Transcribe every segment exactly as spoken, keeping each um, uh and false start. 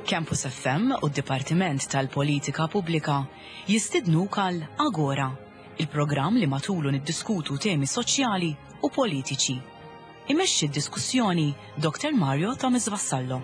Campus F M u d-Dipartiment tal-Politika Pubblika jistidnuk għal Agora, il-programm li matulu niddiskutu temi soċjali u politiċi. Imexxi d-diskussjoni Doktor Mario Thomas Vassallo.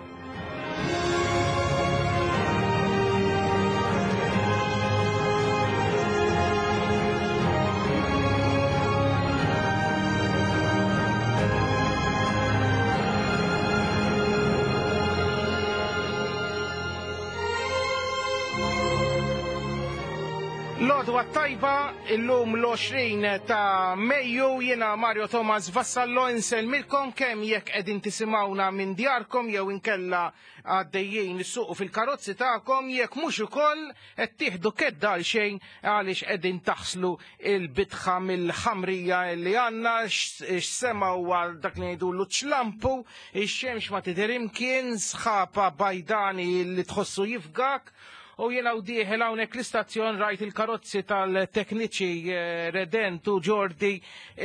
L-għodwa t-tajba, illum l-għoxrin ta' Mejju, jiena Mario Thomas Vassallo insellmilkom kemm jekk qegħdin tisimgħuna minn djarkom jew inkella għaddejjin issuqu fil-karozzi tagħkom, jekk mhux ukoll qed tieħdu kedda għal xejn għaliex qegħdin taħslu il-bitħa mill-ħamrija li għandna, x'sema huwa dak li ngħidulu ċlampu, ix-xemx ma tidher imkien, sħaba bajdani li tħossu jifgak. U jiena u dieħel hawnhekk l-istazzjon rajt il-karozzi tal-tekniċi, eh, Redent u Ġordi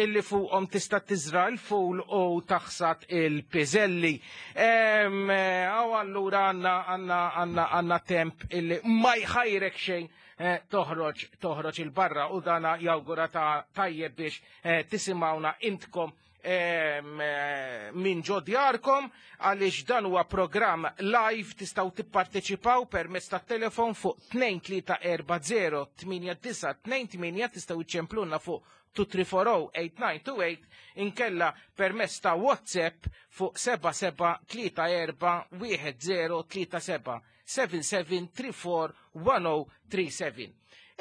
illi fuqhom tista' tiżra l-ful u taħsad il-piżelli. Em, eh, Aw allura għandna għandna għandna għandna temp illi ma jħajrek xejn, eh, toħroġ, toħroġ il-barra u dana jawgura ta' tajjeb biex, eh, tisimgħuna intkom, em, eh, minn ġo djarkom, għaliex dan huwa programm live, tistgħu tipparteċipaw permezz tat-telefon fuq tnejn tlieta erba' zero tmienja disa' tnejn tmienja, tistgħu iċċemplunna fuq two three four oh eight nine two eight, inkella permezz ta' WhatsApp fuq seba' seba' tlieta erba' wieħed zero tlieta seba', seven seven three four one oh three seven.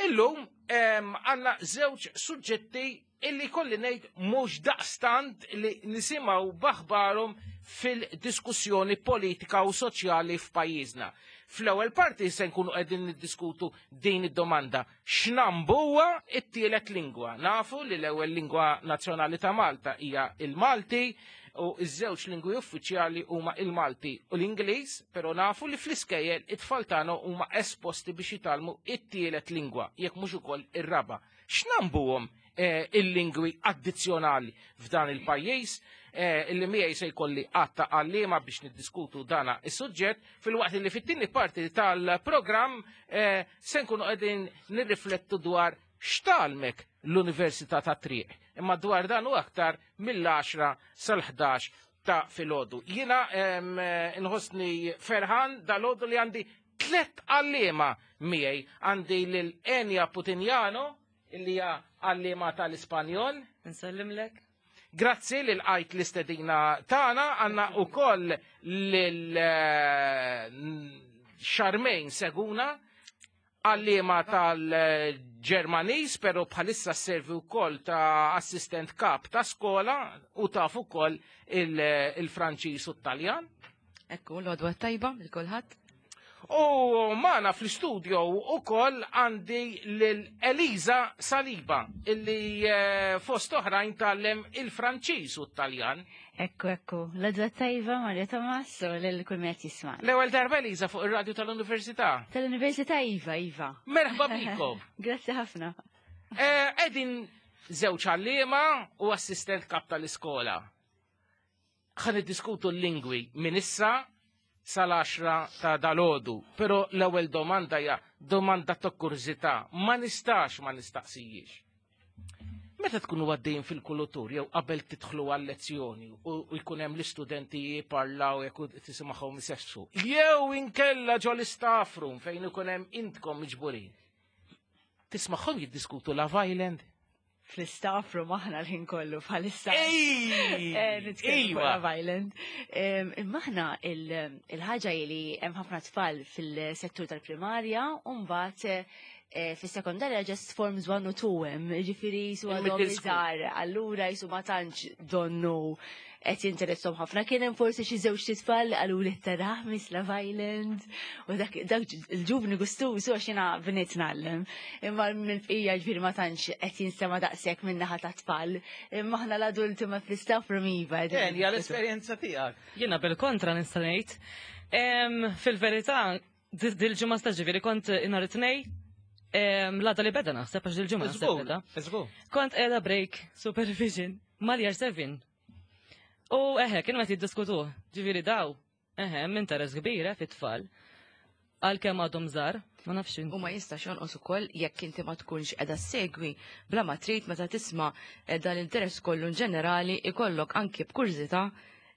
Illum, em, għandna żewġ suġġetti illi kolli ngħid mhux daqstant li nisimgħu b'aħbarhom fil-diskussjoni politika u soċjali f'pajjiżna. Fl-ewwel parti se nkunu qegħdin niddiskutu din id-domanda: x'nambuha t-tielet lingwa? Nafu li l-ewwel lingwa nazzjonali ta' Malta hija il-Malti u ż-żewġ lingwi uffiċjali huma il-Malti u l-Ingliż, però nafu li fl-iskejjel it-tfal tagħna huma esposti biex jitgħallmu it-tielet lingwa, jekk mhux ukoll ir-raba'. X'nambuhom, eh, il-lingwi addizzjonali f'dan il-pajjiż, eh, illi miegħi se jkolli għatta għalliema biex niddiskutu dana is-suġġett, filwaqt li fit-tieni parti tal-programm, eh, se nkunu qegħdin nirriflettu dwar x'talmek l-Università ta' Triq. Imma dwar dan u aktar mill-għaxra sal-ħdax ta' filgħodu. Jiena, em, inħossni ferħan dal-għodu li għandi tliet għalliema miegħi. Għandi lil Enya Putinjano, illi hija għalliema tal-Ispanjol. Nsellimlek. Grazzi lil għajt l-istedina tagħna. Għandna wkoll lil, eh, Charmaine Seguna, għalliema tal-Ġermaniż, però bħalissa servi wkoll ta' assistent kap ta' skola u taf ukoll il-, il-Franċiż u t-Taljan. Ekku, l-għodwa tajba lil kulħadd. U magħna fl-istudio ukoll għandi lil Elisa Saliba, illi, eh, fost oħrajn tgħallem il-Franċiż u t-Taljan. Ekku, ekku, l-għodwa tajba Mario Thomas u lil kull min qed jisma'. L-ewwel darba Elisa fuq ir-radju tal-Università. Tal-Università, iva, iva. Merħba bikom. Grazzi ħafna. Eh, qegħdin żewġ għalliema u assistent kap tal-iskola. Ħa niddiskutu l-lingwi minn issa sal-għaxra ta' dalodu, però l-ewwel domanda hija domanda ta' kurżità, ma nistax ma nistaqsijiex. Meta tkunu għaddejjin fil-kulutur jew qabel tidħlu għal-lezzjoni u, u jkun hemm l-istudenti jiparlaw jekk tisimgħuhom isessu, jew inkella ġo l-istaff room fejn ikun hemm intkom miġburin. Tismagħhom jiddiskutu Love Island? Fl-istaff room aħna l-ħin kollu bħalissa. Ej! Eh, nitkellmu fuq Iva. Love Island. Em, Imma aħna il-, il-ħaġa li hemm ħafna tfal fil-settur tal-primarja u mbagħad, eh, fis-sekondarja just forms one u two hemm, jiġifieri jisu Il-middle għadhom school. iżgħar, allura jisu ma tantx donnu qed jinteressom ħafna. Kien hemm forsi xi żewġ tfal li qalu li taraħ Miss Love Island u dak, dak il-ġuvni gustuż għax jiena bniet ngħallem. Imma mill-bqija ġifieri ma tantx qed jinstema' daqshekk minn naħa ta' tfal. Imma aħna l-adulti ma fl-istaff room iva. Jen, hija l-esperjenza tiegħek. Jiena bil-kontra nista' ngħid. Em, fil-verità, di-, dil-ġimgħa stess ġifieri kont nhar it-Tnejn, em, l-għada li beda naħseb għax dil-ġimgħa naħseb Żgur, beda. żgur. Kont qiegħda break supervision mal-year seven. U eħe, kienu qed jiddiskutuh, ġifieri daw, eħe, hemm interess kbir, eh, fit-tfal. Għalkemm għadhom żgħar, ma nafx U ma jistax jonqos ukoll jekk inti ma tkunx qiegħda ssegwi bla ma trid meta tisma' eh, dal-interess kollu in ġenerali ikollok anki b'kurżità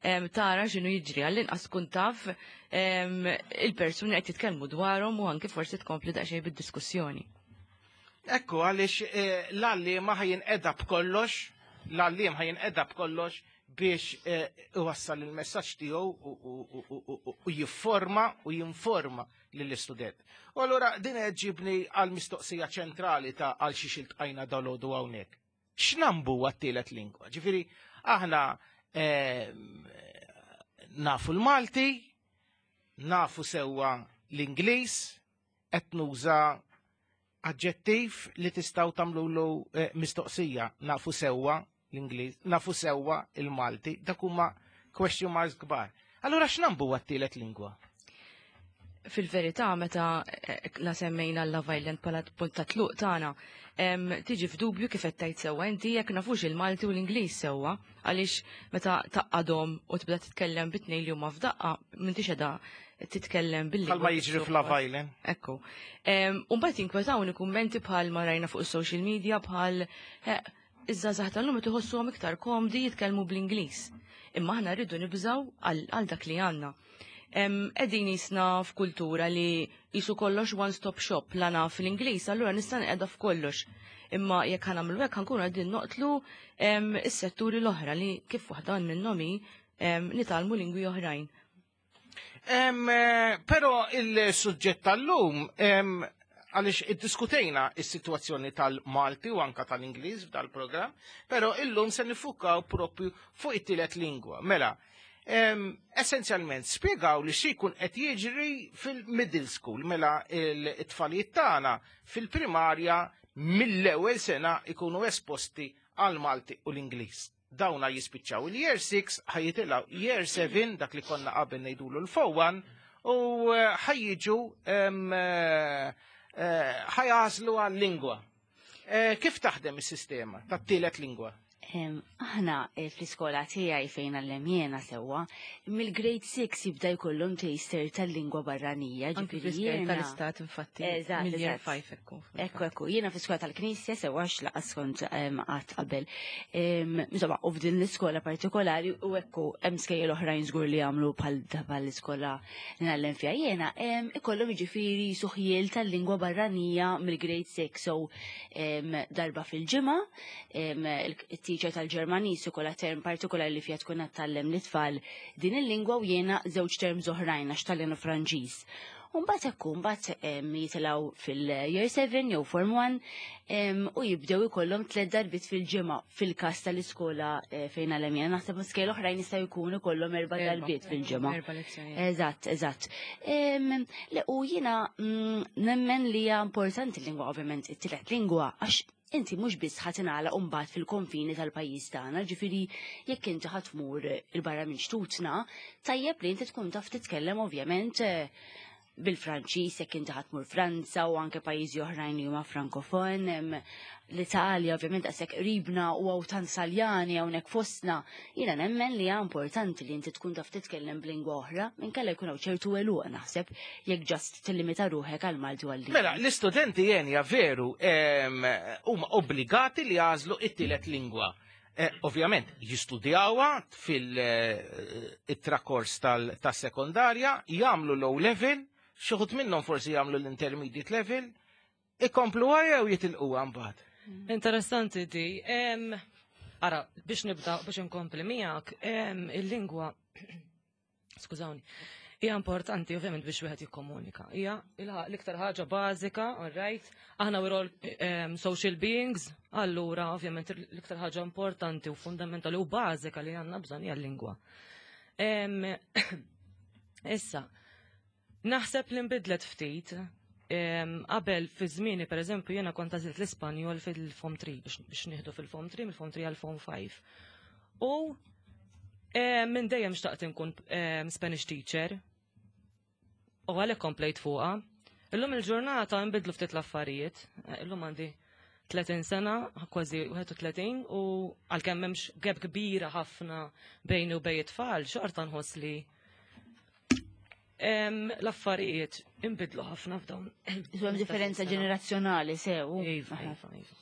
em, tara x'inhu jiġri, għall-inqas tkun taf em, il-persuni qed jitkellmu dwarhom u anki forsi tkompli daqsxejn bid-diskussjoni. Ekku, għaliex eh, l-għalliem ħa jinqeda b'kollox, l-għalliem ħa jinqeda b'kollox biex eh, iwassal il-messaġġ tiegħu u- u- u- u- u- u jifforma u jinforma lill-istudent. U allura din qed ġibni għal mistoqsija ċentrali ta' għal xiex iltqajna dalgħodu hawnhekk. X'nambu għat-tielet lingwa? Ġifieri aħna eh, nafu l-Malti, nafu sewwa l-Ingliż, qed nuża aġġettiv li tistgħu tagħmlulu eh, mistoqsija, nafu sewwa l-Ingliż, nafu sewwa il-Malti, dak huma question marks kbar. Allura x'nambu għat-tielet lingwa? Fil-verità, meta eh, la semmejna l-Love Island bħala punt ta' tluq tagħna, em, tiġi f'dubju kif qed tgħid sewwa inti jekk nafux il-Malti u l-Ingliż sewwa, għaliex meta taqadhom u tibda titkellem bit-tnejn li huma f'daqqa m'intix qiegħda titkellem bil Bħalma jiġri f'Love Island. Ekku. U mbagħad jinkwetawni kummenti bħal ma rajna fuq is-social media bħal eh, iż-żgħażagħ tal-lum qed iħossuhom iktar komdi jitkellmu bl-Ingliż. Imma aħna rridu nibżaw għal għal dak li għandna. Qegħdin jisna f'kultura li jisu kollox one-stop shop, la naf l-Ingliż, allura nista' nqeda f'kollox. Imma jekk ħa nagħmlu hekk, ħa nkunu qegħdin noqtlu em, is-setturi l-oħra li kif waħda minnhom hi em, nitgħallmu lingwi oħrajn. Em, eh, Però il-suġġett tal-lum, em, għaliex iddiskutejna is-sitwazzjoni tal-Malti u anka tal-Ingliż f'dal-programm, però illum se nifukaw propju fuq it-tielet lingwa. Mela, em, essenzjalment spjegaw li xi jkun qed jiġri fil-middle school, mela il-tfalijiet tagħna fil-primarja mill-ewwel sena ikunu esposti għal Malti u l-Ingliż. Dawna jispiċċaw il-year six, ħa jitilgħu year seven, dak li konna qabel ngħidulu l-Form one, u eh, ħa jiġu em, eh, eh, ħa jagħżlu għal-lingwa. Eh, Kif taħdem is-sistema tat-tielet lingwa? Em, Aħna eh, fl-iskola tiegħi fejn għallem jiena sewwa, mill-grade six jibda jkollhom taster tal-lingwa barranija, Anki ġifieri fl-iskejjel jiena- tal-istat infatti, Eżatt, mill-year eżatt. five ekku. Ekku, ekku, jiena fi skola tal-Knisja sewwa, x'laqas kont em, qatt qabel. Em, Insomma, u f'din l-iskola partikolari u ekku hemm skejjel oħrajn żgur li jagħmlu bħal bħal l-iskola li ngħallem fiha jiena, em, ikollhom jiġifieri suħjiel tal-lingwa barranija mill-grade six, so em, darba fil-ġimgħa, em, il-teacher tal-Ġermaniż ikollha term partikolari li fiha tkun qed tgħallem lit-tfal din il-lingwa u jiena żewġ terms oħrajn għax Taljan u Franċiż. Umbagħad ekku, mbagħad em, jitilgħu fil-year seven jew form one em, u jibdew ikollhom tliet darbiet fil-ġimgħa fil-każ tal-iskola eh, fejn għallem jiena. Naħseb skejjel oħrajn jistgħu jkunu ikollhom erba' darbiet fil-ġimgħa. Erba' lezzjonijiet. Eżatt, eżatt. Em, Le, u jiena mm, nemmen li hija importanti l-lingwa, ovvjament, it-tielet lingwa, għax inti mhux biss ħa tingħalaq mbagħad fil-konfini tal-pajjiż tagħna, ġifieri jekk inti ħa tmur il-barra minn xtutna, tajjeb li inti tkun taf titkellem ovvjament eh, bil-Franċiż jekk inti ħa tmur Franza u anke pajjiżi oħrajn li huma frankofon, em, l-Italja ovvjament għasek qribna u hawn tant Taljani hawnhekk fostna. Jiena nemmen li hija importanti li inti tkun taf titkellem b'lingwa oħra, minkella jkun hawn ċertu għeluq naħseb jekk just tillimita ruħek għal Malti u għal Mela, l-istudenti jenja veru em, huma obbligati li jagħżlu it-tielet lingwa. Eh, ovvjament, jistudjawha fil-trakors tas-sekondarja, jagħmlu l-O level, xi wħud minnhom forsi jagħmlu l-intermediate level, ikompluha jew jitilquha mbagħad. Interessanti di. Em, Ara, biex nibda, biex inkompli miegħek, em, il-lingwa, skużawni, hija importanti ovvjament biex wieħed jikkomunika. Hija il- l-iktar ħaġa bażika, all right? Aħna we're all em, social beings, allura ovvjament l-iktar ħaġa importanti u fundamentali u bażika li għandna bżonn hija l-lingwa. Em, Issa, naħseb li nbidlet ftit. Em, Qabel fi żmieni, per eżempju, jiena kont għażilt l-Ispanjol fil-Form three biex biex nieħdu fil-Form three, mill-Form three għal Form five. U em, minn dejjem xtaqt inkun em, Spanish teacher. U għalhekk komplejt fuqha. Illum il-ġurnata nbidlu ftit l-affarijiet. Eh, Illum għandi tletin sena, kważi wieħed u tletin, u għalkemm m'hemmx gap kbira ħafna bejni u bejn it-tfal, xorta nħoss li Em, L-affarijiet inbidlu ħafna f'dawn. Hemm differenza ġenerazzjonali sew. Iva, iva, iva.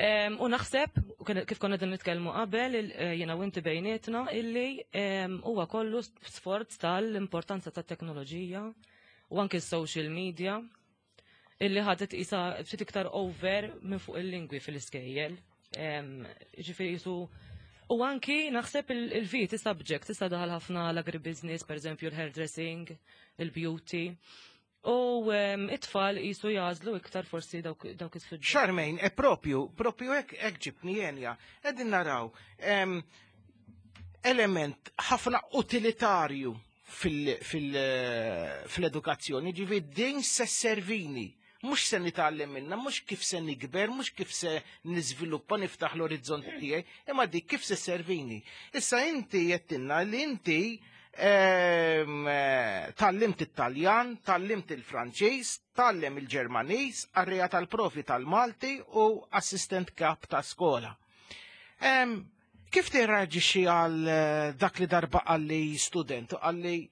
Em, U naħseb, u kien- kif konna din nitkellmu qabel, il- eh, jiena u inti bejnietna, illi em, huwa kollu sforz tal-importanza tat-teknoloġija u anke s-social media illi ħadet isa ftit iktar over minn fuq il-lingwi fil-iskejjel. Em, Ġifieri jisu U anki naħseb il-V E subject issa daħal ħafna l-agribusiness, per eżempju l-hairdressing, il-beauty. U em, it-tfal jisu jagħżlu iktar forsi dawk dawk is-suġġetti. Charmaine, e propju, propju hekk hekk ġibni jenja, qegħdin naraw em, element ħafna utilitarju fil-edukazzjoni, ġifi din se servini. Mhux se nitgħallem minna, mhux kif se nikber, mhux kif se niżviluppa, niftaħ l-orizzont tiegħi, imma dik kif se servini. Issa inti jettinna li inti em, eh, tgħallimt it-Taljan, tgħallimt il-Franċiż, tgħallem il-Ġermaniż, qarrija tal-profi tal-Malti u assistent kap ta' skola. Em, Kif tirreaġixxi għal eh, dak li darba qalli student, qalli: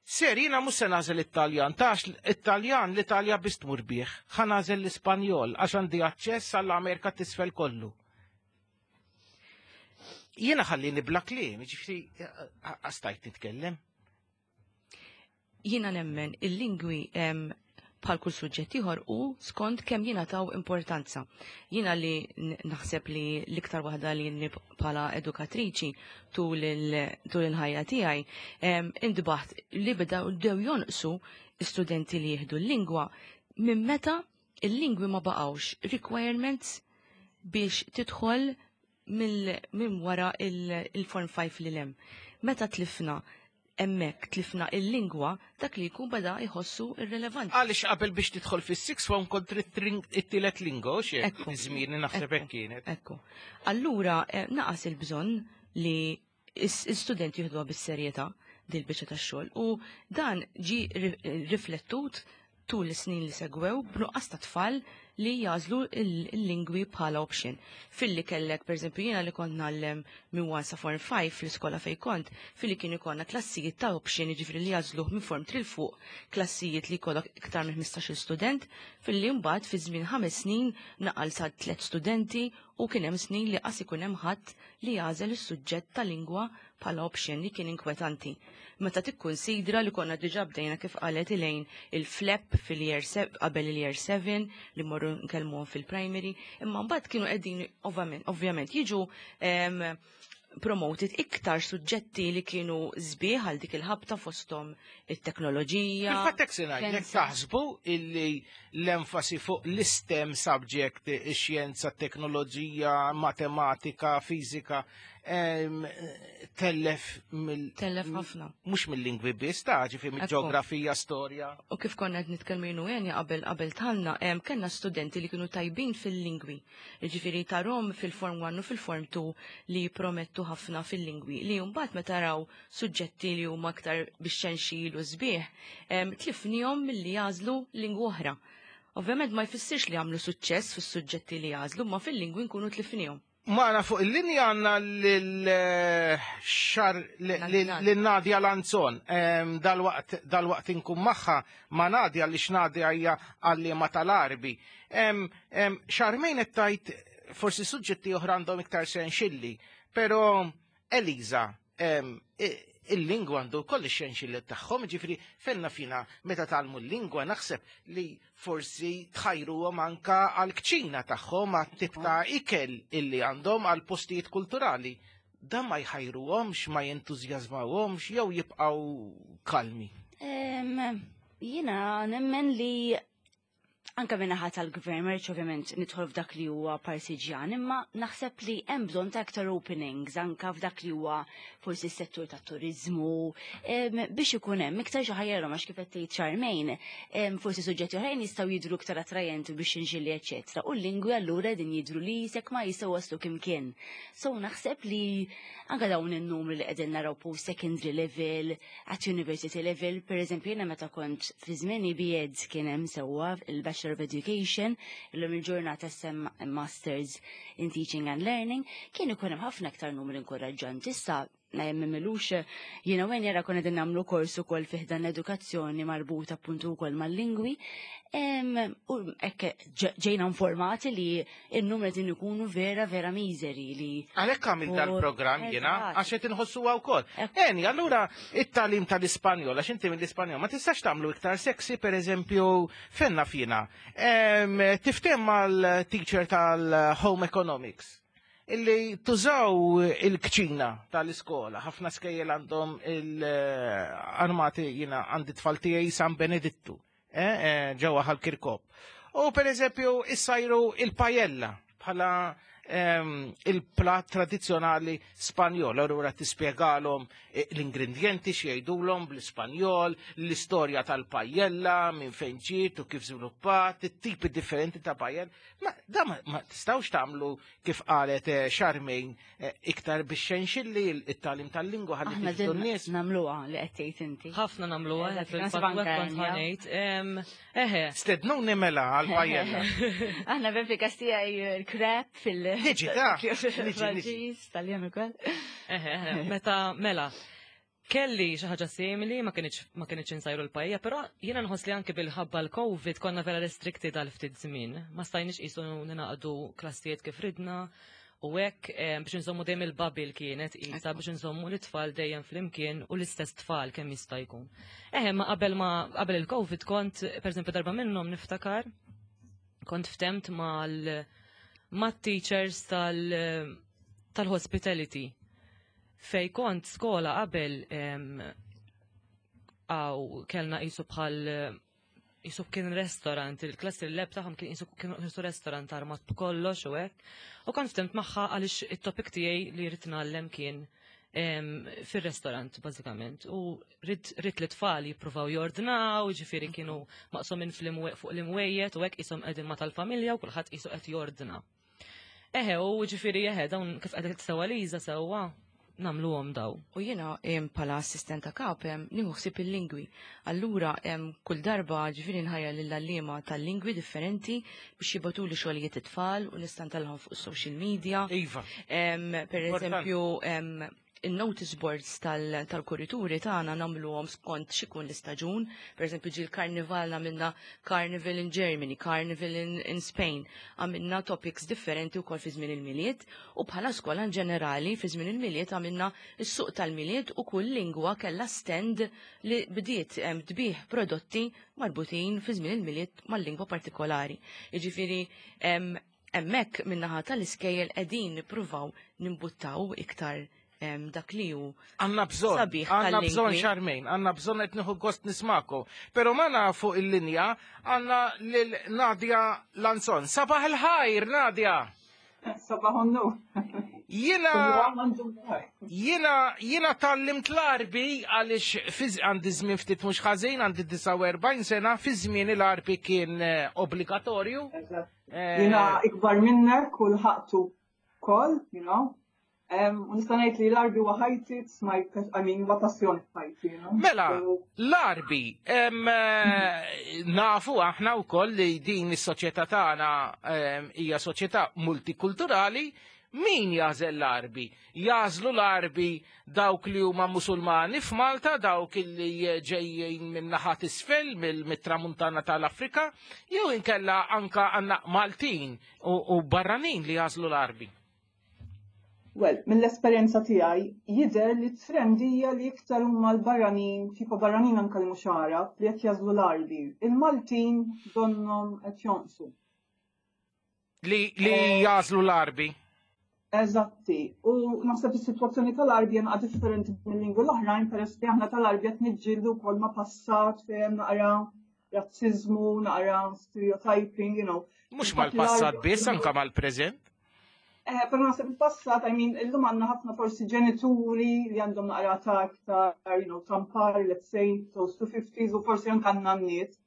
"Sir, jiena mhux se nagħżel it-Taljan, għax it-Taljan l-Italja biss tmur bih, ħa nagħżel l-Ispanjol għax għandi aċċess għall-Amerika t'isfel kollu"? Jiena ħallini bla kliem, ġifieri għastajt nitkellem. Jiena nemmen il-lingwi em, bħal kull suġġett ieħor u skont kemm jingħataw importanza. Jiena li n- naħseb li l-iktar waħda li nib bħala edukatriċi tul il- tul il-ħajja tiegħi em, intbaħt li bdew bdew jonqsu studenti li jieħdu l-lingwa minn meta il-lingwi ma baqgħux requirements biex tidħol minn wara il-Form five li lem. Meta tlifna hemmhekk, tlifna il-lingwa, dak li jkun beda jħossu irrelevanti. Għaliex qabel biex tidħol fis-sixth form kont trid it-tielet lingwa, xie Ekku. Żmieni naħseb Ekku. hekk kienet. Ekku. Allura, eh, naqas il-bżonn li is-studenti jieħduha bis-serjetà dil-biċċa tax-xogħol u dan ġi ri- riflettut tul is-snin li segwew b'nuqqas ta' tfal li jagħżlu il-lingwi bħala option. Filli kellek, per eżempju, jiena li kont ngħallem minn one sa Form five fl-iskola fej kont, filli kien ikollna klassijiet ta' option, jiġifieri li jagħżluh minn Form three 'l fuq, klassijiet li jkollok iktar minn ħmistax-il student, filli mbagħad fi żmien ħames snin naqal sa tliet studenti u kien hemm snin li qas ikun hemm ħadd li jagħżel is-suġġett ta' lingwa bħala option, li kien inkwetanti. Meta tikkunsidra li konna diġà bdejna, kif qalet Elaine, il-FLEP fil-year qabel il-year seven li morru nkellmuhom fil-primary, imma mbagħad kienu qegħdin ovvjament ovvjament jiġu em, promoted iktar suġġetti li kienu sbieħ għal dik il-ħabta, fosthom it-teknoloġija. Fil-fatt hekk se ngħid, jekk taħsbu illi l-enfasi fuq l-STEM subject, ix-xjenza, teknoloġija, matematika, fiżika, em, tellef mill Tellef ħafna. Mhux mill-lingwi biss, ta' ġifi mill-ġeografija, storja. U kif konna qed nitkellmu jien u Enja qabel qabel tħanna, em, kellna studenti li kienu tajbin fil-lingwi. Ġifieri tarahom fil-Form one u fil-Form two li promettu ħafna fil-lingwi. Li mbagħad meta raw suġġetti li huma aktar biex xenxil u sbieħ, em, tlifnihom milli jagħżlu lingwa oħra. Ovvjament ma jfissirx li għamlu suċċess fis-suġġetti li jagħżlu, ma fil-lingwi nkunu tlifnihom. Magħna fuq il-linja għandna l-xar l-Nadia Lanzon. Em, Dal-waqt dal-waqt inkun magħha ma' Nadia li x'Nadia hija għalliema tal-Għarbi. Em, em, Charmaine qed tgħid forsi suġġetti oħra għandhom iktar senxilli, però Eliza, em, i- il-lingwa għandu koll ix-xenxilli tagħhom, ġifieri fenna fina meta tgħallmu l-lingwa naħseb li forsi tħajruhom anka għal-kċina tagħhom, għat-tip ta' ikel illi għandhom, għal postijiet kulturali. Dan ma jħajruhomx, ma jentużjażmawhomx jew jibqgħu kalmi? Em, Jiena nemmen li anka min-naħa tal-gvern, ma rridx ovvjament nidħol f'dak li huwa partiġjan, imma naħseb li hemm bżonn ta' aktar openings anka f'dak li huwa forsi s-settur tat-turizmu, em, biex ikun hemm iktar xi ħajjarhom, għax kif qed tgħid Charmaine, em, forsi suġġetti oħrajn jistgħu jidhru iktar attrajenti biex inġili eċetera. U l-lingwi allura din jidhru li jisek ma jistgħu waslu kimkien. So naħseb li anka dawn in-numri li qegħdin naraw post secondary level, at university level, per eżempju jiena meta kont fi żmieni B Ed kien hemm sewwa il-Bachelor of Education, illum il-ġurnata sem Masters in Teaching and Learning, kien ikun hemm ħafna aktar numri inkoraġġanti. Issa M'ilux jiena u jara konna din nagħmlu kors ukoll fih dan l-edukazzjoni marbuta appuntu wkoll mal-lingwi. U hekk ġejna informati li n-numri din ikunu vera vera miżeri li. Għalhekk għamil dal-programm jiena, għax qed inħossuha wkoll. Eni, allura it-tagħlim tal-Ispanjol, għax inti mill-Ispanjol, ma tistax tagħmlu iktar sexy, pereżempju, fenna fina. Tiftem mal-teacher tal-Home Economics illi tużaw il-kċina tal-iskola. Ħafna skejjel għandhom il-armati, jiena għandi tfal tiegħi San Benedittu, ġewwa Ħal Kirkop. U per eżempju, issajru il-pajella bħala il-plat tradizjonali Spanjol. Allura tispjegalhom l-ingredienti x'jgħidulhom bl-Ispanjol, l-istorja tal-pajella, minn fejn ġiet u kif żviluppat, it-tipi differenti ta' pajella. Ma da ma tistgħux tagħmlu kif qalet Charmaine iktar biex xenxilli it-tagħlim tal-lingwa ħalli tiġdu n-nies. Nagħmluha li qed tgħid inti. Ħafna nagħmluha fil-fatt kont ħanejt. Eħe. Stednuni mela għall-pajella. Aħna ben fil-Kastija il-krep fil- Niġi, ta' Franċiż, Taljan ukoll. Eħe, meta mela. Kelli xi ħaġa simili, ma kienx ma kienx insajru l-pajja, però jiena nħoss li anke bil-ħabba l-Covid konna vera restricted għal ftit żmien. Ma stajniex qisu ninaqdu klassijiet kif ridna u hekk biex nżommu dejjem il-bubble kienet qisha biex nżommu l-tfal dejjem flimkien u l-istess tfal kemm jista' jkun. Eħe, ma qabel ma qabel il-Covid kont, pereżempju darba minnhom niftakar, kont ftemt mal ma' teachers tal-hospitality. Fej kont skola qabel għaw kellna qisu bħal qisu kien restaurant, il-klassi l-lab tagħhom kien qisu kien qisu restaurant armat b'kollox u hekk. U kont ftemt magħha għaliex it-topic tiegħi li rrid ngħallem kien fir-restaurant bażikament. U rrid li tfal jippruvaw jordnaw, ġifieri kienu maqsumin fuq l-imwejjed u hekk qishom qegħdin ma' tal-familja u kulħadd qisu qed jordna. Eħe, u ġifieri eħe, dawn kif qed sewa Liża sewwa nagħmluhom daw. U jiena bħala assistenta kap nieħu ħsieb il-lingwi. Allura kull darba ġifieri nħajja lill-għalliema tal-lingwi differenti biex jibgħatuli xogħlijiet it-tfal u nista' ntellgħhom fuq social media. Iva. Per eżempju, il-notice boards tal-kurituri tagħna nagħmluhom skont x'ikun l-istaġun. Per eżempju, ġie l-karnival għamilna Carnival in Germany, Carnival in, in Spain. Għamilna topics differenti wkoll fi żmien il-Milied u bħala skola in ġenerali fi żmien il-Milied għamilna s-suq tal-Milied u kull lingwa kellha stand li bdiet tbih prodotti marbutin fi żmien il-Milied mal-lingwa partikolari. Jiġifieri hemmhekk min-naħa tal-iskejjel qegħdin nippruvaw nimbuttaw iktar dak li hu Għandna bżonn, għandna bżonn Charmaine, għandna bżonn qed nieħu gost nismakom. Però magħna fuq il-linja għandna lil Nadia Lanzon. Sabaħ il-ħajr, Nadia! Sabaħ an-nur. Jiena jiena jiena tgħallimt l-Għarbi għaliex għandi żmien ftit mhux ħażin, għandi disgħa u erbgħin sena, fi żmien il-Għarbi kien obbligatorju. Jiena ikbar minnek u lħaqtu wkoll, you know. U nista' ngħid li l-Għarbi huwa ħajti, it's my, I mean, huwa passjoni f'ħajti, you know. Mela, l-Għarbi, nafu aħna wkoll li din is-soċjetà tagħna hija soċjetà multikulturali. Min jażel l-Għarbi? Jażlu l-Għarbi dawk li huma Musulmani f'Malta, dawk li ġejjin minn naħat isfel, mit-tramuntana tal-Afrika, jew inkella anka għandna Maltin u barranin li jażlu l-Għarbi? Well, mill-esperjenza tiegħi jidher li t-trend hija li iktar huma l-barranin, tipo barranin anke li mhux Għarab, li qed jażlu l-Għarbi. Il-Maltin donnhom qed jonqsu. Li, li jażlu l-Għarbi? Eżatti. U naħseb is-sitwazzjoni tal-Għarbi hija differenti mill-lingwi l-oħrajn peress li aħna tal-Għarbi qed niġġieldu wkoll ma' passat fejn naqra razziżmu, naqra stereotyping, you know. Mhux mal-passat biss, anke mal-preżent. Eh, però naħseb il-passat, I mean, illum għandna ħafna forsi ġenituri li għandhom naqra ta' iktar, you know, tampar, let's say, close to fifties, u forsi anke għandna n-nies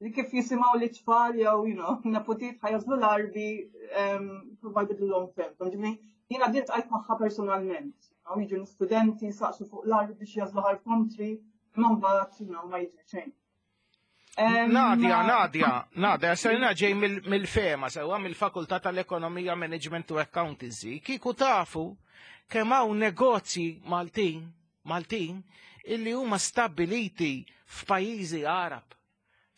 li kif jisimgħu li tfal jew, you know, nepotiet ħa jagħżlu l-Għarbi, provaw jbidlulhom fehmthom. Ġifieri, jiena din ltqajt magħha personalment. Jiġu studenti saqsu fuq l-Għarbi biex jagħżlu ħar kontri, imma mbagħad, you know, ma jiġri xejn. Nadia, Nadia, Nadia, sarina ġej mill-FEMA, sewa mill-Fakultà tal-Ekonomija, Management u Accountancy. Kieku tafu kemm hawn negozji Maltin, Maltin, illi huma stabiliti f'pajjiżi Għarab.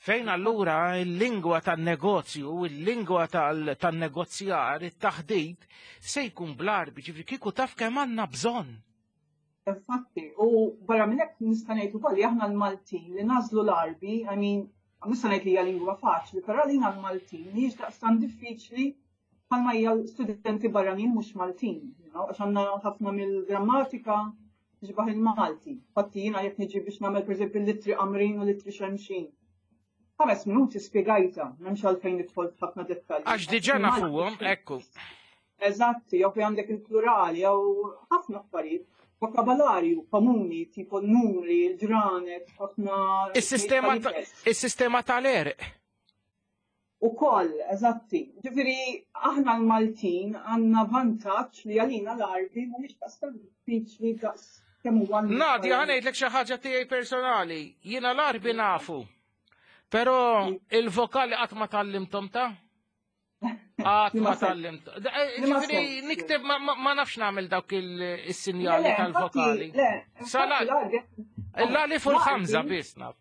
Fejn allura il-lingwa tan-negozju, il-lingwa tan-negozjar, it-taħdid, se jkun bl-Għarbi, ġifieri kieku taf kemm għandna bżonn. Infatti, u barra minn hekk nista' ngħid ukoll li aħna l-Maltin li nagħżlu l-Għarbi, I mean, nista' ngħid li hija lingwa faċli, però lina l-Maltin mhijiex daqstant diffiċli bħalma hija studenti barranin mhux Maltin, you know, għax għandna ħafna mill-grammatika tixbaħ il-Malti. Infatti jiena jekk niġi biex nagħmel pereżempju l-ittri qamrin u l-ittri xemxin. Ħames minuti spjegajta, m'hemmx għalfejn nidħol f'ħafna dettalji. Għax diġà nafuhom, ekku. Eżatti, jew fejn għandek il-plurali, jew ħafna affarijiet. Vokabolarju komuni, tipo numri, il-ġranet, ħafna. Is-sistema is-sistema tal-għerq. Ukoll, eżatti. Ġifieri, aħna l-Maltin għandna vantaġġ li għalina l-Għarbi mhumiex daqstant diffiċli daqs kemm huwa. Nadia, ħa ngħidlek xi ħaġa tiegħi personali. Jiena l-Għarbi nafu. Però il-vokali qatt ma tgħallimthom ta' Qatt ma tgħallimt. Ġifieri nikteb ma nafx nagħmel dawk is-sinjali tal-vokali. Salat. L-alif u l-ħamża biss naf.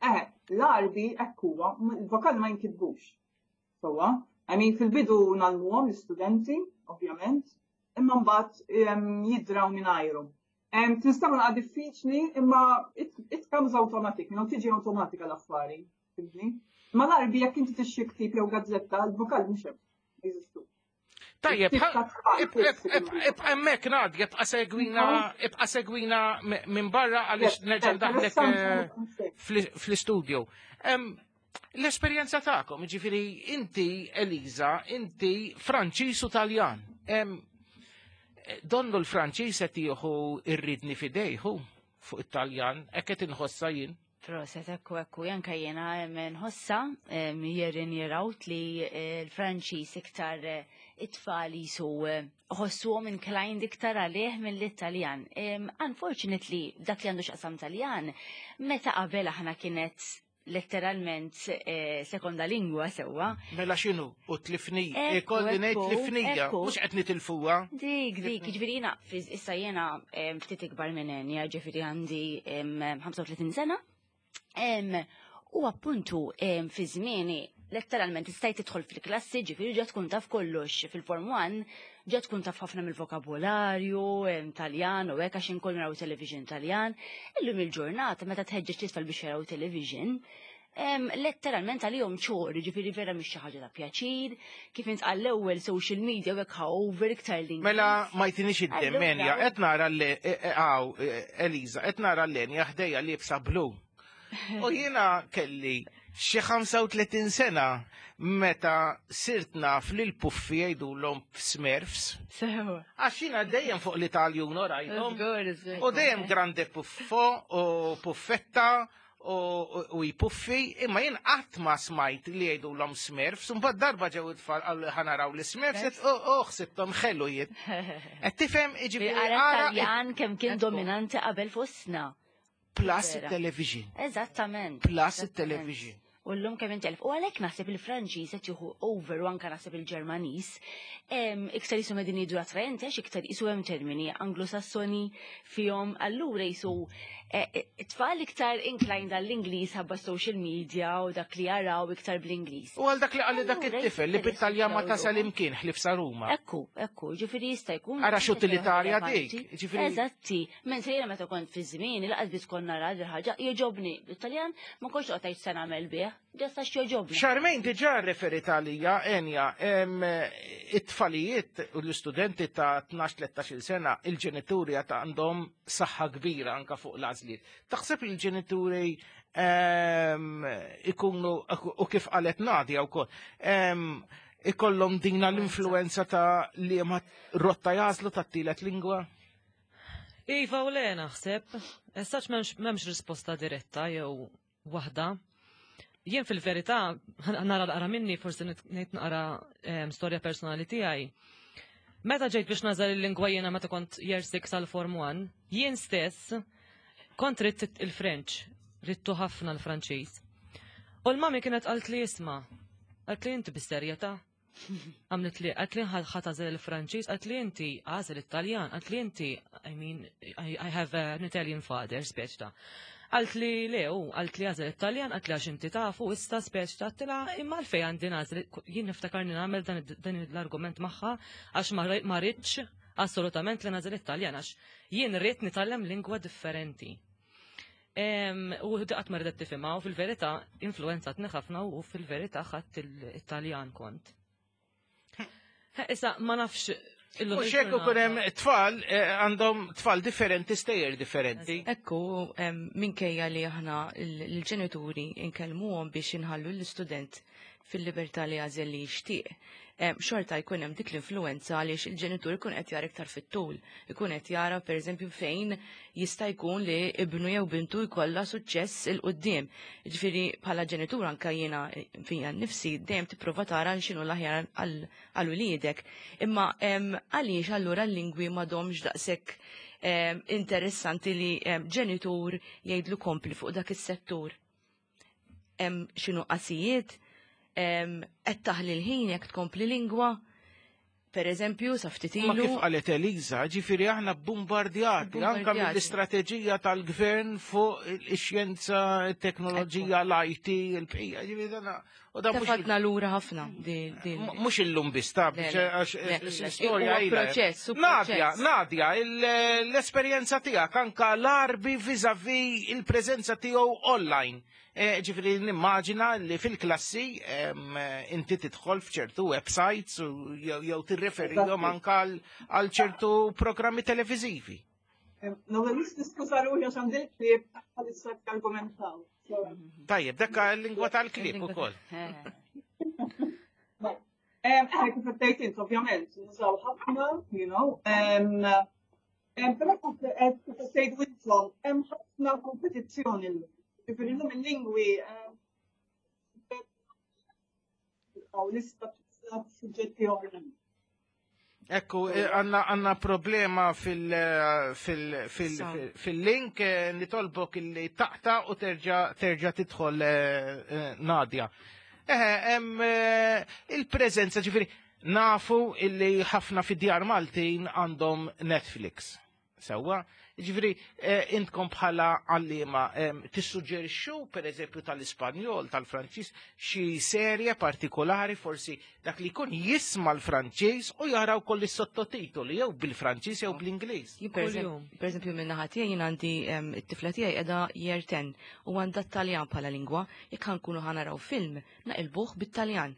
Eh, l-Għarbi hekk huwa, il-vokali ma jinkitbux. Sewwa, I mean fil-bidu ngħallmuhom l-istudenti, ovvjament, imma mbagħad jidraw mingħajrhom. Tinstema' naqra diffiċli, imma it, it comes automatic, you know, tiġi automatika l-affari, fhimtni? Ma l-Għarbi jekk inti tixtri ktib jew gazzetta, l-vokali mhux hemm, jeżistu. Tajjeb, ibqa' hemmhekk Nadia, ibqa' segwina, ibqa' segwina minn barra għaliex nerġa' ndaħlek fl-istudio. L-esperjenza tagħkom, ġifieri inti Eliza, inti Franċiż u Taljan. Donnu l-Franċiż qed jieħu ir-riedni f'idejh fuq it-Taljan, hekk qed inħossa jien. Proset, ekku, ekku, anka jiena nħossa year in year out li l-Franċiż iktar it-tfal jisu ħossuhom inclined iktar għalih mill-Italjan. Unfortunately, dak li għandu x'jaqsam Taljan, meta qabel aħna kienet letteralment sekonda lingwa sewwa. Mela x'inhu? U tlifnija. Ikolli ngħid tlifnija, mhux qed nitilfuha. Dik, dik, ġifieri jiena issa jiena ftit ikbar minn Enja, ġifieri għandi ħamsa u tletin sena. U appuntu fi żmieni letteralment istajt tidħol fil-klassi, ġifieri ġa tkun taf kollox fil-Form one, ġa tkun taf ħafna mill-vokabolarju, Taljan u hekk għax inkun naraw television Taljan. Illum il-ġurnata meta tħeġġeġ titfal biex jaraw television, letteralment għalihom chore, ġifieri vera mhix xi ħaġa ta' pjaċir, kif intqal l-ewwel social media u hekk over iktar l Mela ma jtinix id-demenja, qed nara l Eliza, qed nara l-Enja ħdejja liebsa blu. U jiena kelli xi ħamsa u tletin sena meta sirt naf li l-puffi jgħidulhom Smurfs. Sewa. Għax jiena dejjem fuq l-Italjon rajthom. U dejjem grande puffo u puffetta u jpuffi, imma jien qatt ma smajt li jgħidulhom Smurfs, mbagħad darba ġew it-tfal qalu ħa naraw li Smurfs, u ħsibthom ħelu jien. Qed tifhem, jiġifieri Taljan kemm kien dominanti qabel fostna. Plus il-television. Eżattament. Plus il-television. U l-lum kemm intelf. U għalhekk naħseb il-Franċiż qed jieħu over u anke naħseb il-Ġermaniż. Iktar jisu medin jidru attraenti għax iktar jisu hemm termini Anglosassoni fihom, allura jisu e, e, tfal iktar inclined għall-Ingliż ħabba social media u dak li jaraw iktar bl-Ingliż. U għal dak li għalli dak it-tifel li bit-Taljan ma tasal imkien ħlief sa Ruma. Ekku, ekku, ġifieri jista' jkun. Ara x'utilitarja dik. Ġifieri. Eżatti, mentre jiena meta kont fi żmien il-qas biss konna nara ħaġa jogħġobni bit-Taljan, ma kontx qgħod se nagħmel bih. Ġasta x'jogħġobni. Charmaine diġà referit għalija, Enja, it-tfalijiet u l-istudenti ta' tnax tlettax-il sena, il-ġenituri għat għandhom saħħa kbira anka fuq l-għażliet. Taħseb il-ġenituri ikunu, u kif qalet Nadia wkoll, ikollhom dina l-influenza ta' li ma rotta jagħżlu ta' tielet lingwa? Iva u le naħseb, essaċ m'hemmx risposta diretta jew waħda. Jien fil-verità, nara naqra minni, forsi ngħid naqra storja personali tiegħi. Meta ġejt biex nagħżel il-lingwa jiena meta kont year six għal Form one, jien stess kont ridt il-French, ridtu ħafna l-Franċiż. U l-mami kienet qalt li isma', qalt li inti bis-serjetà. Għamlet li, għedtli ħa tagħżel il-Franċiż, għedtli inti għażel it-Taljan, għedtli inti, I mean, I, I have an Italian father, speċi ta'. Qaltli le, u qaltli għażel it-Taljan, qaltli għax inti tafu, issa speċi ta' għedtilha imma għalfejn għandi nagħżel, jien niftakarni nagħmel dan, dan l-argument magħha għax ma rridx assolutament li nagħżel it-Taljan għax jien rrid nitgħallem lingwa differenti. U daqat ma ridet tifhimha u fil-verità influenzatni ħafna u fil-verità ħadt it-Taljan kont. Issa ma nafx. U xekku kunem tfal għandhom tfal differenti, stejjer differenti. Ekku, minkejja li aħna l-ġenituri nkellmuhom biex inħallu l-istudent fil-libertà li jagħżel li jixtieq. Xorta jkun hemm dik l-influenza għaliex il-ġenitur ikun qed jara iktar fit-tul, ikun qed jara pereżempju fejn jista' jkun li ibnu jew bintu jkollha suċċess il quddiem. Ġifieri bħala ġenitur anke jiena fija nnifsi dejjem tipprova tara x'inhu l-aħjar għal uliedek. Imma għaliex allura l-lingwi m'għadhomx daqshekk interessanti li ġenitur jgħidlu kompli fuq dak is-settur. Hemm xi nuqqasijiet? Qed taħli l-ħin jekk tkompli lingwa, per eżempju, sa ftit ilu. Ma kif qalet Eliza, ġifieri aħna bombardjati anke mill-istrateġija tal-gvern fuq ix-xjenza, it-teknoloġija, l-I T, il-bqija, ġifieri dan u dan mhux Tefatna lura ħafna. Mhux illum biss ta' għax l-istorja ilha. Proċess, Nadja, Nadja, l-esperjenza tiegħek anke l-Għarbi vis-à-vis il-preżenza tiegħu online. Ġifieri nimmaġina li fil-klassi inti tidħol f'ċertu websites jew tirreferihom anke għal ċertu programmi televiżivi. L-ewwel niskuża ruħi għax għandi l-klieb bħalissa argumentaw. Tajjeb, dakka l-lingwa tal-klieb ukoll. Eh, kif qed tgħid int, ovvjament, nużaw ħafna, you know, però kif qed tgħidu intom, hemm ħafna kompetizzjoni llum. Ġifieri llum il-lingwi għaw lista suġġetti oħra. Ekku, għanna problema fil-link, nitolbok illi taqta u terġa tidħol Nadja. Eħe, il-preżenza, ġifieri, nafu illi ħafna fid-djar Maltin għandhom Netflix. Sewwa, ġifieri, intkom bħala għalliema tissuġġerixxu per eżempju tal-Ispanjol, tal-Franċiż, xi serje partikolari forsi dak li jkun jisma' l-Franċiż u jara wkoll is-sottotitoli jew bil-Franċiż jew bl-Ingliż. Per eżempju minn naħa tiegħi jien għandi t-tifla tiegħi qiegħda year ten u għandha t-Taljan bħala lingwa, jekk ħankunu ħanaraw film naqilbuh bit-Taljan.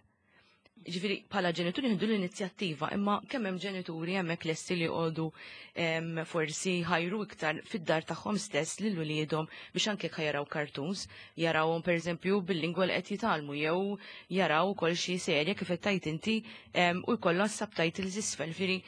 Ġifieri bħala ġenituri nieħdu l-inizjattiva, imma kemm hemm ġenituri hemmhekk lesti li jqogħdu forsi ħajru iktar fid-dar tagħhom stess lil uliedhom biex anke jekk jaraw cartoons, jarawhom pereżempju bil-lingwa li qed jitgħallmu jew jaraw ukoll xi serje kif qed tgħid inti u jkollha subtitles isfel. Ġifieri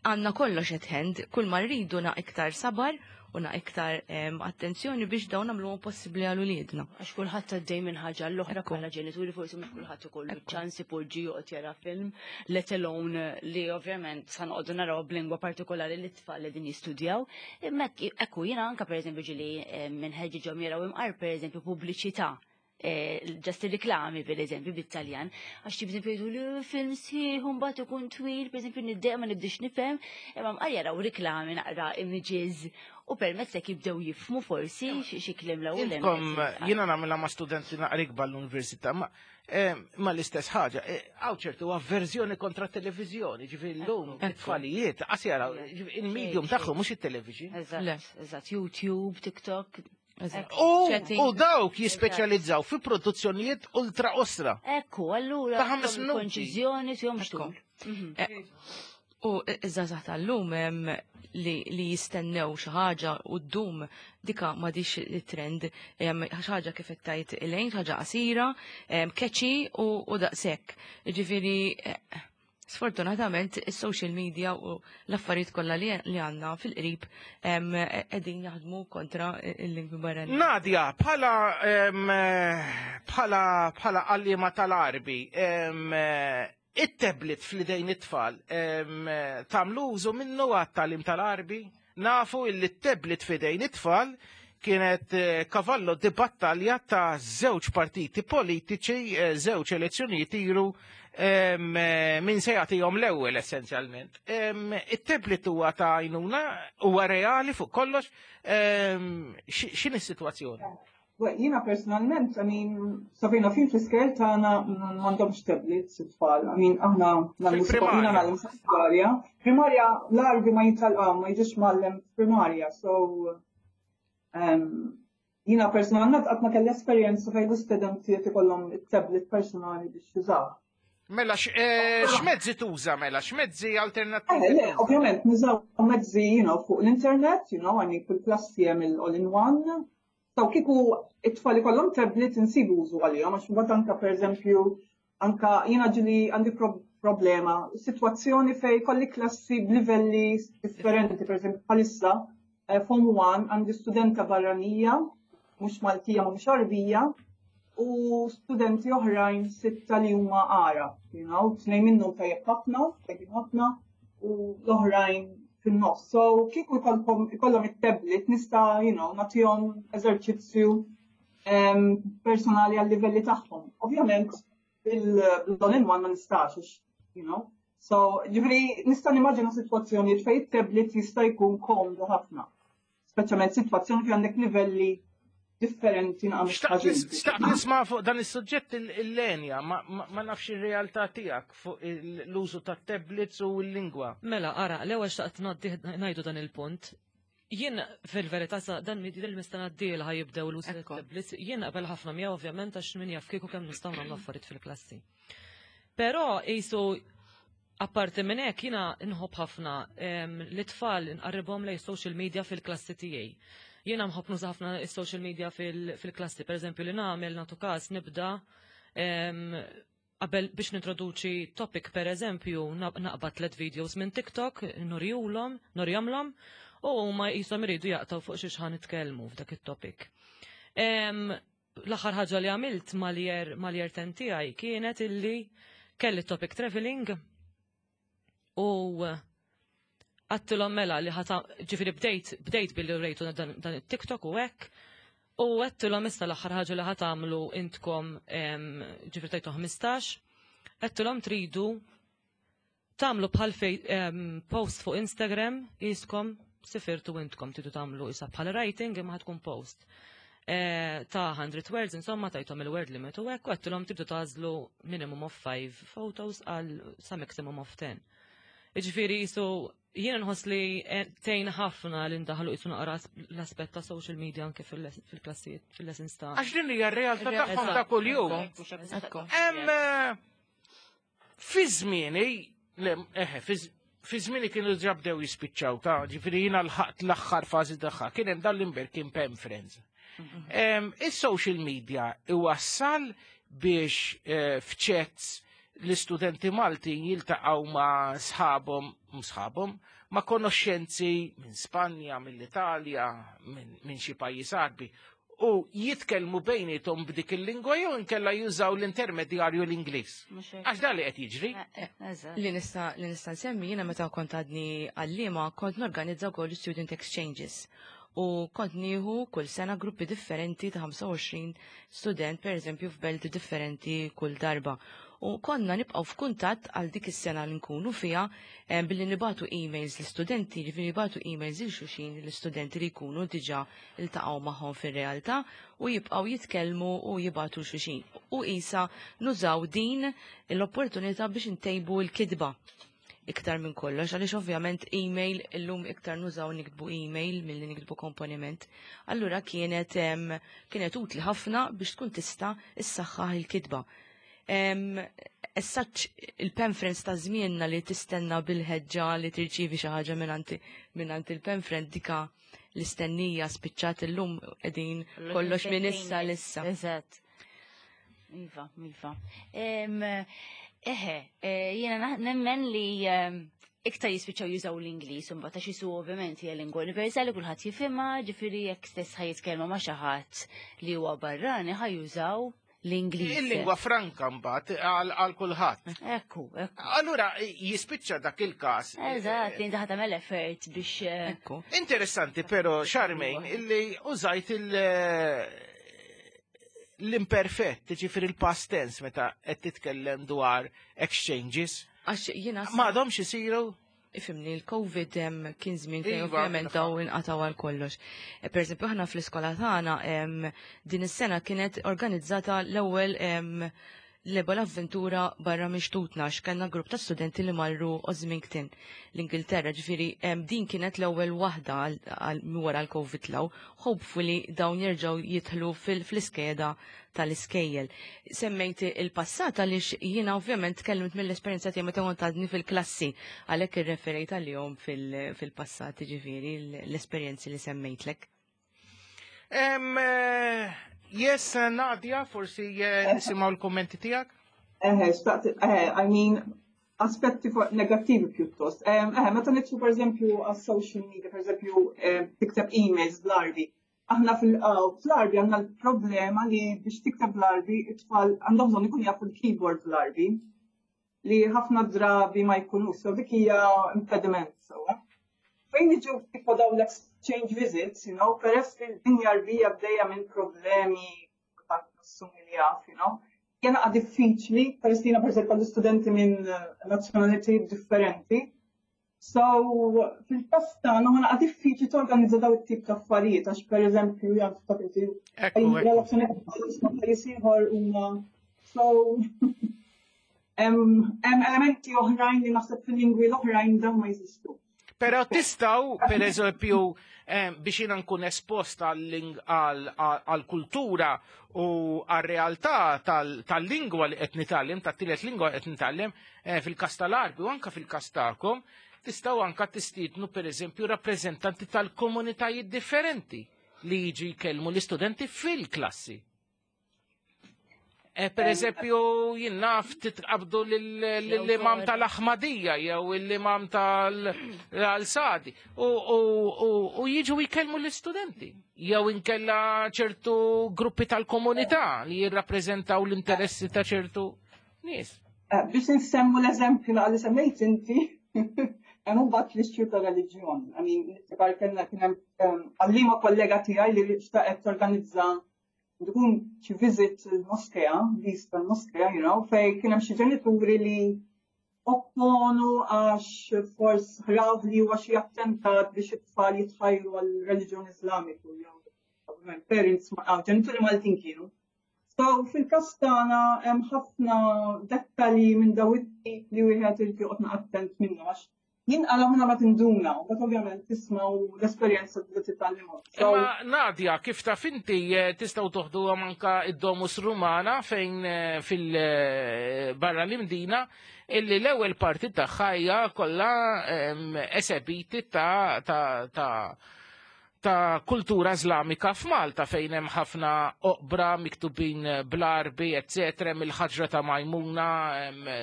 għandna kollox at hand, kull ma rridu na iktar sabar u na iktar attenzjoni biex dawn nagħmluhom possibbli għal uliedna. Għax kulħadd għaddej minn ħaġa l-oħra bħala ġenituri forsi mhux kulħadd ikollu ċans ipoġġi joqgħod jara film, let alone li ovvjament sa noqogħdu naraw b'lingwa partikolari li t-tfal li din jistudjaw. Imma ekku jiena anke pereżempju ġieli minħeġġiġhom jaraw imqar pereżempju pubbliċità. Ġast il-reklami per eżempju bit-Taljan, għax per eżempju jgħidu li film sħiħ u mbagħad ikun twil, per eżempju niddejjaq ma nibdix nifhem, imma mqar jaraw reklami naqra images u permezz hekk jibdew jifhmu forsi xi kliem l-ewwel. Intkom jiena nagħmilha ma' studenti naqra ikbar l-università, ma ma l-istess ħaġa, hawn ċertu avverżjoni kontra t-televiżjoni, ġifieri llum it-tfalijiet qas jaraw il-medium tagħhom mhux it-television. Eżatt, eżatt, YouTube, TikTok. U dawk jispeċjalizzaw fi produzzjonijiet ultra osra. Ekku, allura ta' ħames minuti. Konċiżjoni tihom xtul. U iż-żgħażagħ tal-lum li jistennew xi ħaġa u ddum dika m'għadix it-trend, xi ħaġa kif qed tgħid Elaine, xi ħaġa qasira, catchy u daqshekk. Ġifieri sfortunatament is-social media u l-affarijiet kollha li għandna fil-qrib qegħdin jaħdmu kontra il-lingwi barranin. Nadja, bħala bħala bħala għalliema tal-Għarbi, it-tablet fl-idejn it-tfal tagħmlu użu minnu għat-tagħlim tal-Għarbi? Nafu illi t-tablet f'idejn it-tfal kienet kavallo di battalja ta' żewġ partiti politiċi, żewġ elezzjonijiet ilu Min se jagħtihom l-ewwel essenzjalment. It-tablet huwa ta' għajnuna, huwa reali fuq kollox, x'inhi s-sitwazzjoni? Jiena personalment, I mean, sa fejn naf jien fl-iskejjel tagħna m'għandhomx tablets it-tfal. I mean, aħna Fil-primarja. nagħmlu primarja. Primarja l-Għarbi ma jitalqa, ma jiġix mgħallem primarja, so um, jiena personalment qatt ma kelli esperjenza fejn l-istudenti qed ikollhom it-tablet personali biex jużaw. Mela, eh, x'mezzi tuża mela, x'mezzi alternattivi? Eh, le, ovvjament, nużaw mezzi, you know, fuq l-internet, you know, għandi kull klassi hemm il-all-in-one. So kieku it-tfal ikollhom tablet insibu użu għalihom, għax mbagħad anka pereżempju, anka jiena ġieli għandi problema, sitwazzjoni fej kolli klassi b'livelli differenti, pereżempju bħalissa, eh, Form one għandi studenta barranija, mhux Maltija ma mhux Għarbija, u studenti oħrajn sitta li huma Għarab, you know, tnejn minnhom tajjeb ħafna, tajjeb ħafna, u l-oħrajn fin-nofs. So kieku ikollhom it-tablet nista', you know, nagħtihom eżerċizzju um, personali għal livelli tagħhom. Ovvjament bil-all in one ma nistax, you know. So, ġifieri nista' nimmaġina sitwazzjonijiet fejn it-tablet jista' jkun komdu ħafna. Speċjalment sitwazzjoni fejn għandek livelli differenti naqam. Xtaqt nisma' fuq dan is-suġġett il-Lenja, ma nafx ir-realtà tiegħek fuq l-użu ta' tablets u l-lingwa. Mela, ara, l-ewwel xtaqt ngħidu dan il-punt. Jien fil-verità sa dan il-mistana d-dieħla ħa jibdew l-użu tablets, jien qabel ħafna miegħu ovvjament għax min jaf kieku kemm nistgħu nagħmlu affarijiet fil-klassi. Però qisu apparti minn hekk jiena nħobb ħafna l-tfal nqarribhom lejn social media fil-klassi tiegħi. Jiena nħobb nuża ħafna is-social media fil-klassi, per eżempju li nagħmel nagħtu każ nibda qabel biex nintroduċi topic per eżempju naqbad tliet videos minn TikTok, nurihulhom, nurihomlhom, u huma jisom iridu jaqtaw fuq xi ħa nitkellmu f'dak it-topic. L-aħħar ħaġa li għamilt mal-year mal-year ten tiegħi kienet illi kelli topic traveling u għedtilhom mela li ħata ġifieri bdejt bdejt billi rejtu dan, dan it-TikTok u hekk u għedtilhom issa l-aħħar ħaġa li ħa tagħmlu intkom ġifieri tajtu ħmistax, għedtilhom tridu tagħmlu bħal post fuq Instagram jiskom sifirtu intkom tridu tagħmlu isa bħal writing imma tkun post. E, ta' hundred words, insomma, tajthom il-word limit u hekk, u għedtilhom tridu tagħżlu minimum of five photos għal sa maximum of ten. Iġifieri jisu jiena nħoss li tgħin ħafna li ndaħlu jisu naqra l-aspett ta' social media anke fil-klassijiet, fil-lessons ta' Għax din hija r-realtà tagħhom ta' kuljum. Hemm fi żmieni, eħe, fi żmieni kienu ġa bdew jispiċċaw ta' ġifieri jiena lħaqt l-aħħar fażi tagħha, kien hemm dan l-imberkin pen friends. Is-social media iwassal biex eh, f'chats l-istudenti Maltin jiltaqgħu ma' sħabhom, sħabhom, ma' konoxxenzi minn Spanja, mill-Italja, minn xi pajjiż Għarbi u jitkellmu bejnietom b'dik il-lingwa jew inkella jużaw l-intermedjarju l-Ingliż. Għax dan li qed jiġri. Eh, eh, Li nista' li nista' nsemmi jiena meta kont għadni għallima kont norganizza wkoll student exchanges u kont nieħu kull sena gruppi differenti ta' ħamsa u għoxrin student per eżempju f'belt differenti kull darba. U konna nibqgħu f'kuntatt għal dik is-sena li nkunu fiha eh, billi nibagħtu emails l-istudenti, ġifieri nibagħtu emails lil xulxin l-istudenti li jkunu diġà iltaqgħu magħhom fir-realtà u jibqgħu jitkellmu u jibagħtu xulxin. U isa nużaw din l-opportunità biex intejbu l-kitba iktar minn kollox, għaliex ovvjament email illum iktar nużaw niktbu email milli niktbu komponiment. Allura kienet em, kienet utli ħafna biex tkun tista' issaħħaħ il-kitba. Essaċ il-pen friends ta' żmienna li tistenna bil-ħeġġa li tirċivi xi ħaġa mingħand il-pen friend, dika l-istennija spiċċat, illum qegħdin kollox minn issa l'issa. Eżatt. Iva, iva. Eħe, eh, jiena nemmen li iktar jispiċċaw jużaw l-Ingliż imbagħad għax jisu ovvjament hija lingwa universali, kulħadd jifhimha, ġifieri jekk stess ħa jitkellmu ma' xi ħadd li huwa barrani ħa jużaw l-Ingliż. Il-lingwa franka mbagħad għal kulħadd. Ekku, ekku. Allura jispiċċa dak il-każ. Eżatt, li inti tagħmel effort biex. Eh, Ekku. Interessanti però, Charmaine, illi użajt il- l-imperfett, ġifieri il-past tense meta qed titkellem dwar exchanges. Għax jiena Ma għadhomx isiru? Ifhimni, il-Covid em, kien żmien fejn Iva, ovvjament kien daw inqataw għal kollox. E, Per eżempju, aħna fl-iskola tagħna em, din is-sena kienet organizzata l-ewwel em, l-ewwel avventura barra minn xtutna għax kellna grupp ta' studenti li marru Osmington l-Ingilterra, ġifieri em, din kienet l-ewwel waħda għal- għal wara l-Covid law. Hopefully dawn jerġgħu jidħlu fil- fl-iskeda tal-iskejjel. Semmejt il-passat għaliex jiena ovvjament tkellimt mill-esperjenza tiegħi meta kont għadni fil-klassi għalhekk irreferejt għalihom fil- fil-passat ġifieri l-esperjenzi li semmejtlek. Em, eh, Yes, Nadia, forsi eh, nisimgħu l-kommenti tiegħek. Eħe, xtaqt, eħe, I mean, aspetti fuq negattivi pjuttost. Eħe, meta nidħlu per eżempju għas social media, per eżempju, tikteb emails bl-Arbi. Aħna fil-Arbi għandna l-problema li biex tikteb bl-Arbi, it-tfal għandhom bżonn ikun jafu l-keyboard bl-Arbi li ħafna drabi ma jkunux, so dik hija impediment. So. Fejn niġu tipo dawn l-exchange visits, you know, peress li l-dinja Arbija bdejja minn problemi assumi li jaf, you know, jena għad diffiċli, peress li jena per eżempju studenti minn nazzjonalitajiet differenti. So, fil-każ tagħna ħana għad diffiċli torganizza daw it-tip ta' affarijiet, għax per eżempju, jgħan ta' Ekku, ekku. relazzjoni ma' pajjiż ieħor huma so hemm hemm elementi oħrajn li naħseb fil-lingwi l-oħrajn dawn ma jeżistu. Pero tistgħu, per eżempju, eh, biex jiena nkun espost għal-kultura u għal-realtà tal-lingwa li qed nitgħallem, tat-tielet lingwa qed nitgħallem, eh, fil-kas tal-Arbi u anka fil-kas tagħkom, tistgħu anka tistiednu per eżempju rappreżentanti tal-komunitajiet differenti li jiġu jkellmu l-istudenti fil-klassi. Eh, per eżempju, jien naf titqabdu l-imam tal-Ahmadija jew l-imam tal-Sadi u jiġu jkellmu l-istudenti. Jew inkella ċertu gruppi tal-komunità li jirrappreżentaw l-interessi ta' ċertu nies. Eh, biex nsemmu l-eżempju li semmejt inti, hemm mbagħad l-issue ta' reliġjon. I mean, niftakar kellna kien hemm għallima kollega tiegħi li xtaqet torganizza tkun xi visit il-moskea, vista l-moskea, you know, fej kien hemm xi ġenituri li opponu għax fors raw li huwa xi attentat biex it-tfal jitħajru għal reliġjon Islamiku, jew ovvjament parents, ġenituri Maltin kienu. So fil-każ tagħna hemm ħafna dettalji minn daw it-tip li wieħed irid joqgħod attent minnu għax jinqala minna ma tinduna, u bat ovvjament tisma' u l-esperjenza tibda titgħallimhom. Imma Nadia, kif taf inti eh, tistgħu toħdu anka id-Domus Rumana fejn eh, fil-barra l-Imdina illi l-ewwel parti tagħha hija kollha esebiti ta' ta' ta' ta' kultura Islamika f'Malta fejn hemm ħafna oqbra miktubin bl-Arbi, eccetera, mill-ħaġra ta' Majmuna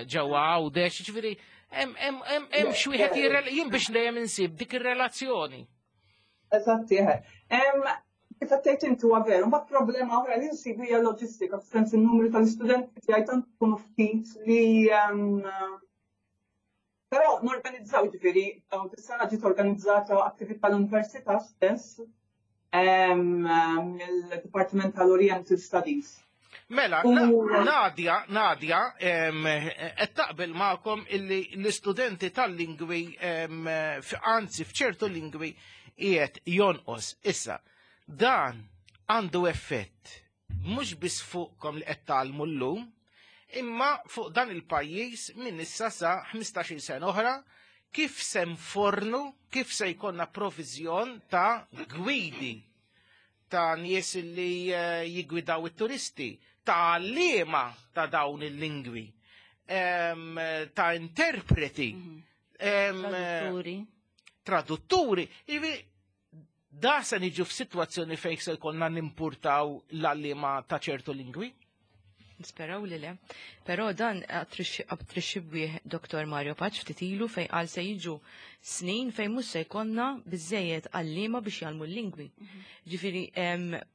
ġewwa Għawdex, ġifieri hemm xi wieħed jien biex dejjem insib dik ir-relazzjoni. Eżatti, Kif qed inti huwa veru, mbagħad problema oħra li nsibu hija loġistika, f'sens in-numru tal-istudenti tiegħi tant ikunu ftit li Però norganizzaw ġifieri, dis-sena ġiet organizzata attività l-Università stess mill-Dipartiment tal-Oriental Studies. Mela, Nadia, Nadia, qed taqbel magħkom illi l-istudenti tal-lingwi, anzi f'ċertu lingwi qiegħed jonqos. Issa, dan għandu effett mhux biss fuqkom li qed tgħallmu llum, imma fuq dan il-pajjiż minn issa sa ħmistax-il sena oħra, kif se nfornu, kif se jkollna provizjon ta' gwidi, ta' nies li eh, jigwidaw it-turisti, ta' għalliema ta' dawn il-lingwi, ta' interpreti, mhm. tradutturi. Tradutturi. Da se niġu f'sitwazzjoni fejn se jkollna nimpurtaw l-għalliema ta' ċertu lingwi? Nisperaw li le. Però dan attrixxibwih Doktor Mario Paċ ftit ilu fejn qal se jiġu snin fejn mhux se jkollna biżejjed għalliema biex jgħallmu l-lingwi. Mhm. Ġifieri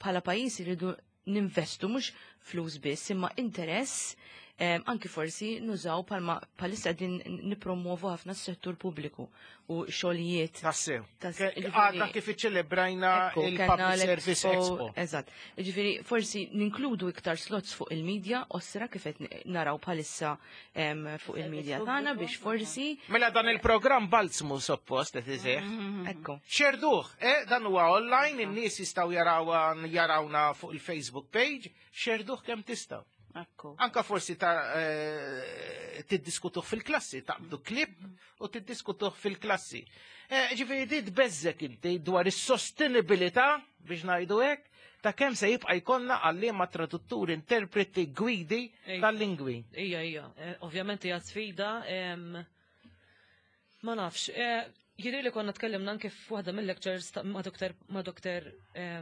bħala pajjiż iridu ninvestu mhux flus biss imma interess Anki forsi nużaw palma palissa din nipromuovu ħafna s-settur pubbliku u xogħlijiet. Tassew. Għadna kif iċċelebrajna il-Public Service Expo. Eżatt. Ġifieri forsi ninkludu iktar slots fuq il-medja, osra kif qed naraw bħalissa fuq il-medja tagħna biex forsi. Mela dan il-programm balzmu suppost qed iseħħ. Ekku. Xerduh, eh, dan huwa online, in-nies jistgħu jarawna fuq il-Facebook page, xerduh kemm tistgħu. Anka forsi ta' tiddiskutuh fil-klassi, taqbdu klip u tiddiskutuh fil-klassi. Ġifieri di tbeżżek inti dwar is-sostenibilità biex ngħidu hekk ta' kemm se jibqa' jkollna għalliema tradutturi, interpreti, gwidi tal-lingwi. Ija, ija, ovvjament hija sfida. Ma nafx, jidri li konna tkellimna anke f'waħda mill-lectures ma' Doktor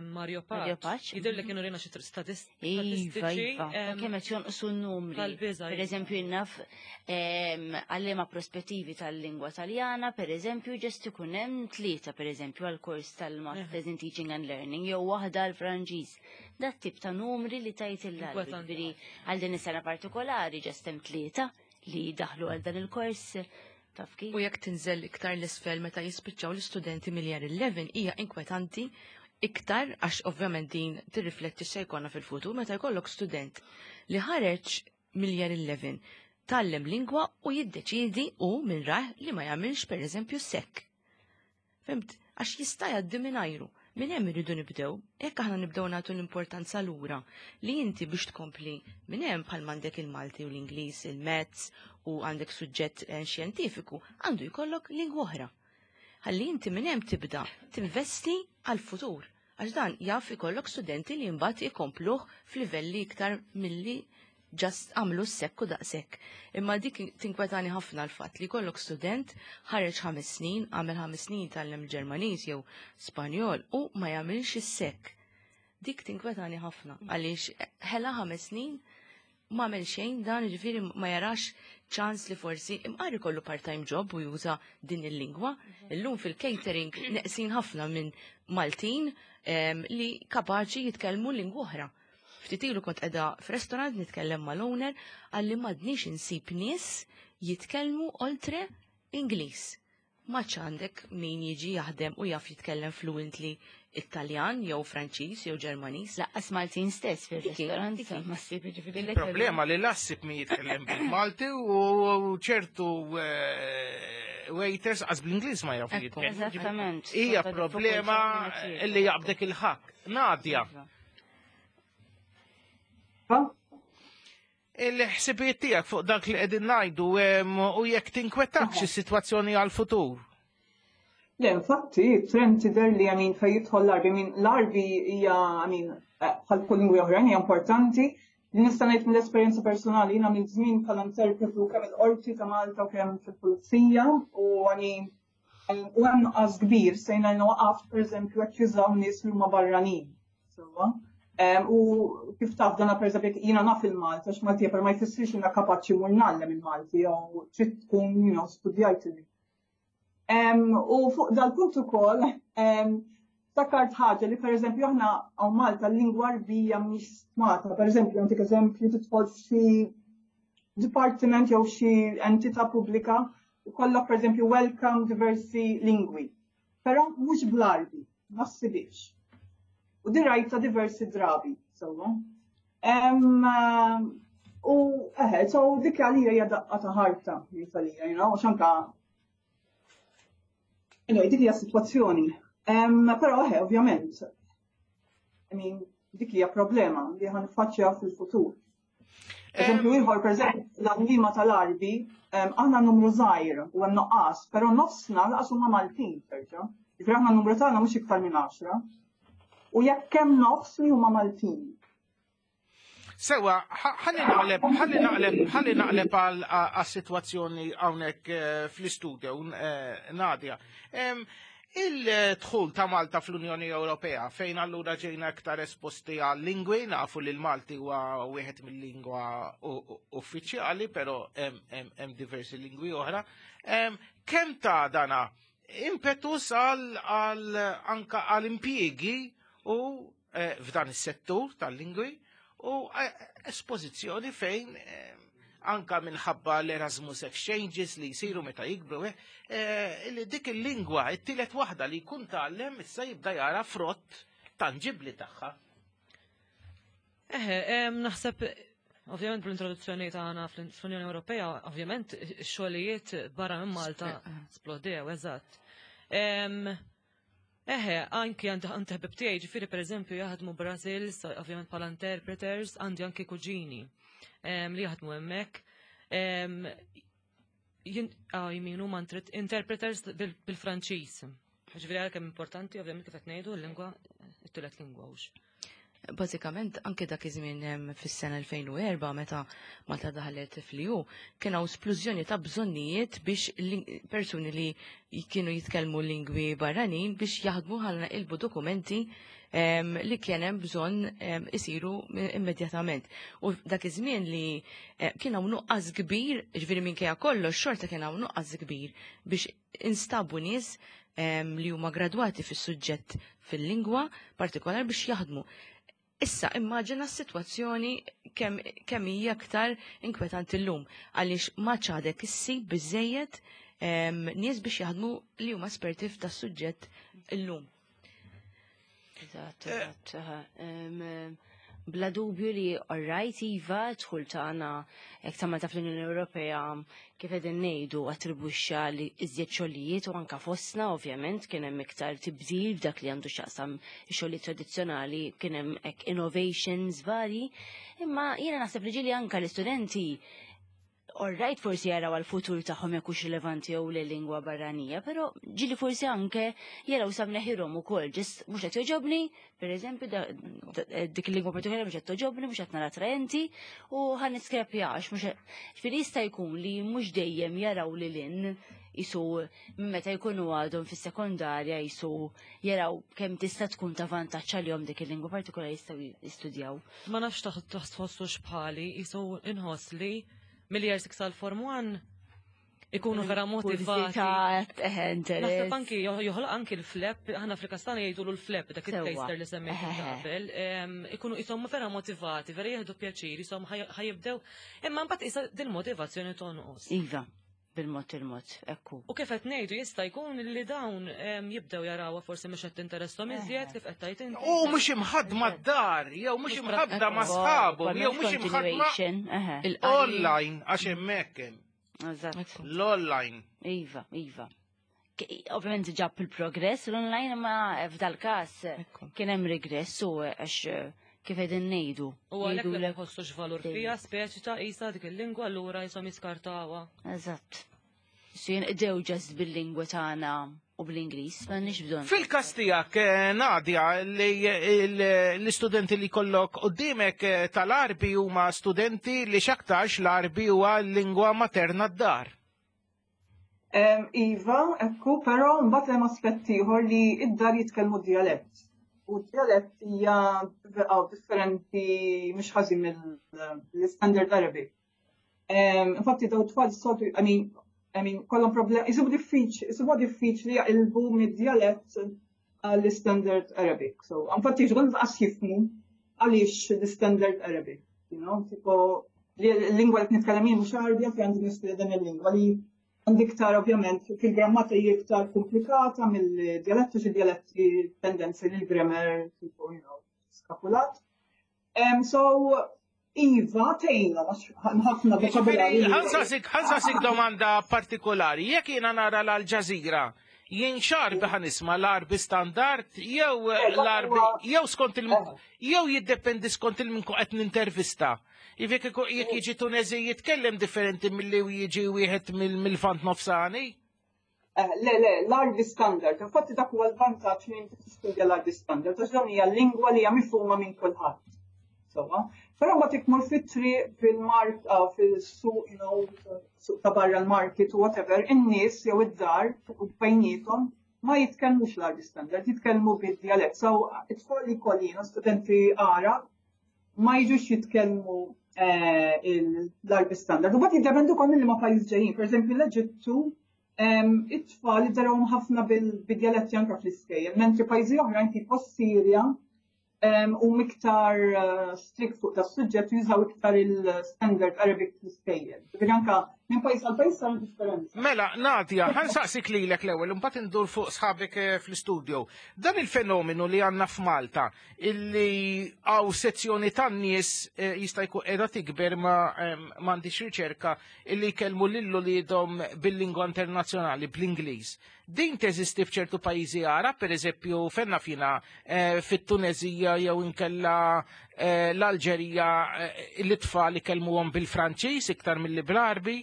Mario Pace. Jidri li kienu rina xi statistiċi. Iva, iva. Kemm qed jonqsu n-numri. Per eżempju, naf għalliema prospettivi tal-lingwa Taljana, per eżempju, ġest ikun hemm tlieta, per eżempju, għall-kors tal-Masters in Teaching and Learning, jew waħda għall-Franċiż. Dat tip ta' numri li tajt il-għal. Għal din is-sena partikolari ġest hemm tlieta li daħlu għal dan il-kors. U jekk tinżel iktar l-isfel meta jispiċċaw l-istudenti mill-year eleven hija inkwetanti iktar għax ovvjament din tirrifletti x'se jkollna fil-futur meta jkollok student li ħareġ mill-year eleven tgħallem lingwa u jiddeċiedi u minn rah li ma jagħmilx pereżempju sekk. Fimt? Għax jista' jgħaddi mingħajru. Minn hemm irridu nibdew, jekk aħna nibdew nagħtu l-importanza lura li inti biex tkompli minn hemm bħal m'għandek il-Malti u l-Ingliż, il-Mezz u għandek suġġett xjentifiku, għandu jkollok lingwa oħra. Ħalli inti minn hemm tibda tinvesti għal-futur. Għax dan jaf ikollok studenti li mbagħad ikompluh f'livelli iktar milli ġast għamlu s-sekk u daqshekk. Imma dik tinkwetani ħafna l-fatt li kollok student ħareġ ħames snin, għamel ħames snin tgħallem Ġermaniż jew Spanjol u ma jagħmilx is-sekk. Dik tinkwetani ħafna għaliex ħela ħames snin ma għamel xejn dan, ġifieri ma jarax ċans li forsi imqar ikollu part-time job u juża din il-lingwa. Illum fil-catering neqsin ħafna minn Maltin li kapaċi jitkellmu lingwa oħra. Ftit ilu kont qiegħda f'restorant nitkellem mal-owner għalli m'għadniex insib nies jitkellmu oltre Ingliż. Maċ għandek min jiġi jaħdem u jaf jitkellem fluently Italjan jew Franċiż jew Ġermaniż. Laqqas Maltin stess fir-restorant ma ssib jiġifieri. Problema li lassib min jitkellem bil-Malti u ċertu waiters għaż bl-Ingliż ma jafu jitkellmu. Eżattament. Hija problema li jaqbdek il-ħakk. Nadja. Il-ħsibijiet tiegħek fuq dak li qegħdin ngħidu u jekk tinkwetakx is-sitwazzjoni għall-futur. Le, infatti, trend tidher li għamin fejn jidħol l-Arbi, min l-Arbi hija għamin bħal kull lingwi oħrajn hija importanti. Li nista' ngħid mill-esperjenza personali jiena minn żmien bħala interpretu kemm il-qorti ta' Malta u kemm fil-pulizija u għamin u hemm nuqqas kbir sejna waqaft pereżempju qed jużaw nies li huma barranin. Sewwa. U kif taf dana per eżempju jiena naf il-Malti għax Maltija per ma jfissirx jiena kapaċi mur ngħallem il-Malti jew trid tkun you know studjajt il. U fuq dal-punt ukoll ftakart ħaġa li per eżempju aħna hawn Malta l-lingwa Arbija mhix stmata. Per eżempju nagħtik eżempju tidħol f'xi dipartiment jew xi entità pubblika u kollok per eżempju welcome diversi lingwi. Però mhux bl-Arbi, ma ssibix. U di rajta diversi drabi, sewwa. U eħe, so dik għalija hija daqqa ta' ħarta, għalija, you know, għax anka. Anyway, dik hija sitwazzjoni. Però eħe, ovvjament, I mean, dik hija problema li ħa niffaċċja fil-futur. Eżempju ieħor, pereżempju, l-għalliema tal-Arbi, aħna numru żgħir u hemm nuqqas, però nofsna laqas huma Maltin terġa'. Ġifieri aħna n-numru tagħna mhux iktar minn għaxra. U jekk hemm nofs li huma Maltin. Sewa, ħalli naqleb, ħalli naqleb, ħalli naqleb għas-sitwazzjoni hawnhekk fl-istudio, Nadja. Il-dħul ta' Malta fl-Unjoni Ewropea, fejn allura ġejna iktar esposti għal lingwi, nafu li l-Malti huwa wieħed mill-lingwa uffiċjali, però hemm diversi lingwi oħra. Kemm ta' dana impetus għal anka għal impjiegi u f'dan is-settur tal-lingwi u espożizzjoni fejn anka minħabba l-Erasmus Exchanges li jisiru meta jikbru, eh, li dik il-lingwa, it-tielet waħda li jkun tgħallem issa jibda jara frott tangibli tagħha. Eħe, em, naħseb, ovvjament bl-introduzzjoni tagħna fl-Unjoni Ewropea, ovvjament ix-xogħlijiet barra minn Malta splodew, eżatt. Em, Eħe, anki għandi għandi ħbib tiegħi, ġifieri pereżempju jaħdmu Brazil, ovvjament bħala interpreters, għandi anki kuġini em, li jaħdmu hemmhekk. Em, jien- ah, jmin huma interpreters bil- bil-Franċiż. Ġifieri għalkemm importanti, ovvjament kif qed ngħidu l-lingwa, it-tielet lingwa hux. Bażikament anke dak iż-żmien fis-sena elfejn u erbgħa meta Malta daħlet fl-E U kien hawn splużjoni ta' bżonnijiet biex persuni li kienu jitkellmu lingwi barranin biex jaħdmu ħalli naqilbu dokumenti em, li kien hemm bżonn em, isiru immedjatament. U dak iż-żmien li eh, kien hawn nuqqas kbir, ġifieri minkejja kollox xorta kien hawn nuqqas kbir biex instabu nies em, li huma gradwati fis-suġġett fil-lingwa partikolar biex jaħdmu. Issa immaġina s-sitwazzjoni kemm kemm hija aktar inkwetanti llum għaliex ma għadek issib biżejjed em, nies biex jaħdmu li huma esperti f'da suġġett illum. Eżatt, eżatt. Aha. Em, em, Bla dubju li alright iva dħul tagħna hekk ta' Malta fl-Unjoni Ewropea, kif qegħdin ngħidu, attribwixxa li iżjed xogħlijiet u anka fostna ovvjament kien hemm iktar tibdil f'dak li għandu x'jaqsam xogħlijiet tradizzjonali, kien hemm hekk innovations vari, imma jiena naħseb li ġieli anka l-istudenti alright forsi jaraw għal-futur tagħhom jekk hux rilevanti jew le lingwa barranija, però ġieli forsi anke jaraw sa mneħirhom ukoll, just mhux qed joġobni, pereżempju dik il-lingwa partikolari mhux qed toġobni, mhux qed nara attraenti u ħa niskrepja għax mhux. Ġifieri jista' jkun li mhux dejjem jaraw lil hinn jisu meta jkunu għadhom fis-sekondarja jisu jaraw kemm tista' tkun ta' vantaġġ għalihom dik il-lingwa partikolari jistgħu jistudjaw. Ma nafx taħ tħossux bħali, jisu inħoss li mill-year six għal form one ikunu vera motivati. Naħseb anki joħloq anki l-flap, aħna fil-Kastana jgħidu l-flap, dak il-taster li semmejt qabel, ikunu jisom vera motivati, vera jieħdu pjaċir, jisom ħa jibdew, imma mbagħad isa din motivazzjoni tonqos. Iva, bil-mod il-mod, ekku. U kif qed ngħidu jista' jkun li dawn jibdew jarawha forsi mhux qed tinteresshom iżjed kif qed tgħid inti. U mhux imħaddma d-dar, jew mhux imħaddma ma' sħabu, jew mhux imħaddma online għax hemmhekk hemm. Eżatt. L-online. Iva, iva. Ovvjament ġab il-progress l-online, ma f'dal każ kien hemm regress u għax kif qegħdin ngħidu. U għalhekk li jħossux valur fija speċi ta' isa dik il-lingwa allura jisom jiskartawha. Eżatt. So jinqdew just bil-lingwa tagħna u bl-Ingliż, m'għandniex bżonn. Fil-każ tiegħek, eh, Nadia, li l-istudenti li kollok qudiemek eh, tal-Arbi huma studenti li x'aktarx l-Arbi huwa l-lingwa materna d-dar. Iva, ekku, però mbagħad hemm aspett ieħor li id-dar jitkellmu dialett. U dialett hija differenti mhux ħażin mill-standard Arabic. Infatti daw tfal soltu, I mean, I mean, kollhom problem, jisibu diffiċ, jisibu diffiċli jaqilbu mid-dialett għall-standard Arabic. So, infatti ġgħol qas jifhmu għaliex l-standard Arabic, you know, tipo, l-lingwa li nitkellem jien mhux Arabja fi għandi nistudja dan il-lingwa li għandi iktar ovvjament fil-grammatika hija iktar komplikata mill-dialettu, xi dialetti tendenzi li l-grammar tipo, you know, skapulat. Um, so, Iva, tejna, ħafna vokabularju. Ħa nsaqsik domanda partikolari. Jekk jiena nara l-Al Jazeera, jien x'Arbi ħa nisma', l-Arbi standard jew l-Arbi jew skont il jew jiddependi skont il-min qed nintervista? Jekk jekk jiġi Tunezi jitkellem differenti milli jiġi wieħed mill-Lvant Nofsani? Eh, le, le, l-Arbi standard. Infatti dak huwa l-vantaġġ li inti tistudja l-Arbi standard, għax dawn hija lingwa li hija mifhuma minn kulħadd. Sewwa. Però ma tikmur fit-triq, fil-mark, ah, fil-suq, you know, suq ta' barra l-market u whatever, in-nies jew id-dar u bejniethom ma jitkellmux l-Arbi standard, jitkellmu bid-dialett. So, it-tfal li kollina, studenti Għarab, ma jiġux jitkellmu eh, l-Arbi standard. U bat jiddependu kol minn ma pajjiż ġejjin. Per eżempju, l-Eġittu, it-tfal iddarawhom ħafna bil-dialetti anka fl-iskejjel, mentri pajjiżi oħrajn tipo Sirja, u iktar eh, strict fuq da suġġett, jużaw iktar il-standard Arabic fl-iskejjel. Ġifieri anka minn pajjiż għal pajjiż sar differenza. Mela, Nadia, ħa nsaqsik lilek l-ewwel, imbagħad indur fuq sħabek eh, fl-istudio. Dan il-fenomenu li għandna f'Malta, illi hawn sezzjoni tan-nies eh, jista' jkun qiegħda tikber, ma m'għandix riċerka, illi jkellmu lil uliedhom bil-lingwa internazzjonali, bl-Ingliż. Din teżisti f'ċertu pajjiżi Għarab, per eżempju, fenna fina eh, fit-Tunezija jew inkella eh, l-Alġerija, eh, l-itfal ikellmuhom bil-Franċiż iktar milli bl-Arbi?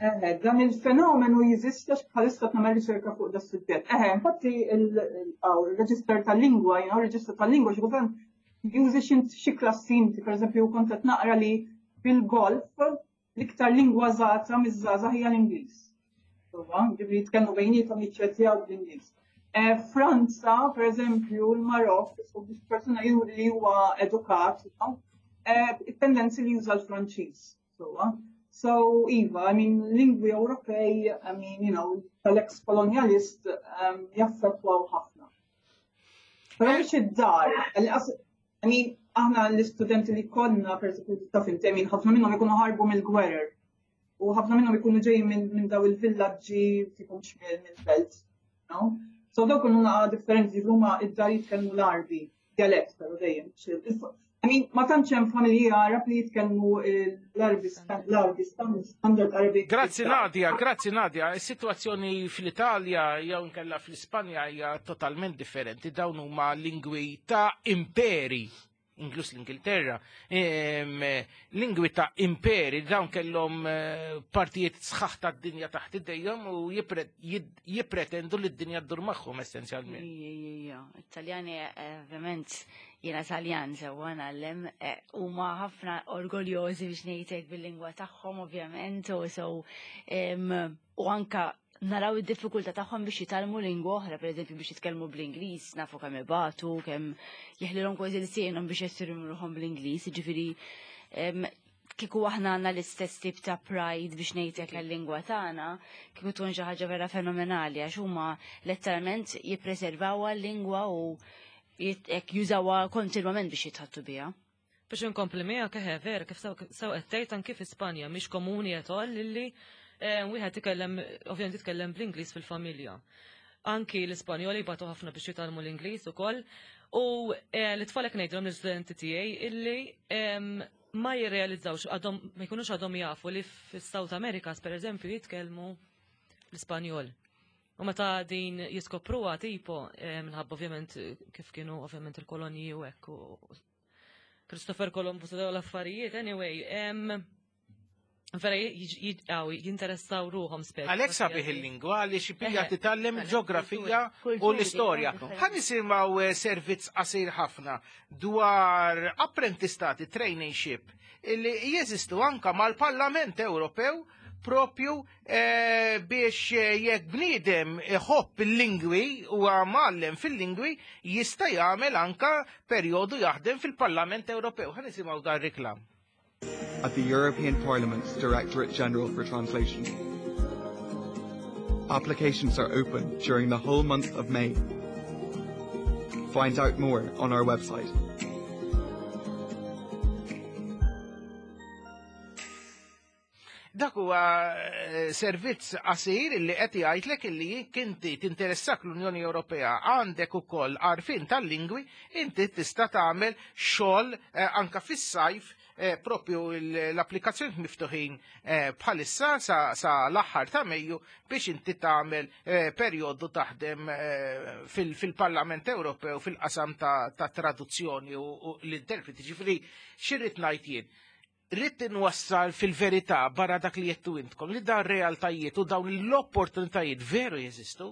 Eħe, dan il-fenomenu jeżisti għax bħalissa nagħmel riċerka fuq da suġġett. Eħe, infatti il-reġister tal-lingwa, you know, reġistru tal-lingwa, xi kultant jużi xi klassi inti, per eżempju, kont qed naqra li fil-Golf l-iktar lingwa użata miż-żgħażagħ hija l-Ingliż. Ġifieri jitkellmu bejniethom, jiċċettjaw bl-Ingliż. Eh, Franza, per eżempju, l-Marok, biex persuna juri li huwa edukat, eh, it-tendenzi li juża l-Franċiż. So, iva, I mean, lingwi Ewropej, I mean, you know, tal-ex-kolonialist um, jaffettwaw ħafna. Però mhux id-dar, I mean, aħna l-istudenti li konna, per eżempju, ta' fil-temin, ħafna minnhom ikunu ħarbu mill-gwerer. U ħafna minnhom ikunu ġejjin minn daw il-villaġġi, tipo mhux mill-belt. No? So dawk ikunu naqa differenti, huma id-dar jitkellmu l-Arbi, dialett però dejjem. I mean, ma tantx hemm familji Arab li jitkellmu l-Arbi, l-Arbi standard Arabic. Grazzi Nadia, grazzi Nadia. Is-sitwazzjoni fl-Italja jew inkella fl-Ispanja hija totalment differenti. Dawn huma lingwi ta' imperi, inkluż l-Ingilterra, lingwi ta' imperi, dawn kellhom eh, partijiet sħaħ ta' dinja taħt idejhom u jippretendu li d-dinja ddur magħhom essenzjalment. Ija, Italjani, eh, ovvjament, jiena Taljan sewwa ngħallem, eh, huma ħafna orgoljożi biex ngħidlek bil-lingwa tagħhom ovvjament, u so u anka naraw id-diffikultà tagħhom biex jitgħallmu lingwa oħra, pereżempju biex jitkellmu bl-Ingliż, nafu kemm ibatu, kemm jeħlilhom kważi lsienhom biex jesprimu ruħhom bl-Ingliż, jiġifieri kieku aħna għandna l-istess tip ta' pride biex ngħidlek għal-lingwa tagħna, kieku tkun xi ħaġa vera fenomenali għax huma letteralment jippreservawha l-lingwa u jekk jużawha kontinwament biex jitħattu biha. Biex inkompli miegħek, eħe, vera kif sew qed tgħid, anke fi Spanja mhix komuni at all illi eh, wieħed tikellem, ovvjament jitkellem bl-Ingliż fil-familja. Anki l-Ispanjoli jbatu ħafna biex jitgħallmu l-Ingliż ukoll. U eh, l-itfal hekk ngħidilhom l-istudenti tiegħi illi ma jirrealizzawx, għadhom ma jkunux għadhom jafu li fis-South America, per eżempju, jitkellmu l-Ispanjol. U meta din jiskopruha tipo eh, minħabba ovvjament kif kienu ovvjament il-kolonji u hekk u Christopher Columbus u dawn l-affarijiet, anyway, vera jinteressaw ruħhom speċi. Għalhekk sabiħ il-lingwa li xipija titgħallem il-ġeografija u l-istorja. Ħa nisimgħu eh, servizz qasir ħafna dwar apprentistati, traineeship, li jeżistu anka mal-Parlament Ewropew propju eh, biex eh, jekk bniedem iħobb il-lingwi u mgħallem fil-lingwi jista' jagħmel anka perjodu jaħdem fil-Parlament Ewropew. Ħa nisimgħu dan reklam. At the European Parliament's Directorate General for Translation. Applications are open during the whole month of May. Find out more on our website. Dak huwa eh, servizz qasir illi qed jgħidlek illi jekk inti tinteressak l-Unjoni Ewropea, għandek ukoll għarfien tal-lingwi, inti tista' tagħmel xogħol eh, anka fis-sajf eh, propju l-applikazzjoni miftuħin bħalissa sa, sa l-aħħar ta' Mejju biex inti tagħmel perjodu taħdem fil-Parlament Ewropew fil-qasam ta', ta traduzzjoni u, u l-interpreti. Ġifieri x'irrid ngħid jien? Rrid inwassal fil-verità barra dak li jettu intkom li dan realtajiet u dawn l-opportunitajiet veru jeżistu.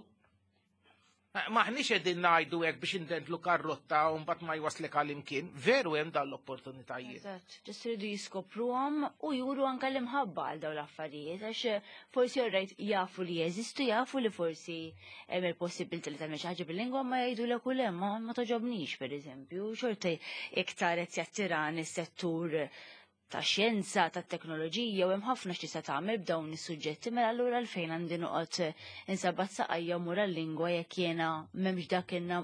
Maħniex qegħdin ngħidu hekk biex indendlu karrotta u mbagħad ma jwaslek għal imkien, veru hemm dawn l-opportunitajiet. Eżatt, ġust iridu jiskopruhom u juru anke l-imħabba għal dawn l-affarijiet, għax forsi orrajt jafu li jeżistu, jafu li forsi hemm il-possibilità li tagħmel xi ħaġa bil-lingwa, ma jgħidulek u le, ma ma toġobnix pereżempju, xorta iktar qed jattirani s-settur ta' xjenza, ta' teknoloġija, u hemm ħafna x'tista' tagħmel b'dawn is-suġġetti, mela allura għalfejn għandi noqgħod insabbat saqajja u mur għal-lingwa jekk jiena m'hemmx dak inna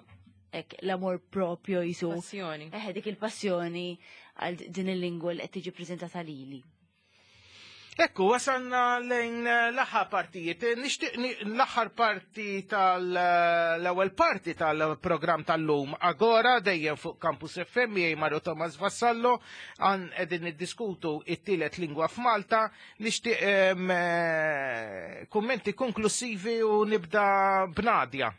hekk l-amor propju jisu. Passjoni. Eħe, dik il-passjoni għal din il-lingwa li qed tiġi preżentata lili. Ekku, wasalna lejn eh, l-aħħar partijiet. Eh, Nixtieq ni- l-aħħar parti tal-ewwel parti tal-programm tal-lum Agora dejjem fuq Campus F M miegħi Mario Thomas Vassallo għan qegħdin niddiskutu it-tielet lingwa f'Malta. Nixtieq em, eh, kummenti konklusivi u nibda b'Nadia.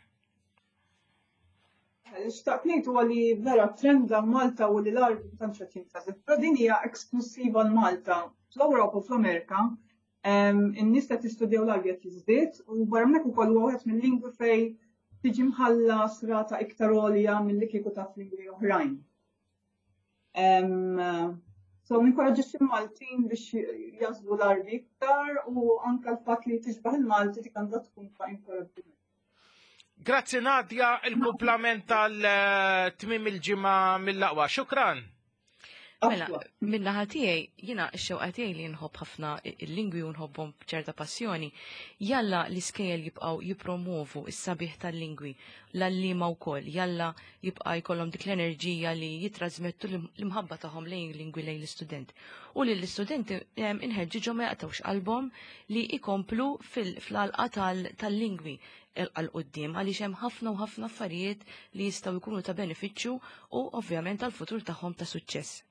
Xtaqt ngħid huwa li vera trend Malta u li l-Għarbi tantx qed jintgħażel. Però din hija esklusiva l-Malta. Fl-Ewropa u fl-Amerika in-nies qed jistudjaw l-Għarbi qed jiżdied u barra minn hekk ukoll huwa wieħed mill-lingwi fejn tiġi mħallas rata iktar għolja milli kieku taf lingwi oħrajn. So ninkoraġġixxi l-Maltin biex jagħżlu l-Għarbi iktar u anka l-fatt li tixbaħ il-Malti dik għandha tkun ta' inkoraġġiment. Grazzi Nadia, il-kumplament tal-tmim il-ġimgħa mill-aqwa. Xukran. Mela, min-naħa tiegħi, jiena x-xewqa tiegħi li nħobb ħafna il-lingwi u nħobbhom b'ċerta passjoni, jalla l-iskejjel jibqgħu jipromovu s-sabiħ tal-lingwi, l-għalliema wkoll, jalla jibqa' jkollhom dik l-enerġija li jitrasmettu l-imħabba tagħhom lejn lingwi lejn l-istudent. U li l-istudenti inħeġġiġhom ma jaqtawx qalbhom li ikomplu fil-għalqa tal-lingwi għal quddiem għaliex hemm ħafna u ħafna affarijiet li jistgħu jkunu ta' benefiċċju u ovvjament għal-futur tagħhom ta' suċċess.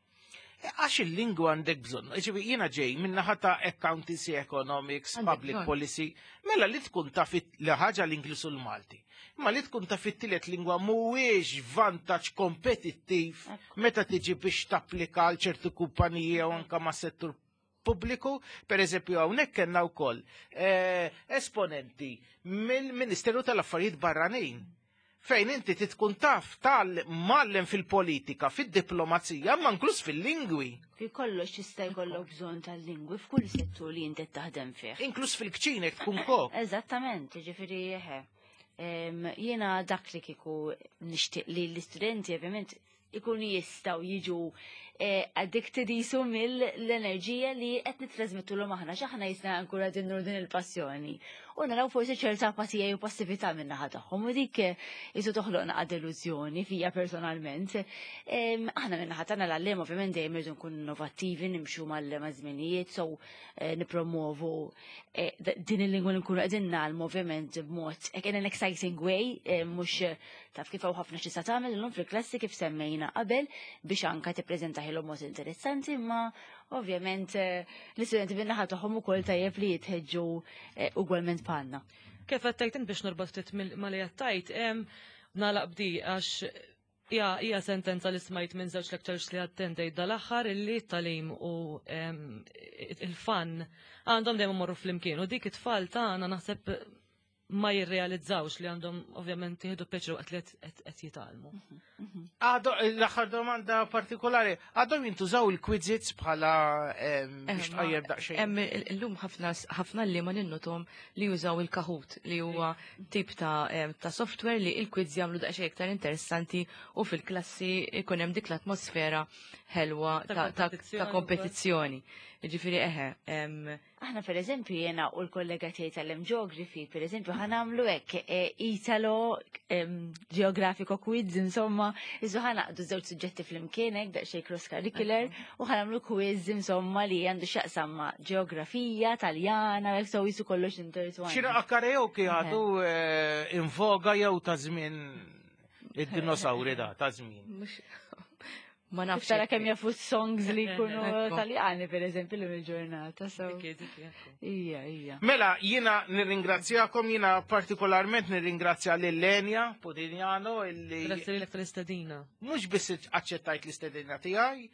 Għax il-lingwa għandek bżonn. Ġifieri, jiena ġej min-naħa ta' accountancy, economics, public policy, mela li tkun taf li ħaġa l-Ingliż u l-Malti. Imma li tkun taf it-tielet lingwa mhuwiex vantaġġ kompetittiv meta tiġi biex tapplika għal ċertu kumpaniji u anka ma' settur pubbliku, per eżempju hawnhekk kellna wkoll eh, esponenti mill-Ministeru tal-Affarijiet Barranin fejn inti titkun taf tal-mallem fil-politika, fil-diplomazija, ma inkluż fil-lingwi. Fi kollox jista' jkollok bżonn tal-lingwi f'kull settur li inti taħdem fih. Inkluż fil-kċinek tkun kok. Eżattament, ġifieri eħe. Jiena dak li kieku nixtieq li l-istudenti ovvjament ikunu jistgħu jiġu eh, addicted jisu mill-enerġija li qed nitrasmettu aħna x'aħna jisna ankura din din il-passjoni. U naraw forsi ċerta apatija u passività minn naħa tagħhom u dik jisu toħloq naqa delużjoni fija personalment. Aħna minn naħa tagħna l-għalliem ovvjament dejjem irridu nkunu innovattivi, nimxu mal-żminijiet, so eh, nipromovu eh, din il-lingwa li nkunu qegħdin nagħlmu ovvjament b'mod in an exciting way, mhux taf kif hawn ħafna xi tagħmel illum fil-klassi kif semmejna qabel biex anka tippreżentaħilhom mod interessanti, imma ovvjament eh, l-istudenti bin-naħa tagħhom ukoll tajjeb li jitħeġġu eh, ugwalment bħalna. Kif qed biex norbot ftit ma li qed nagħlaq b'di għax hija sentenza li smajt minn żewġ lectures li attendejt dal-aħħar illi t-tagħlim u il-fun għandhom dejjem imorru flimkien u dik it-tfal tagħna naħseb ma jirrealizzawx li għandhom ovvjament jieħdu pjaċir waqt li qed jitgħallmu. Għadu, l-aħħar domanda partikolari, għadhom jintużaw il-quizzes bħala biex tqajjem daqsxejn? Hemm illum ħafna ħafna li ma ninnotom li jużaw il-Kahoot li huwa tip ta' ta' software li il-quiz jagħmlu daqsxejn iktar interessanti u fil-klassi ikun hemm dik l-atmosfera ħelwa ta' kompetizzjoni. Ġifieri eħe. Aħna per eżempju jena u l-kollega tiegħi tal-Geography, per eżempju ħa nagħmlu hekk e, Italo Geographico quiz, insomma, iżu ħa nagħqdu żewġ suġġetti flimkien hekk daqsxejn cross curricular u ħa nagħmlu quiz insomma li għandu x'jaqsam ma' ġeografija, Taljana, hekk so jisu kollox intertwined. Xi karaoke għadu eh, in voga jew ta' żmien id-dinosauri da ta' żmien? Ma nafx. Tara kemm jafu songs li jkunu Taljani, per eżempju, l il-ġurnata. Ija, ija. Mela, jina nirringrazzjakom, jina partikolarment nirringrazzja lil Lenja Podignano illi. Grazzi lilek tal-istedina. Mhux biss aċċettajt l-istedina tiegħi,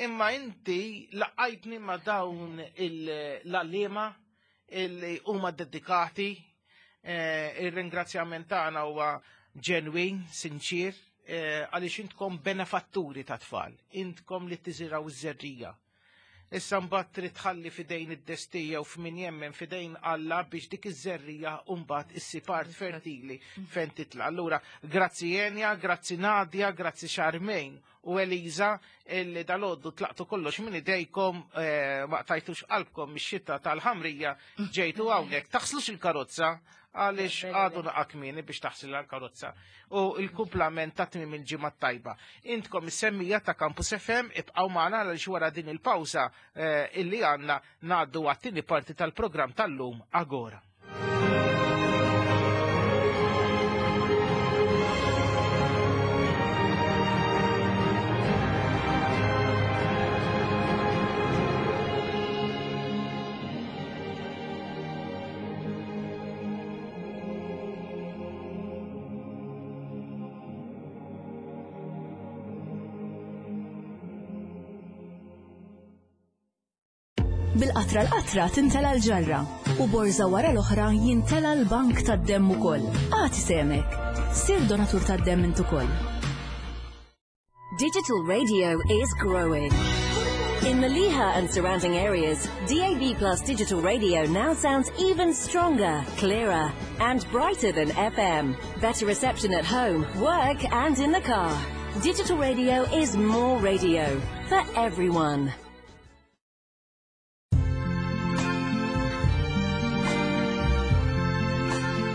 imma inti laqajtni ma' dawn l-għalliema illi huma dedikati. Eh, il-ringrazzjament tagħna huwa ġenwin, sinċir, Eh, għaliex intkom benefatturi ta' tfal, intkom li tiżiraw iż-żerrija. Issa mbagħad trid tħalli fidejn id-destija u f'min jemmen fidejn Alla biex dik iż-żerrija mbagħad issib art fertili fejn titla'. Allura, grazzi Enja, grazzi Nadia, grazzi Charmaine u Eliza illi dalgħodu tlaqtu kollox minn idejkom eh, ma qtajtux qalbkom mix-xita tal-ħamrija ġejtu hawnhekk. Taħslux il-karozza Għaliex għadu naqa kmieni biex taħsil l-karozza. U il-kumplament ta' tmiem il-ġimgħa tajba. Intkom is-semmija ta' Campus F M, ibqgħu magħna għaliex wara din il-pawża eh, illi għandna ngħaddu għat-tieni parti tal-programm tal-lum, Agora. Bil-qatra l-qatra tintela l-ġarra u borza wara l-oħra jintela l-bank tad-demm ukoll. Agħti sehmek. Sir donatur tad-demm int ukoll. Digital radio is growing. In Mellieħa and surrounding areas, D A B Plus digital radio now sounds even stronger, clearer, and brighter than F M. Better reception at home, work, and in the car. Digital radio is more radio for everyone.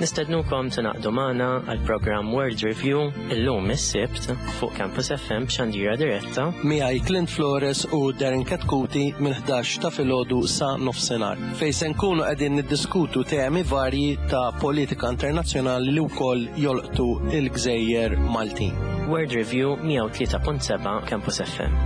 Nistednukom tingħaqdu magħna għal programm World Review illum is-Sibt fuq Campus F M b'xandira diretta. Miegħi Clint Flores u Darren Katkuti minn ħdax ta' filgħodu sa nofsinhar, fejn se nkunu qegħdin niddiskutu temi varji ta' politika internazzjonali li wkoll jolqtu il-gżejjer Maltin. World Review, mija u tlieta punt seba' Campus F M.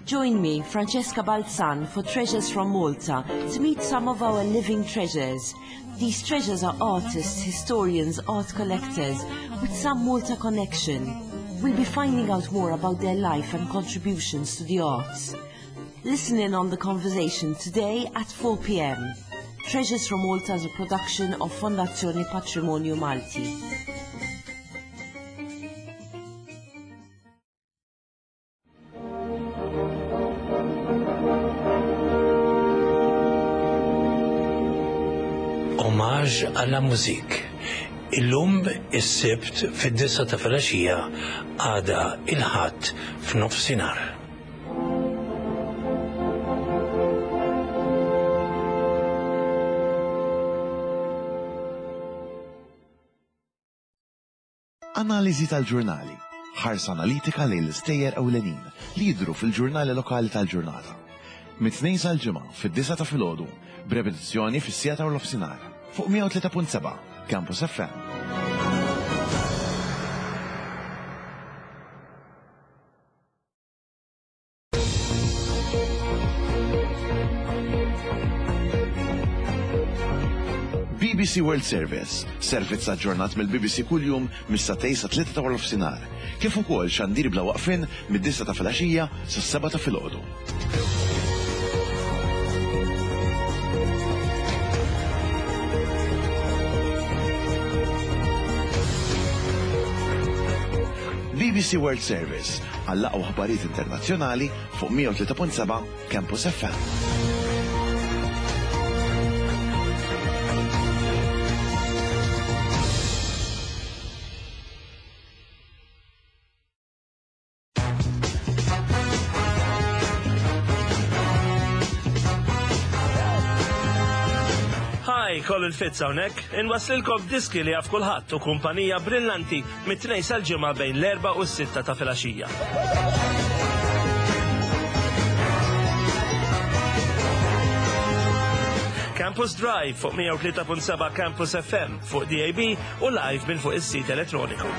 Join me, Francesca Balzan, for Treasures from Malta to meet some of our living treasures. These treasures are artists, historians, art collectors with some Malta connection. We'll be finding out more about their life and contributions to the arts. Listen in on the conversation today at four p m. Treasures from Malta is a production of Fondazione Patrimonio Malti. Hommage à la musique. Illum is-Sibt fid-disgħa ta' filgħaxija, għada il-Ħadd f'nofsinhar. Analiżi tal-ġurnali. Ħarsa analitika lejn l-istejjer ewlenin li jidru fil-ġurnali lokali tal-ġurnata. Mit-Tnejn sal-Ġimgħa fid-disgħa ta' filgħodu, b'repetizzjoni fis-siegħa ta' nofsinhar. Fuq mija u tlieta punt seba' Campus F M. B B C World Service, servizz aġġornat mill-B B C kuljum mis-sagħtejn sa tlieta ta' nofsinhar, kif ukoll xandir bla waqfin mid-disgħa ta' filgħaxija sas-sebgħa ta' filgħodu. B B C World Service għall-aqwa aħbarijiet internazzjonali fuq mija u tlieta punt seba' Campus F M. Hi, Colin Fitz hawnhekk, inwaslilkom diski li jaf kulħadd u kumpanija brillanti mit-Tnejn sal-Ġimgħa bejn l-erba' u s-sitta ta' filgħaxija. Campus Drive fuq mija u tlieta punt seba' Campus F M, fuq D A B u live minn fuq is-sit elettroniku.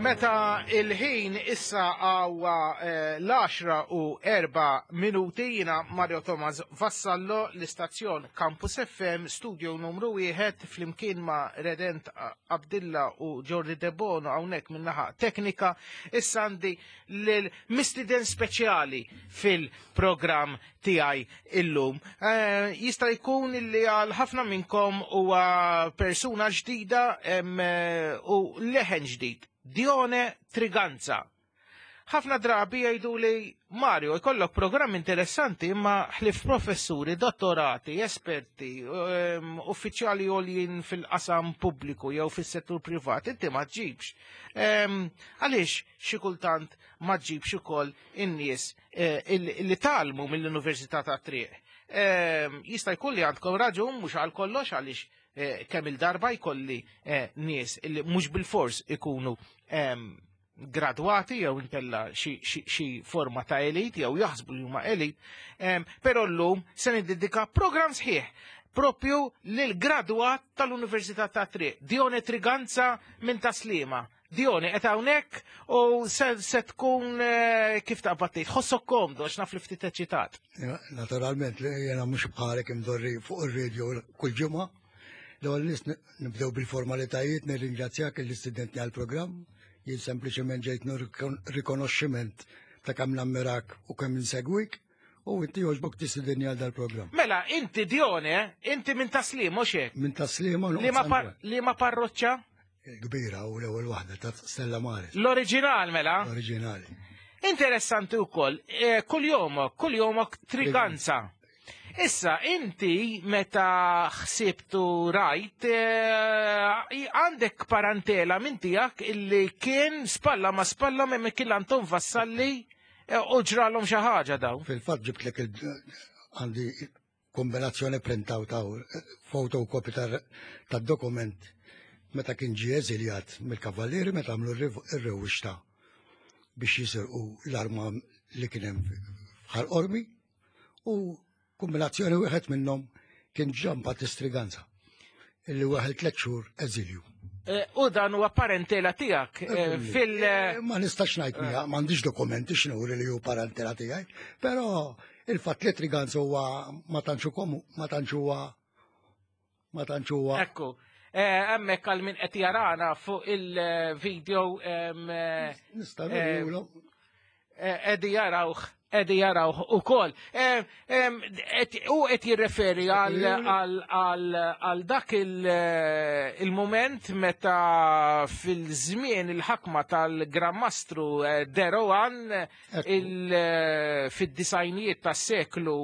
Meta il-ħin issa għawa eh, l-għaxra u erba' minuti, jina Mario Thomas Vassallo, l-istazzjon Campus F M, studio numru wieħed, flimkien ma' Redent Abdilla u Jordi Debono hawnhekk min-naħa teknika. Issa għandi l-mistiden speċjali fil-programm tiegħi illum. Eh, jista' jkun li għal ħafna minnkom huwa persuna ġdida em, eh, u leħen ġdid. Dione Triganza. Ħafna drabi jgħidu li Mario jkollok programm interessanti imma ħlif professuri, dottorati, esperti, um, uffiċjali għoljin fil-qasam pubbliku jew fis-settur privat, inti ma ġibx. Um, għaliex xi kultant ma ġibx ukoll in-nies eh, li talmu mill-Università ta' Triq. Um, jista' jkun li għandkom raġun mhux għal kollox għaliex eh, kemm il-darba jkolli eh, nies li mhux bil-fors ikunu um, gradwati jew inkella xi forma ta' elit jew jaħsbu li huma elit, um, però llum se niddedika programm sħiħ propju lil gradwat tal-Università ta' Triq, Dione Triganza minn Taslima. Dione, qed hawnhekk u se, se tkun eh, kif taqbad tgħid, ħossok komdu għax naf li ftit eċitat. Naturalment, jiena mhux bħalek imdorri fuq ir-radio kull ġimgħa. L-ewwel nies nibdew bil-formalitajiet, nirringrazzjak l-istudenti għall-programm. Jien sempliċement ġejt rikonoxximent ta' kemm nammirak u kemm insegwik, u inti jogħġbok tistidinni għal dal-programm. Mela, inti Dione, inti minn Taslima, mhux hekk? Minn Taslima. Liema parroċċa? Il-kbira u l-ewwel waħda ta' Stella Maris. L-oriġinal mela? L-oriġinali. Interessanti wkoll, kull jomok, kull jomok Triganza. Issa, inti meta ħsibtu rajt, għandek parentela minn tiegħek illi kien spalla ma spalla minn Mikiel Anton Vassalli u ġralhom xi ħaġa daw. Fil-fatt ġibtlek għandi kombinazzjoni printaw ta' fotokopi tad-dokument meta kien ġie eżiljat mill-Kavallieri meta għamlu r-rewwixta biex jisirqu l-arma li kien hemm f'Ħal Qormi, u kombinazzjoni wieħed minnhom kien Gian Battista Triganza illi waħel tliet xhur eżilju. U dan huwa parentela tiegħek fil Ma nistax ngħid miha, m'għandix dokumenti x'nuri li hu parentela tiegħi, però il-fatt li Triganza huwa ma tantx komu, ma tantx huwa ma tantx huwa. Ekku, hemmhekk għal min qed jarana fuq il-video nista' nurihulhom. Qegħdi jarawh. Edi jarawh ukoll. U qed jirreferi għal dak il-moment meta fil-żmien il-ħakma tal-Gran Mastru Deroan fid-disajnijiet tas-seklu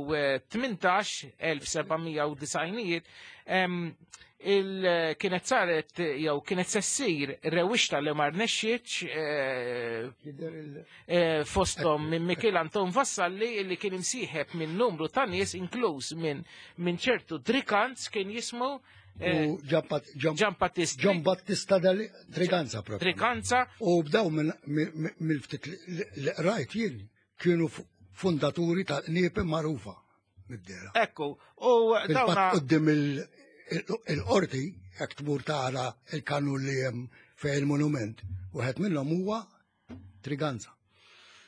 tmintax, elf sebgħamija u disajnijiet, kienet saret jew kienet se ssir rewwixta li ma rnexxietx fosthom minn Mikiel Anton Vassalli li kien imsieħeb minn numru ta' nies inkluż minn ċertu Triganz kien jismu Gian Battista Gian Battista Triganza proprio. Triganza. U bdew mill-ftit li qrajt jien kienu fundaturi tal-qniepe magħrufa mid-dera. Ekku, u dawna quddiem il-qorti, jekk tmur tara il-kanun li hemm fejn il-monument, wieħed minnhom huwa Triganza.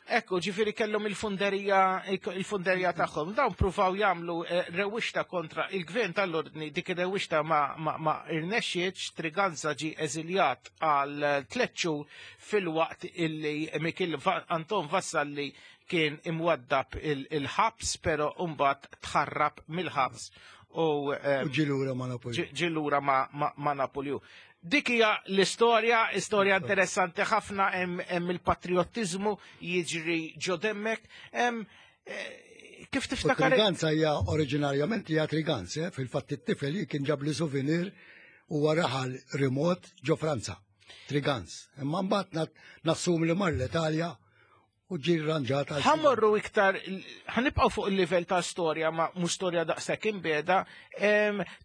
Ekku, ġifieri kellhom il-funderija il-funderija tagħhom. Dawn pruvaw jagħmlu rewwixta kontra il-gvern tal-ordni, dik ir-rewwixta ma, ma, ma irnexxietx, Triganza ġie eżiljat għal tliet xhur fil-waqt illi Mikiel Anton Vassalli kien imwaddab il-ħabs, però mbagħad tħarrab mill-ħabs. U ġilura ma' Napolju. Ġilura ma' Napolju. Dik hija l-istorja, istorja interessanti ħafna, hemm il-patriottiżmu jiġri ġo demmek. Kif tiftakar? Triganza hija oriġinarjament hija Triganza, fil-fatt it-tifel kien ġab li souvenir huwa raħal remot ġo Franza, Triganz. Imma mbagħad nassum li mar l-Italja u ġi rranġata. Ħammorru iktar, ħanibqgħu fuq il-livell ta' storja, ma mhux storja daqshekk imbeda,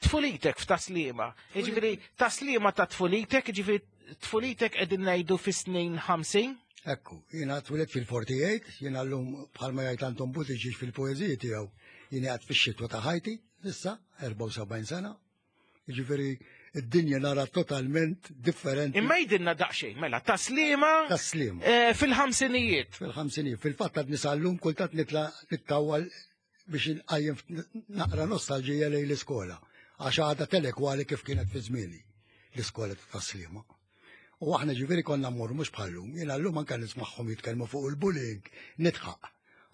tfulitek f'Taslima. Jiġifieri Taslima ta' tfulitek, jiġifieri tfulitek qegħdin ngħidu fis-snin ħamsin? Ekku, jiena twilet fil-forty-eight, jiena llum bħalma jgħid Anton Buttigieg fil-poeżiji tiegħu, jiena qgħad fix-xitwa ta' ħajti, issa erbgħa u sebgħin sena. Jiġifieri Id-dinja nara totalment differenti. Imma jidinna daqsxejn, mela, taslima. Taslima. Eh, fil-ħamsinijiet. Fil-ħamsinijiet. Fil-fatt għad nisallum kultant nitla' nittawwal biex nqajjem naqra nostalġija lejn l-iskola. Għax għadha telekwali kif kienet fi żmieni l-iskola ta' Taslima. U aħna ġifieri konna mmorru mhux bħallum, jiena llum anke nismagħhom jitkellmu fuq il-bullying, nidħaq.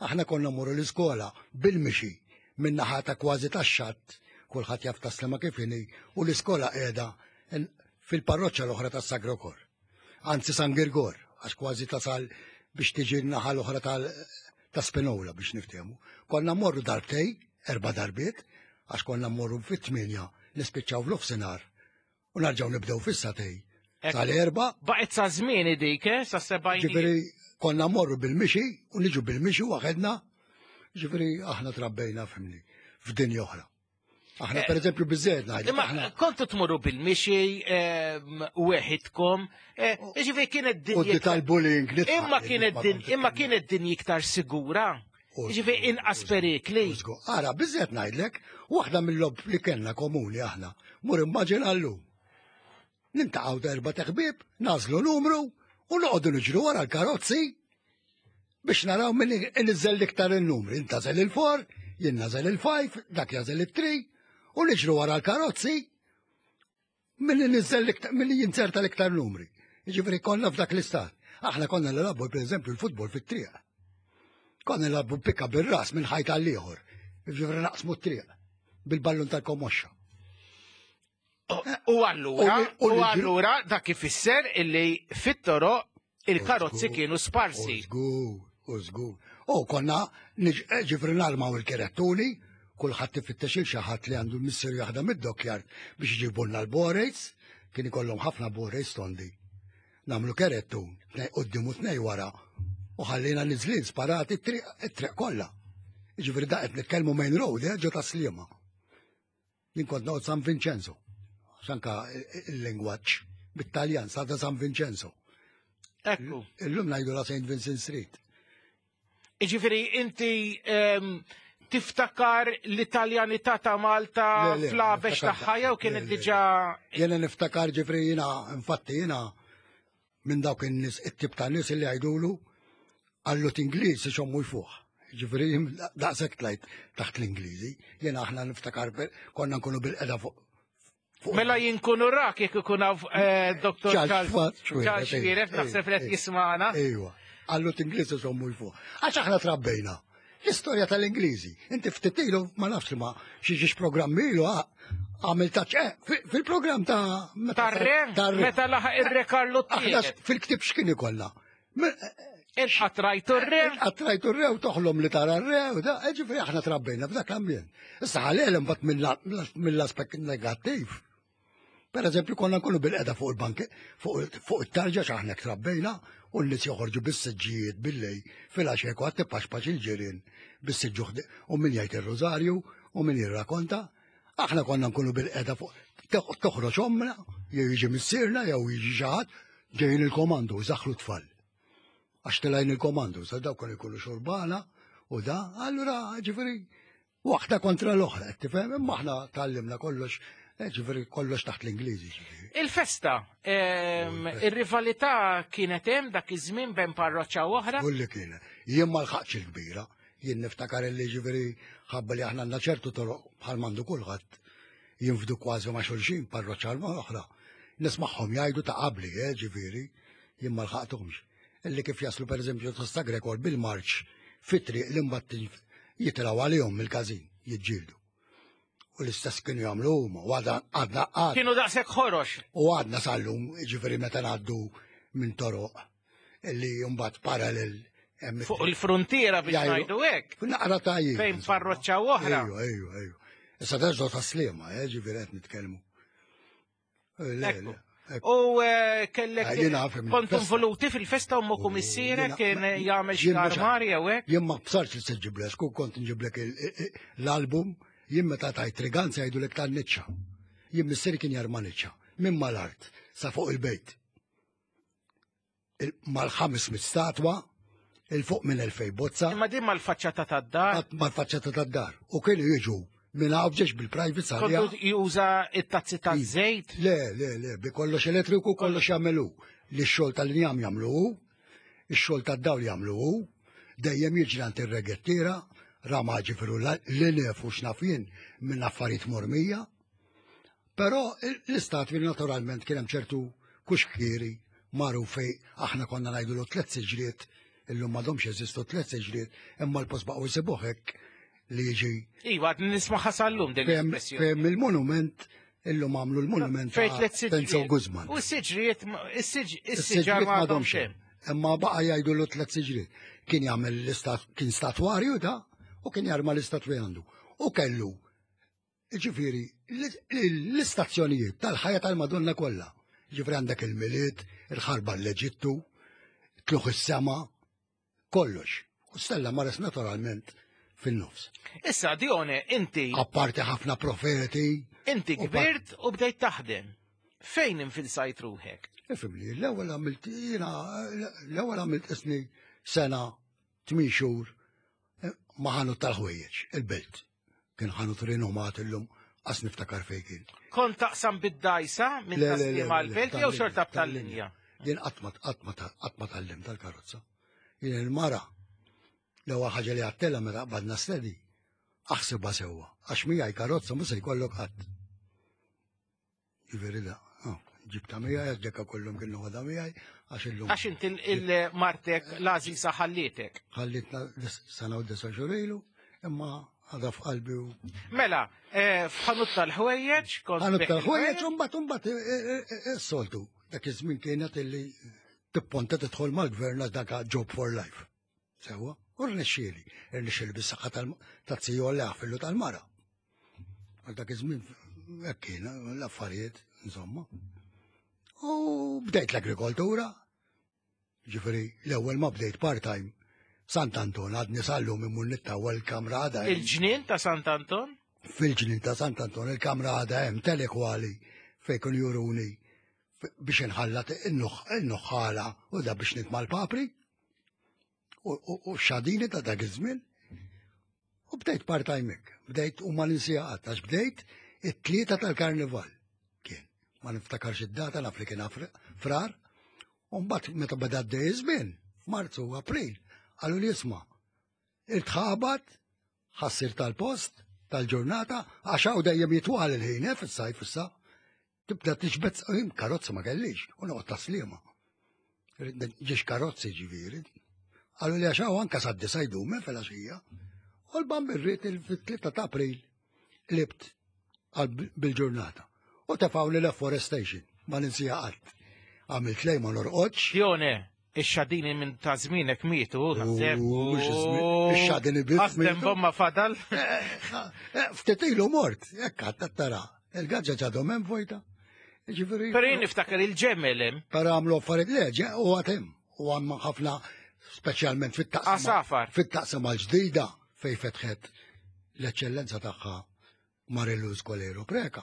Aħna konna mmorru l-iskola bil-mixi minn naħa ta' kważi tax-xatt, kulħadd jaf Taslima kif inhi, u l-iskola qiegħda fil-parroċċa l-oħra tas-Sagro Kor. Anzi San Girgor, għax kważi tasal biex tiġi n-naħa l-oħra ta' Spinola biex niftehmu. Konna mmorru darbtej, erba' darbiet, għax konna mmorru fit-tmienja nispiċċaw f'nofsinhar u narġgħu nibdew fis-satej. Sal-erba. Baqgħet sa żmieni dik, eh, sa sebgħin. Ġifieri konna mmorru bil-mixi u niġu bil-mixi waħedna. Ġifieri aħna trabbejna fimni f'dinja oħra. Aħna per eżempju biżżejjed ngħidlek. Imma kontu tmorru bil-mixi weħidkom, ġifieri kienet dinja. U tal-bullying. Imma kienet imma kienet dinja iktar sigura. Ġifieri inqas perikli. Ara, biżżejjed ngħidlek, waħda mill-lob li kellna komuni aħna, mur immaġina llum. Nintaqgħu darba ta' ħbieb, nażlu numru u noqogħdu niġru wara l-karozzi biex naraw min iniżel l-iktar il-numri. Intażel il-four, jien nażel il-five, dak jażel it-three, u niġru wara l-karozzi min iniżel min jinzerta l-iktar numri. Jiġifieri konna f'dak l-istat. Aħna konna nilagħbu pereżempju l-futbol fit-triq. Konna nilagħbu pikka bir-ras minn ħajt għal ieħor. Jiġifieri naqsmu t-triq bil-ballun tal-komoxxa. U allura, u allura dak ifisser illi fit-toroq il-karozzi kienu sparsi. Żgur, u żgur. U konna ġifri narmaw il-kerettuni, kulħadd ifittex il xi ħadd li għandu l-missier jaħdem id-dockyard biex iġibulna l-borejs, kien ikollhom ħafna borejs tondi. Nagħmlu kerettun, tnej quddiem u tnej wara, u ħallina niżlin sparati t-triq kollha. Ġifri da qed nitkellmu main road, ġo Taslima. Jien kont noqgħod San Vincenzo. Sanka il-lingwaġġ bit-Taljan, sada San Vincenzo. Ekku. Illum ngħidu la Saint Vincent Street. Jiġifieri inti tiftakar l-Italjanità ta' Malta fl-għabex tagħha jew kienet diġà. Jiena niftakar ġifri jiena infatti jiena minn dawk in-nies it-tip ta' nies li jgħidulu għallu t-Ingliż ixommu jfuħ. Ġifri daqshekk tlajt taħt l-Ingliżi. Jiena aħna niftakar konna nkunu bil-qeda fuq. Mela jinkunu rak jekk ikun hawn Doktor Charles Xuereb naħseb li qed jismagħna. Ejwa, għallu t-Ingliżi sommu jfuq. Għax aħna trabbejna. L-istorja tal-Ingliżi. Inti ftit ilu ma nafx li ma xi ġiex programm ilu għamil taċ fil-programm ta' Tar-re, meta laħaq ir-re Karlu t-tielet. Fil-ktieb x'kien ikollna? Inqatrajtu r-re. Inqatrajtu r-re u toħlom li tara r-re u da, ġifieri aħna trabbejna f'dak l-ambjent. Issa ħalel imbagħad mill-aspett negattiv. Per eżempju, konna nkunu bil-qeda fuq il-banki, fuq it-tarġa x'aħna trabbejna, u n-nies joħorġu bis-siġġijiet bil-lej fil-għaxek u għad tippaxpax il-ġirien bis-siġġu u min jgħid ir-rużarju u min jirrakonta. Aħna konna nkunu bil-qeda fuq toħroġ ommna, jew jiġi missierna, jew jiġi xi ħadd, ġejjin il-komandu, zaħlu tfal. Għax tilajn il-komandu, sa dawk kienu jkunu xurbana u da, allura ġifieri waħda kontra l-oħra, tifhem, imma aħna tgħallimna kollox. Ġifieri kollox taħt l-Ingliżi. Il-festa, ir-rivalità kienet hemm dak iż-żmien bejn parroċċa u oħra? Kulli kienet. Jien ma lħaqx il-kbira, jien niftakar li ġifieri ħabba li aħna għandna ċertu toroq bħal m'għandu kulħadd jinfdu kważi ma' xulxin parroċċa l oħra. Nismagħhom jgħidu ta' qabli, ġifieri, jien ma lħaqthomx. Illi kif jaslu pereżempju ta' Sagrekor bil-marċ fit-triq li mbagħad jitilgħu għalihom mill-każin, jiġġieldu. U l-istess kienu jagħmlu huma, u għadna għadna. Kienu daqshekk ħorox. U għadna sal-lum, ġifieri meta ngħaddu minn toroq illi mbagħad parallel fuq il-frontiera biex ngħidu hekk. Naqra tajjeb. Fejn parroċċa oħra. Ejju, ejju, ejju. Issa terġgħu Taslima, eh, ġifieri qed nitkellmu. U kellek kont involuti fil-festa u moku missierek kien jagħmel xi armar jew hekk? Jien ma bsarx li se ġiblek, kont nġiblek l-album. Jien meta tajt triganza jgħidulek tan-niċċa. Jien missieri kien jarma niċċa minn mal-art sa fuq il-bejt. Mal-ħames mit statwa, il fuq minn elfej bozza. Imma din mal-faċċata tad-dar. Mal-faċċata tad-dar. U kienu jiġu Minn hawn bil-private sarja. Kontu juża it-tazzi ta' żejt? Le, le, le, bi kollox elettriku kollox jagħmelu. Li x-xogħol tal-injam jagħmlu, ix-xogħol tad-dawl jagħmlu, dejjem jiġri għand ir-regettiera, rama ġifiru l-nef u x'naf jien minn affarijiet mormija. Però l-istatwi naturalment kien hemm ċertu kuxkieri magħruf fej aħna konna ngħidulu tliet siġriet, illum m'għadhomx jeżistu tliet siġriet, imma l-post baqgħu jsibuh hekk li jiġi. Iva, nisma' sal-lum din l-espressjoni. Fejn il-monument, illum għamlu l-monument fejn tliet Penzo Guzman. U s-siġriet, is-siġar m'għadhomx hemm. Imma baqa' jgħidulu tliet siġriet. Kien jagħmel l-istat, kien statwarju da, u kien jarma l-istatwi għandu. U kellu, ġifieri, l-istazzjonijiet tal-ħajja tal-Madonna kollha. Ġifieri għandek il-Milied, il-ħarba l-Eġittu, tluħ is-sema, kollox. U Stella Maris naturalment fin-nofs. Issa, Dione, inti. Apparti ħafna profeti. Inti kbirt u bdejt taħdem. Fejn infilsajt ruħek? Ifimli, l-ewwel għamilt jiena, l-ewwel għamilt isni sena tmien xhur ma' ħanut tal-ħwejjeġ, il-belt. Kien ħanut rinomat illum, qas niftakar fejn kien. Kont taqsam bid-dajsa minn Taslima l-belt jew xorta b'tal-linja? Jien qatt ma qatt ma tgħallimt tal-karozza. Jien il-mara l-ewwel ħaġa li għattela meta qbadna stedi, aħsibha sewwa, għax miegħi karozza mhux se jkollok qatt. Jiġifieri da, ġibta miegħi għax ġekka kollhom kienu ħadha miegħi għax illum. Għax inti il-martek l-għażiża ħallietek. Ħallitna sena u disa' xhur ilu, imma għadha f'qalbi u. Mela, f'ħanut tal-ħwejjeġ kont. Ħanut tal-ħwejjeġ u mbagħad mbagħad is-soltu. Dak iż-żmien kienet illi tipponta tidħol mal-gvern għax dak job for life. Sewwa, u rnexxieli, rnexxieli bis-saħħa tat-tiju li għafillu tal-mara. Għal dak iż-żmien hekk kien l-affarijiet, insomma. U bdejt l-agrikoltura, ġifieri l-ewwel ma bdejt part-time Sant'Anton, għadni sal-lum immur nittawwa l-kamra għadha. Il-ġnien ta' Sant'Anton? Fil-ġnien ta' Sant'Anton, il-kamra għadha hemm telekwali fejn kienu juruni biex inħallat in-nuħħala u da biex nitma' l-papri u xadini ta' dak iż-żmien. U bdejt part-time hekk, bdejt u ma ninsija qatt għax bdejt it-tlieta tal-karnival kien. Ma niftakarx id-data naf li kien frar, u mbagħad meta beda għaddej iż-żmien, f'Marzu u April, qalu li isma' il-tħabat ħassir tal-post tal-ġurnata għax hawn dejjem jitwal il-ħin eh, fis-sajf issa. Tibda tiġbed karozza ma kellix u noqgħod taslima. Ġiex karozzi ġifieri. Qalu li għax hawn anke sad-disa jdum fil-għaxija. U l-bambin rrid fit-tlieta ta' April qlibt bil-ġurnata. U tefgħu l-afforestation, ma ninsija qatt. Għamilt lej ma norqodx. Dione, ix-xadini minn ta' żmienek mietu, naħseb. Ix-xadini biss. Għastem bomma fadal. Ftit ilu mort, hekk għad tara. Il-gaġġa ġadhom hemm vojta. Ġifieri. Però jien niftakar il-ġemel hemm. Però għamlu affarijiet le, u għad hemm. U għamma ħafna speċjalment fit-taqsima. Għasafar. Fit-taqsima l-ġdida fejn fetħet l-eċċellenza tagħha Mariluz Kolero Preka.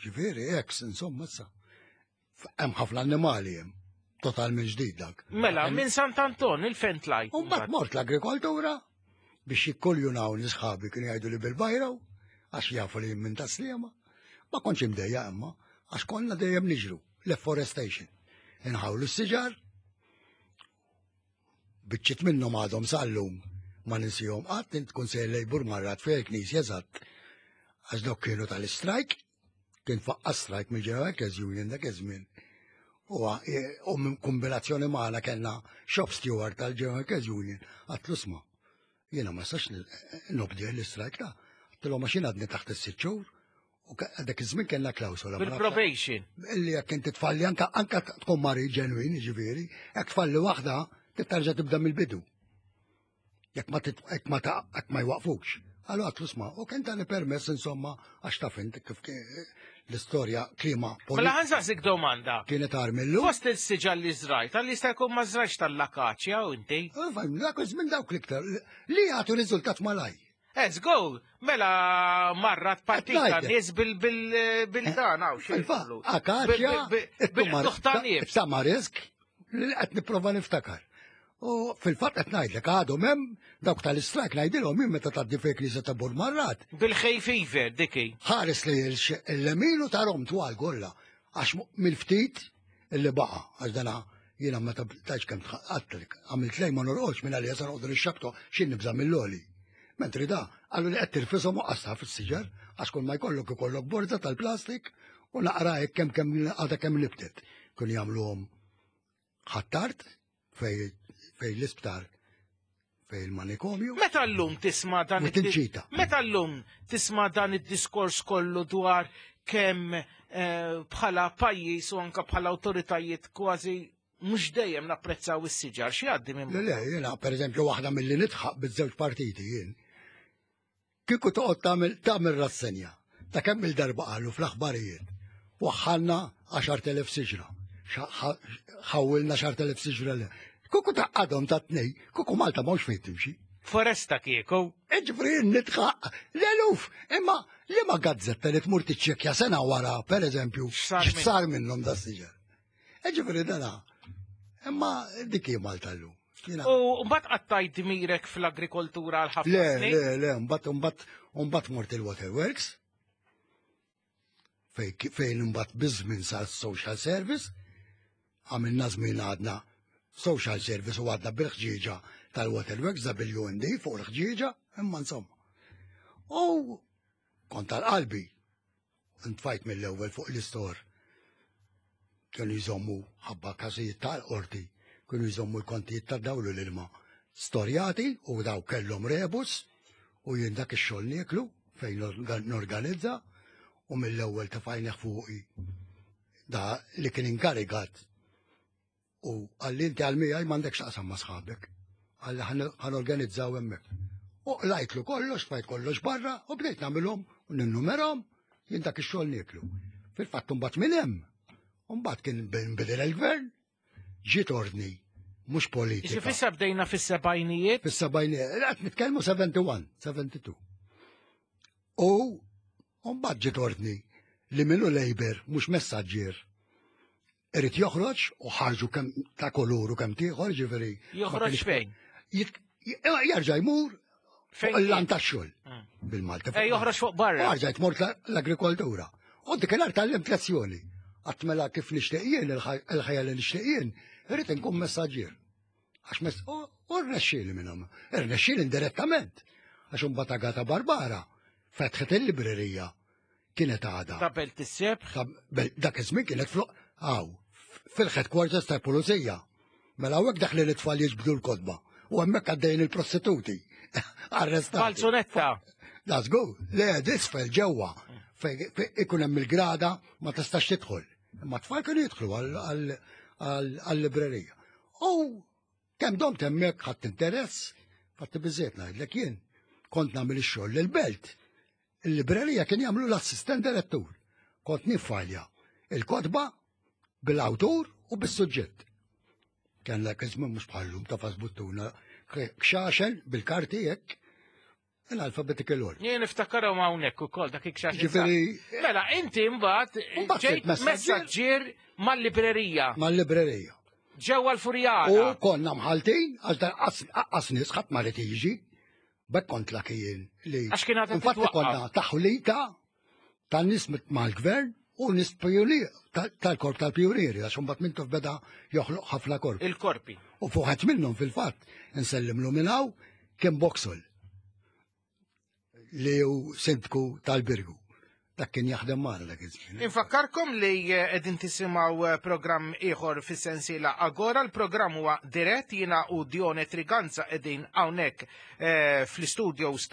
Ġifieri, ex, insomma, issa. Hemm ħafna annimali hemm. Totalment ġdid dak. Mela, minn Sant'Anton il-fejn tlajt. U mbagħad mort l-agrikoltura biex jikkoljunaw nisħabi kienu jgħidu li bil-bajraw għax jafu li minn Taslima. Ma kontx imdejja imma għax konna dejjem niġru l-afforestation. Inħawlu s-siġar, biċċiet minnhom għadhom sal-lum ma ninsihom qatt, int tkun sejjer lejbur marrat fejn il-knisja eżatt. Għax dawk kienu tal-istrajk, kien faqqa strajk mill-General Workers Union dak iż-żmien. U minn kombinazzjoni magħna kellna shop steward tal-General Workers Union, għatlu sma. Jiena ma sax nobdi l-istrajk ta'. Għattilhom għax jien għadni taħt is-sitt xhur. U dak iż-żmien kellna klawsola. Bil-probation. Illi jekk inti tfalli anka anka tkun mari ġenwin, ġifieri, jekk tfalli waħda, tittarġa' tibda mill-bidu. Jekk ma jekk ma jekk ma jwaqfux. Allura għatlu sma, u kien tani permess insomma għax taf inti kif l-istorja klima politika. Mela ħansaqsik domanda. Kienet armillu. Fost il-siġar li żrajt, għalli jista' jkun ma żrajtx tal-lakaċja u inti. Dak minn dawk l-iktar li jagħtu riżultat malaj. Let's go! Mela marrat partita nies bil-dan hawn xi. Akaċja, bil-tuħtanieb. Tamarisk li qed nipprova niftakar. U fil-fatt qed ngħidlek għadhom hemm dawk tal-istrajk ngħidilhom minn meta tgħaddi fejn knisja ta' Burmarrat. Bil-hay fever, diki. Ħares li l-lemin u tarhom twal kollha għax mill-ftit illi baqa' għax dana jiena meta tajx kemm għattlek għamilt lejn ma norqodx minn għalija sa noqogħdu nixxabtu x'in nibża' mill-oli. Mentri da qalu li qed tirfishom u qasha fis-siġar għax kull ma jkollok ikollok borza tal-plastik u naqra hekk kemm kemm għadha kemm nibtet. Kienu jagħmluhom ħattart fej fej l-isptar fej il-manikomju. Meta llum tisma' dan id Meta llum tisma' dan id-diskors kollu dwar kemm bħala pajjiż u anke bħala awtoritajiet kważi mhux dejjem napprezzaw is-siġar, xi jgħaddi minn. Le, le, jiena pereżempju waħda milli nidħaq biż-żewġ partiti jien. Kieku toqgħod tagħmel tagħmel rassenja ta' kemm il-darba qalu fl-aħbarijiet. Waħħalna għaxart elef siġra. Ħawilna għaxart elef siġra le. Kuku taqqadhom ta' tnej, kuku Malta mhux fejn timxi. Foresta kieku. Ġifri nitħaq l-eluf, imma li ma gazzetta li tmur tiċċekkja sena wara, per eżempju, x'sar minnhom da siġar. Ġifri dana, imma dik hi Malta llum. U mbagħad qattajt dmirek fl-agrikoltura għal ħafna snin? Le, le, le, mbagħad mbagħad mbagħad mort il-Waterworks fejn imbagħad biż-żmien sar social service, għamilna żmien għadna social service u għadna bil-ħġieġa tal-Waterworks, W N D fuq il-ħġieġa, imma insomma. U kont tal-qalbi, ntfajt mill-ewwel fuq l-istor. Kienu jżommu ħabba każijiet tal-qorti, kienu jżommu l-kontijiet tad-dawl u l-ilma storjati u daw kellhom rebus u jien dak ix-xogħol nieklu fejn norganizza u mill-ewwel tefajnih fuqi da li kien inkarigat. U għalli inti għal-mijaj m'għandekx taqsam ma' sħabek. Għalli ħanorganizzaw hemmhekk. U qlajtlu kollox, tfajt kollox barra u bdejt nagħmilhom u ninnumerhom jien dak ix-xogħol nieklu. Fil-fatt imbagħad minn hemm. Imbagħad kien nbidel il-gvern, ġiet ordni, mhux politika. Ġifieri issa bdejna fis-sebgħinijiet? Fis-sebgħinijiet, qed nitkellmu seventy-one, seventy-two. U mbagħad ġiet ordni li minnu Labour mhux messaġġier irid joħroġ u ħarġu kemm ta' kolur u kemm tieħor, ġifieri. Joħroġ fejn? Jerġa' jmur fuq il-lan tax-xogħol bil-Malti. Eh, joħroġ fuq barra. Jerġa' jmur l-agrikoltura. U dik il-art tgħallimt lezzjoni. Qatt mela kif nixtieq jien, il-ħajja li nixtieq jien, irid inkun messaġġier. Għax u rnexxieli minnhom. Irnexxieli indirettament. Għax imbagħad Agata Barbara fetħet il-librerija kienet għadha. Ta' Belt is-Sebħ? Dak iż-żmien kienet fl Aw, fil-headquarters tal-pulizija. Mela hawnhekk daħli l-itfal jiġbdu l-kotba u hemmhekk għaddejjin il-prostituti. Arrestati. Falzunetta. That's go. Le, disfel ġewwa fejn ikun hemm il-grada ma tistax tidħol. Imma t-tfal kienu jidħlu għall-librerija. U kemm domt hemmhekk ħadd interess, fatti biżejjed ngħidlek jien. Kont nagħmel ix-xogħol lill-belt. Il-librerija kien jagħmlu l-assistent direttur. Kont nifalja il-kotba bil-awtur u bis-suġġett. Kien lek iż-żmien mhux bħallum ta' fasbuttuna kxaxen bil-karti hekk l-alphabetical order. Jien niftakarhom hawnhekk ukoll dak il-kxaxen. Ġifieri Mela inti mbagħad ġejt messaġġier mal-librerija. Mal-librerija. Ġewwa l-Furjana. U konna mħaltin għax dan qas nies ħadd ma rid jiġi. Bekk kont laki jien li. Għax kien għadha Infatti konna taħlita tan-nies mal-gvern u nies pijunier tal-korp tal-pijunieri għax imbagħad Mintoff beda joħloq ħafna korp. Il-korpi. U fuq minnhom fil-fatt insellimlu minn hawn kien Boxall li hu sindku tal-Birgu. Dak kien jaħdem magħna dak iż-żmien. Infakkarkom li qegħdin tisimgħu programm ieħor fis-sensiela Agora, l-programm huwa dirett, jiena u Dione Triganza qegħdin hawnhekk fl-istudios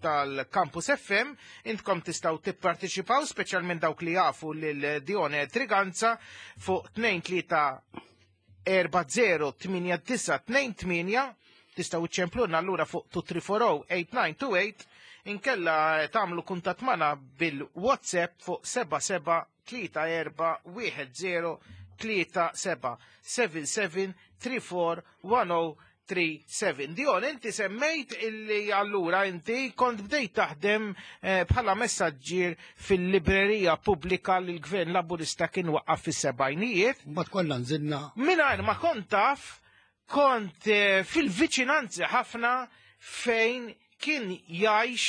tal-Campus F M. Intkom tistgħu tipparteċipaw, speċjalment dawk li jafu lil Dione Triganza fuq tnejn tlieta erba' zero tmienja disa' tnejn tmienja. Tistgħu iċċempluna allura fuq two three four oh eight nine two eight, inkella tagħmlu kuntatt magħna bil-WhatsApp fuq seba' seba' tlieta erba' wieħed zero tlieta seba' seven seven three four one oh three seven. Dion, inti semmejt illi allura inti kont bdejt taħdem bħala messaġġier fil-librerija pubblika li l-Gvern Laburista kien waqqaf fis-sebgħinijiet. Mbagħad konna nżilna. Mingħajr ma kont taf kont eh, fil-viċinanzi ħafna fejn kien jgħix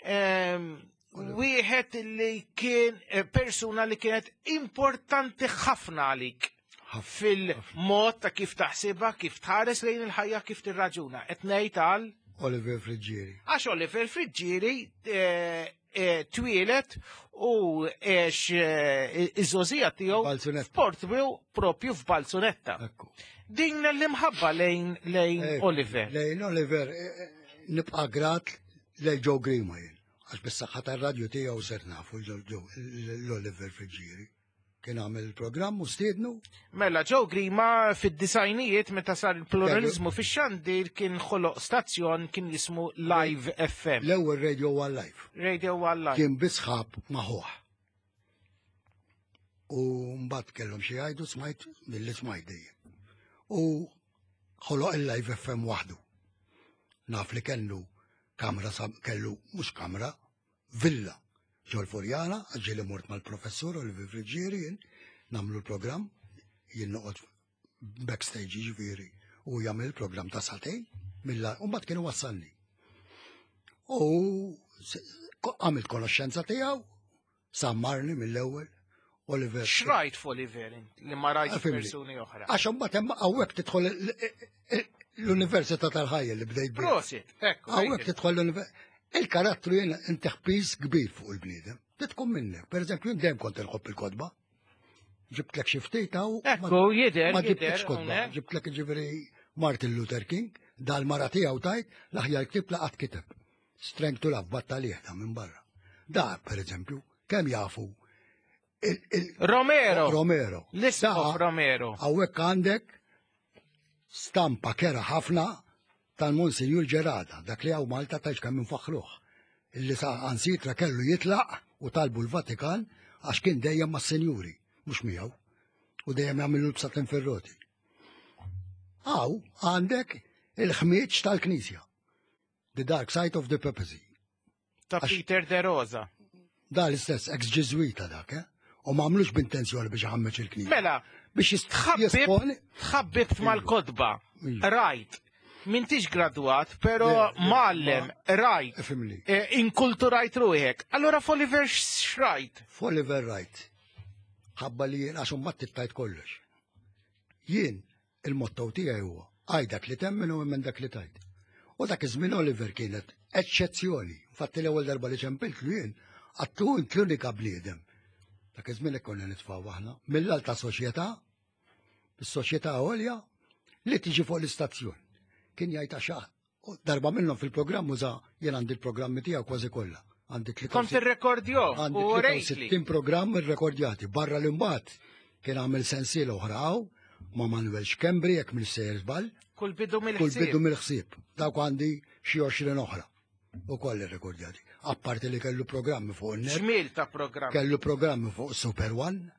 ehm, wieħed li kien eh, persuna li kienet importanti ħafna għalik fil-mod ta' kif taħsibha, kif tħares lejn il-ħajja, kif tirraġuna. Qed ngħid għal Oliver Friggieri. Għax Oliver Friggieri eh, eh, twieled u għex iż-żgħożija tiegħu f'Portbiu propju f'Balzunetta. Din l-imħabba lejn lejn Eh, Oliver. Lejn Oliver, eh, eh, nibqa' grat lejn Joe Grima jien. Għax bis-saħħa tar-radju tiegħu ser nafu l-Oliver Friggieri. Kien għamel il-programm u stiednu. Mela, Joe Grima fid-disajnijiet meta sar il-pluralizmu fix-xandir kien ħoloq stazzjon kien jismu Live F M. L-ewwel Radio One Live. Radio One Live. Kien bi sħab magħhom. U mbagħad kellhom xi jgħidu, smajt milli smajt dejjem. U ħoloq il-Live F M waħdu. Naf li kellu kamra sab- kellu mhux kamra, villa ġol-Furjana, ġieli mort mal-professur Oliver Friggieri jien, nagħmlu l-programm, jien noqgħod backstage jiġifieri u jagħmel il-programm ta' sagħtejn, milla, u mbagħad kienu wassalni. U se- ko- għamilt konoxxenza tiegħu, sammarni mill-ewwel, Oliver. X'rajt f'Oliver int li ma rajt Fimni. persuni oħra? Għax imbagħad hemm hawnhekk tidħol l- l-Università tal-Ħajja li bdejt biha. Prosit, ekku. Hawnhekk tidħol l-Università. Il-karattru jien intih piż kbir fuq il-bniedem. Titkun minnek. Per eżempju, jien dejjem kont inħobb il-kotba. Ġibtlek xi ftit hawn. Ekku, jidher, Ma jidher, ġibtlekx kotba. hawnhekk. Ġibtlek ġifieri Martin Luther King, dal-mara tiegħu tajt l-aħjar ktib li qatt kiteb. Strength to Love battalih da minn barra. Da, per eżempju, kemm jafu il- il- Romero. Romero. L-Isqof Romero. Hawnhekk għandek stampa kerha ħafna tal-Monsinjur Gerada, dak li hawn Malta tajx kemm infaħruh. Illi saħansitra kellu jitlaq u talbu l-Vatikan għax kien dejjem mas-senjuri, mhux miegħu. U dejjem jagħmlu l-bsaten fir-roti. Hawn għandek il-ħmieġ tal-Knisja. The Dark Side of the Papacy. Ta' Peter De Rosa. Da l-istess ex-Ġiżwita dak, eh? U ma għamlux b'intenzjoni biex iħammeġ il-Knisja. Mela, biex tħabbib tħabbibt mal-kotba. Rajt. M'intix gradwat, pero mgħallem, rajt. Fimli. Eh, Inkulturajt ruħek. Allora f'Oliver x'rajt? F'Oliver rajt. Ħabba li jien għax mbagħad tittajt kollox. Jien il-motto tiegħi huwa għid dak li temmen u minn dak li tajt. U dak iż-żmien Oliver kienet eċċezzjoni. Infatti l-ewwel darba li ċempiltlu jien għedtlu int l-unika bniedem. Dak iż-żmien hekk konna nitfgħu aħna mill-alta soċjetà, is-soċjetà għolja li tiġi fuq l-istazzjon. Kien jgħid għax u darba minnhom fil-programm uża jien għandi l-programmi tiegħu kważi kollha. Għandi Kont irrekordjo Għandi u rejtli. tletin programm irrekordjati. Barra l-imbagħad kien għamel sensiela oħra hawn ma' Manuel Schembri jekk minn sejjer żball. Kull bidu Kull mill-ħsieb. bidu mill-ħsieb. Dawk għandi xi għoxrin oħra. U koll irrekordjati. Apparti li kellu programmi fuq il-net. Ġmiel ta' programm. Kellu programmi fuq Super One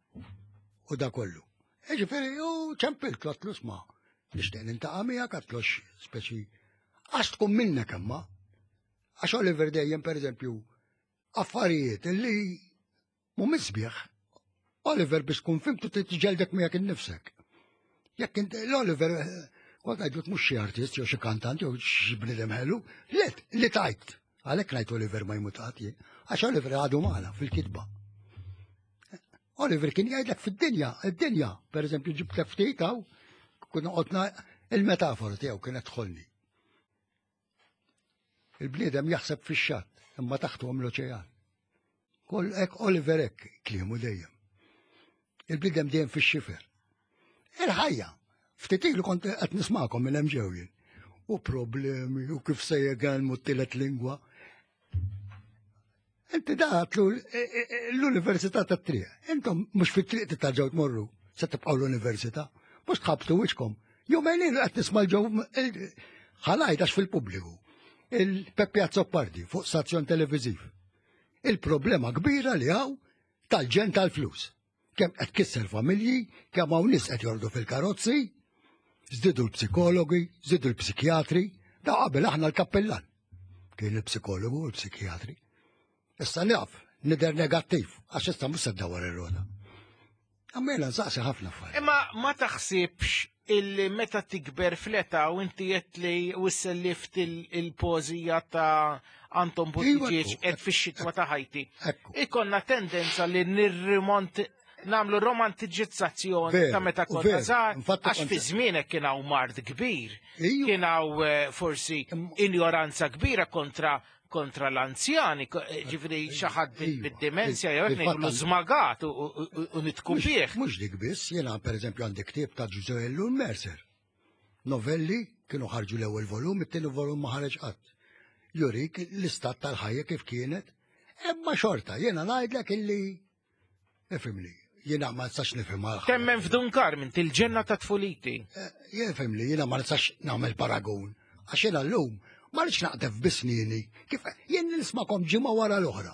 u da kollu. Ġifieri, u ċempilt għedtlu isma'. Nixtieq niltaqa' miegħek għedtlu speċi. Għax tkun minnek imma. Għax Oliver dejjem per eżempju affarijiet illi mhumiex sbieħ. Oliver biex tkun fimtu tiġġeldek miegħek innifsek. Jekk inti l-Oliver eh, kont ngħidlu mhux xi artist jew xi kantant jew xi bniedem ħelu, let li tajt. Għalhekk ngħid Oliver ma jmut qatt jien. Għax Oliver għadu magħna fil-kitba. Oliver kien jgħidlek fid-dinja, id-dinja, per eżempju ġibt ftit hawn, kun qotna il-metafora tiegħu kienet tħollni. Il-bniedem jaħseb fix-xatt, imma taħtu hemm l-oċean. Kull hekk Oliver hekk kliemu dejjem. Il-bniedem dejjem fix-xifer. Il-ħajja, ftit ilu kont qed nismakom minn hemm ġew jien. U problemi, u kif se jgħallmu t-tielet lingwa. Inti daħtlu l-Università tat-triq. Intom mhux fit-triq titarġgħu tmorru, se tibqgħu l-università. Mhux tħabtu wiċkom. Jumejn ilu qed nisma' ġew ħalajt għax fil-pubbliku. Il-Peppi Azzopardi fuq stazzjon televiżiv. Il-problema kbira li hawn tal-ġen tal-flus. Kemm qed kisser familji, kemm hawn nies qed jorqdu fil-karozzi, żdiedu l-psikologi, żdiedu l-psikjatri, da qabel aħna l-kappellan. Kien il-psikologu u l-psikjatri. Issa naf, nidher negattiv, għax issa mhux se ddawwar ir-rota. Għammela nsaqsi ħafna affarijiet. Imma ma taħsibx Illi meta tikber fl-età u inti qed li wissellift il-poeżija ta' Anton Buttigieg qed fix-xitwa ta' ħajti. Ikonna tendenza li nirrimont nagħmlu romantiġizzazzjoni ta' meta konna żgħar, għax fi żmienek kien hawn mard kbir, kien hawn forsi injoranza kbira kontra kontra l-anzjani, ġifieri xi ħadd bid-dimensja jew hekk ngħidulu żmagat u nitku bih. Mhux dik biss, jiena pereżempju għandi ktieb ta' Ġużè Ellul Mercer. Novelli kienu ħarġu l-ewwel volum, it-tieni volum ma ħareġ qatt. Jurik l-istat tal-ħajja kif kienet, imma xorta, jiena ngħidlek illi ifhimni, jiena ma nistax nifhem għal. Temmen f'Dun Carmen, til-ġenna ta' tfuliti. Jifhimni, jiena ma nistax nagħmel paragun, għax jiena llum ma rridx naqdef bisnini, kif jien nismakom ġimgħa wara l-oħra.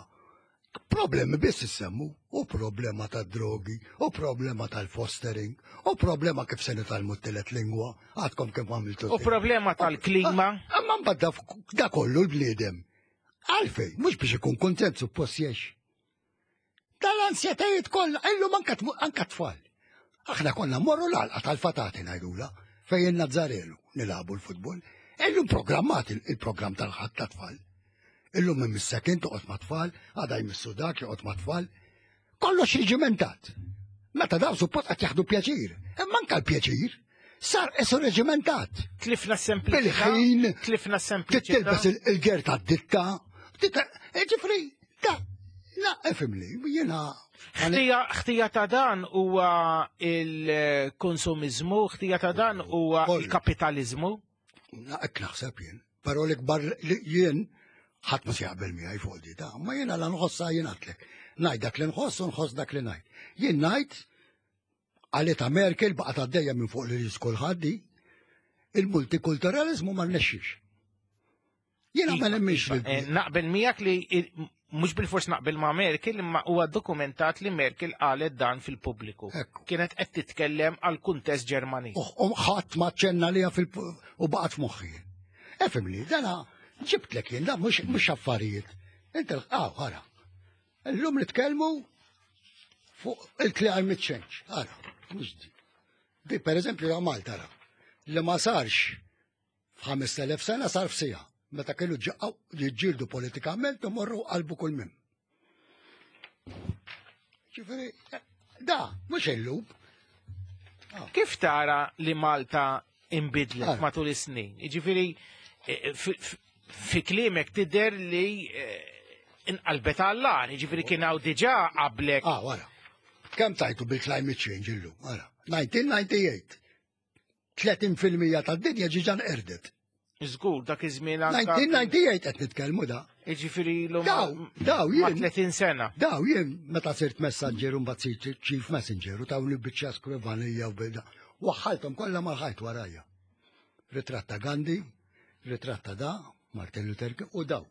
Problemi biss issemmu, u problema ta' drogi, u problema tal-fostering, u problema kif se nitgħallmu t-tielet lingwa, għadkom kif għamiltu. U problema tal-klima. Imma mbagħad da kollu l-bniedem. Għalfejn, mhux biex ikun kuntent suppost jgħix. Tal-ansjetajiet kollha, illum anke tfal. Aħna konna mmorru l-għalqa tal-fatati ngħidula, fejn Nazzarelu nilagħbu l-futbol. Illum programmat il-programm tal-ħadd ta' tfal. Illum imissek int toqgħod ma' tfal, għada jmissu dak joqgħod ma' tfal. Kollox reġimentat. Meta daw suppost qed jaħdu pjaċir. Imma anke l-pjaċir sar isu reġimentat. Tlifna s-sempliċità. Bil-ħin. Tlifna s-sempliċità. Tilbes il-ger tad-ditta. Ġifri, da, la, ifhimni, jiena. Ħtija ta' dan huwa il-konsumiżmu, ħtija ta' dan huwa il-kapitaliżmu. Hekk naħseb jien, però l-ikbar jien ħadd ma se jaqbel miegħi fuq di ta' ma jiena la nħossha jien għadlek. Ngħid dak li nħoss u nħoss dak li ngħid. Jien ngħid għalita Merkel baqgħet għaddejja minn fuq li ris kulħadd di, il-multikulturalizmu ma rnexxix. Jiena ma nemminx. Naqbel miegħek li mhux bil-fors naqbel ma' Merkel, imma huwa dokumentat li Merkel qalet dan fil-pubbliku. Kienet qed titkellem għal kuntest Ġermaniż. U ħadd ma ċenna liha fil u baqgħet f'moħħi. Efhimni, dana ġibtlek jien, da mhux affarijiet. Inti aw ara. Illum nitkellmu fuq il-climate change. Ara, mhux di. Di pereżempju ja Malta ra. Li ma sarx f'ħames elef sena sar f'sija. Meta kienu jiġġieldu politikament u morru qalbu kull mim. Ġifieri, da, mhux illum. Kif tara li Malta inbidlet matul is-snin? Ġifieri, fi kliemek tidher li inqalbet għall-agħar, ġifieri kien hawn diġà qablek. Ah, wara. Kemm tajtu bil-climate change illum, wara. nineteen ninety-eight. tletin fil-mija tad-dinja ġiġa nqerdet. Żgur, dak iż-żmien anka. nineteen ninety-eight qed nitkellmu da. Jiġifieri ilhom Daw, daw jien. ma' tletin sena. Daw jien meta sirt messaġġer u mbagħad sirt chief messenger u tawni biċċa skrivanija u bida. Waħħalthom kollha mal-ħajt warajja. Ritratt ta' Gandhi, ritratt ta' da, Martin Luther King u daw.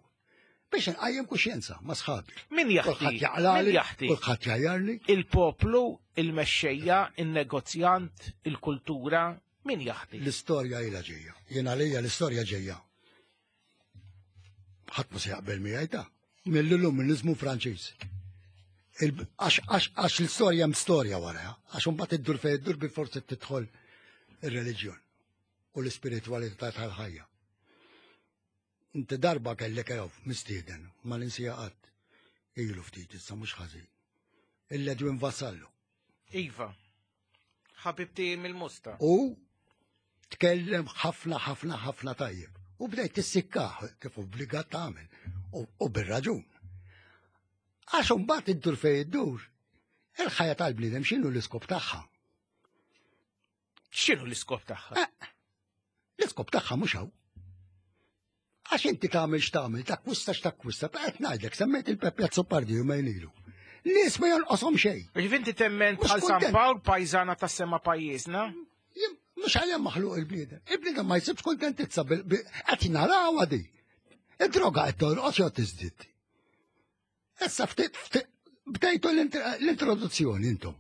Biex nqajjem kuxjenza ma' sħabi. Min jaħti? Kulħadd jaqlali, Min jaħti? Kulħadd jgħajjarli. Il-poplu, il-mexxejja, il-negozjant, il-kultura, min jaħti? L-istorja ilha ġejja. Jien għalija l-istorja ġejja. Ħadd ma se jaqbel miegħi ta' mill-illuminizmu Franċiż. Għax l-istorja hemm storja wara, għax imbagħad iddur fejn iddur bi forsi tidħol ir-reliġjon u l-ispiritwalità tal-ħajja. Inti darba kellek jew mistieden, ma ninsija qatt. Ilu ftit issa mhux ħażin. Il-Edwin Vassallo. Iva. Ħabibti mill-Musta. U tkellem ħafna ħafna ħafna tajjeb. U bdejt tissikkaħ kif obbligat tagħmel. U bir-raġun. Għax imbagħad iddur fejn iddur, il-ħajja tal-bniedem x'inhu l-iskop tagħha? X'inhu l-iskop tagħha? L-iskop tagħha mhux hawn. Għax inti tagħmel x'tagħmel, takkwista x'takkwista, qed ngħidlek semmejt il-Peppe Azzopardi jumejn ilu. Nies ma jonqoshom xejn. Ġifieri inti temmen bħal San Pawl pajżana tas-sema pajjiżna? Mhux għalhemm maħluq il-bniedem. Il-bniedem ma jsibx kuntentizza qed narawha di. Id-droga qed torqos jew tiżdied. Issa ftit ftit bdejtu l-introduzzjoni intom.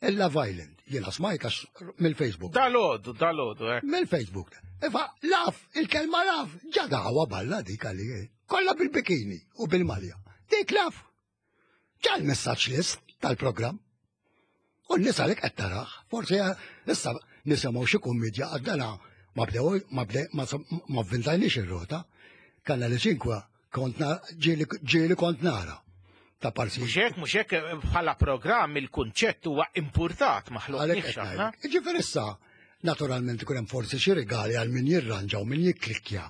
Il-Love Island, jiena smajt għax mill-Facebook. Dalodu, dalodu, eh. Mill-Facebook. Iva, laf, il-kelma laf, ġadawa balla dik għalli, kollha bil-bikini u bil-malja. Dik laf. Ġa l-messaġġ list tal-programm. U n-nies għalhekk qed taraħ, forsi issa nisimgħu xi kummedja għaddana ma bdew ma bdew ma vvintajniex ir-rota. Kanali Cinque kont ġieli kont nara. Ta' parsi. Mhux hekk, mhux hekk bħala programm il-kunċett huwa importat maħluq. Ġifieri issa, naturalment ikun hemm forsi xi rigali għal min jirranġa u min jikklikkja.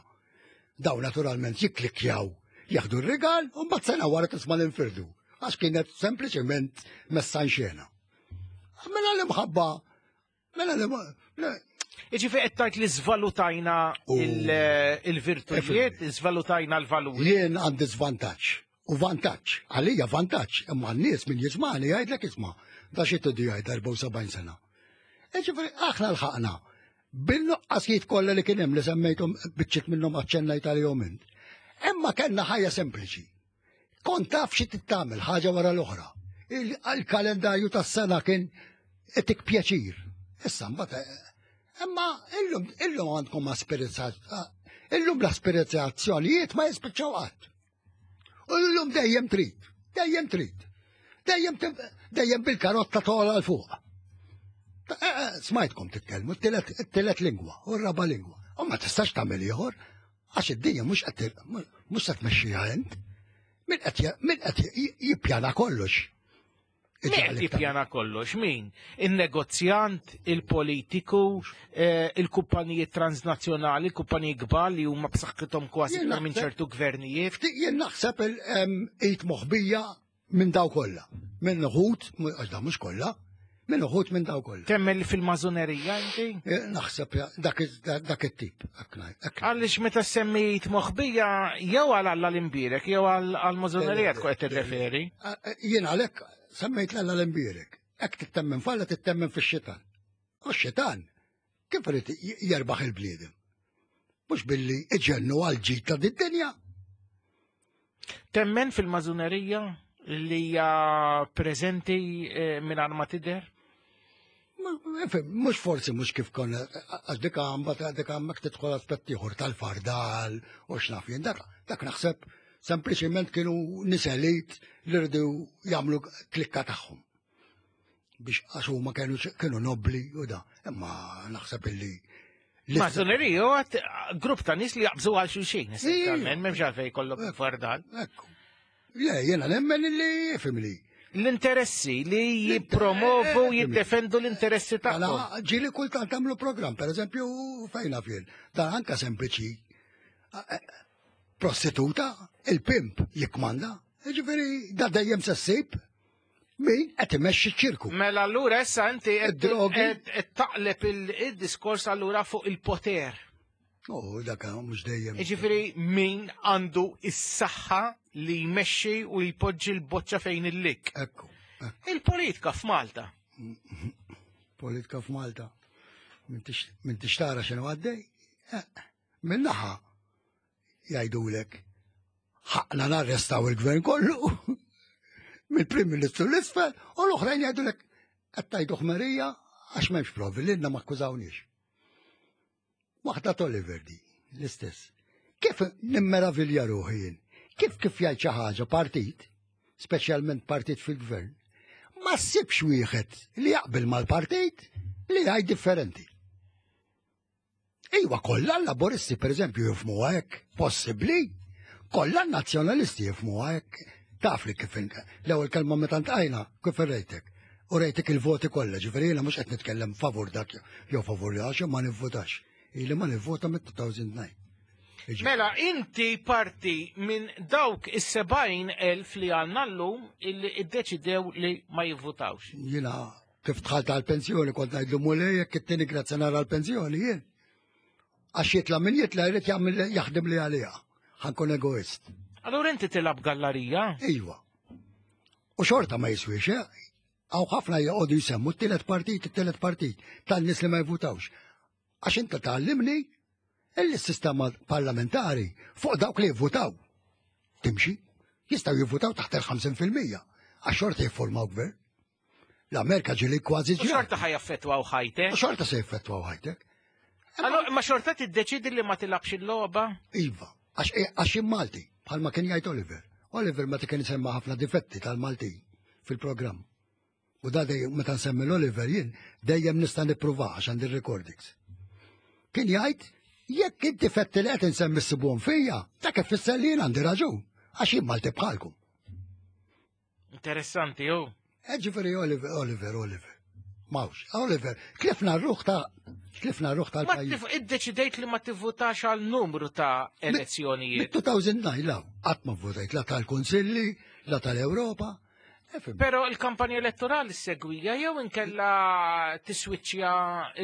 Daw naturalment jikklikkjaw, jaħdu r-rigal u mbagħad sena wara tisma' l-infirdu. Għax kienet sempliċement messa xena. Mela l-imħabba, mela l Iġifieri qed tgħid li żvalutajna il-virtujiet, żvalutajna l-valuri. Jien għandi żvantaġġ. U vantaġġ, għalija vantaġġ, imma n-nies min jismani jgħidlek isma' da xi tidu jgħid erbgħa u sebgħin sena. Ġifieri aħna lħaqna bin-nuqqasijiet kollha li kien hemm li semmejthom biċċiet minnhom aċċennajt għalihom int. Imma kellna ħajja sempliċi. Kont taf xi tittamel ħaġa wara l-oħra. Il-kalendarju tas-sena kien itik pjaċir. Issa mbagħad imma illum illum għandkom illum l-aspirizzazzjonijiet ma jispiċċaw qatt. U l-lum dejjem trid, dejjem trid, dejjem dejjem bil-karotta tola l fuq. Smajtkom titkellmu t-tielet lingwa u r-raba lingwa. U ma tistax tagħmel ieħor għax id-dinja mhux qed mhux se tmexxiha int. Min qed min qed jippjana kollox. Min qed jippjana kollox, min? Il-negozjant, il-politiku, il-kumpaniji transnazzjonali, il-kumpaniji kbar li huma b'saħħithom kważi minn ċertu gvernijiet. Jien naħseb il-id moħbija minn daw kollha. Minn uħud, għax da mhux kollha, minn uħud minn daw kollha. Temmen fil-mażunerija inti? Naħseb dak it-tip. Għaliex meta semmejt moħbija jew għal Alla l-imbierek jew għall-mażunerija tkun qed tirreferi. Jien għalhekk semmejt l-Alla l-imbierek. Hekk tittemmen falla tittemmen fix-xitan. U x-xitan kif irid jerbaħ il-bniedem? Mhux billi iġennu għal ġid ta' din-dinja. Temmen fil-mażunerija li hija preżenti mingħajr ma tidher? Mhux forsi mhux kif konna għax dik mbagħad dik hemmhekk tidħol aspett ieħor tal-fardal u x'naf jien dak dak naħseb sempliċement kienu nies elit li rridu jagħmlu klikka tagħhom. Biex għax huma kienu kienu nobli u da. Imma naħseb illi Mażunerija huwa grupp ta' nies li jaqbżu għal xulxin, essenzjalment, m'hemmx għalfejn jkollok fardal. Ekku. Le, jiena nemmen illi fimli. L-interessi li jippromovu, jiddefendu l-interessi tagħhom. Ġieli kultant tagħmlu programm, pereżempju fejn fien. Dan anka sempliċi. Prostituta, il-pimp jikmanda, ġifieri da dejjem se ssib min qed imexxi ċ-ċirku. Mela allura issa inti qed taqleb il-diskors allura fuq il-poter. Oh, dak mhux dejjem. Ġifieri min għandu is-saħħa li jmexxi u jpoġġi l-boċċa fejn il-lik. Ekku. Il-politika f'Malta. Politika f'Malta. Min tixtara x'inhu għaddej? Min naħa jgħidulek ħaqna narrestaw il-gvern kollu mill-Prim Ministru l-isfel u l-oħrajn jgħidulek qed tgħidu ħmerija għax m'hemmx provi lilna ma akkużawniex. Waħda Oliver di, l-istess. Kif nimmeravilja ruħi jien? Kif kif jgħid xi ħaġa partit, speċjalment partit fil-gvern, ma ssibx wieħed li jaqbel mal-partit li jgħid differenti. Iwa, kollha l-laboristi pereżempju jifhmuha hekk, possibbli, kollha n-nazzjonalisti jifhmuha hekk. Taf li kif l-ewwel kelma meta ntqajna kif irrejtek. U rejtek il-voti kollha, ġifieri jiena mhux qed nitkellem favur dak jew favur li għax ma nivvutax. Ili ma nivvota mit two thousand nine. Mela, inti parti minn dawk is-sebgħin elf li għandna llum illi iddeċidew li ma jivvutawx. Jiena kif dħalt għall-pensjoni kont ngħidlu mulej jekk it-tieni grazzi nara l-pensjoni jien. Għax jitla' min jitla' jrid jagħmel jaħdem li għaliha. Ħankun egoist. Allura inti tilab gallarija? Iva. U xorta ma jiswix, eh? Għaw ħafna joqogħdu jsemmu t-tielet partit, it-tielet partit tan-nies li ma jvutawx. Għax inta tgħallimni illi s-sistema parlamentari fuq dawk li jivvutaw. Timxi, jistgħu jivvutaw taħt il-ħamsin fil-mija għax xorta jiffurmaw gvern. L-Amerika ġieli kważi ġieli. U xorta ħajaffettwaw ħajtek. U xorta se jaffettwaw ħajtek. Allora, ma xorta tiddeċidi li ma tilabx il-logħba? Iva, għax Malti, bħalma kien jgħid Oliver. Oliver meta kien isemma ħafna difetti tal-Maltin fil-programm. U da dejjem meta nsemmi l-Oliver jien dejjem nista' nippruvah għax għandi recordings. Kien jgħid jekk inti fetti li qed insemmi ssibuhom fija, dak ifisser li jien għandi raġun għax jien Malti bħalkom. Interessanti, ju. Ġifieri Oliver, Oliver, Oliver. Mawx, Oliver, tlifna r-ruħ ta' tlifna r-ruħ Ma tal-pajjiż. tif- iddeċidejt li ma tivvutax għal numru ta' elezzjonijiet. Mid-elfejn u disa law, qatt ma votajt la tal-Kunsilli, la tal-Ewropa. Pero il-kampanja elettorali segwija jew inkella tiswiċċja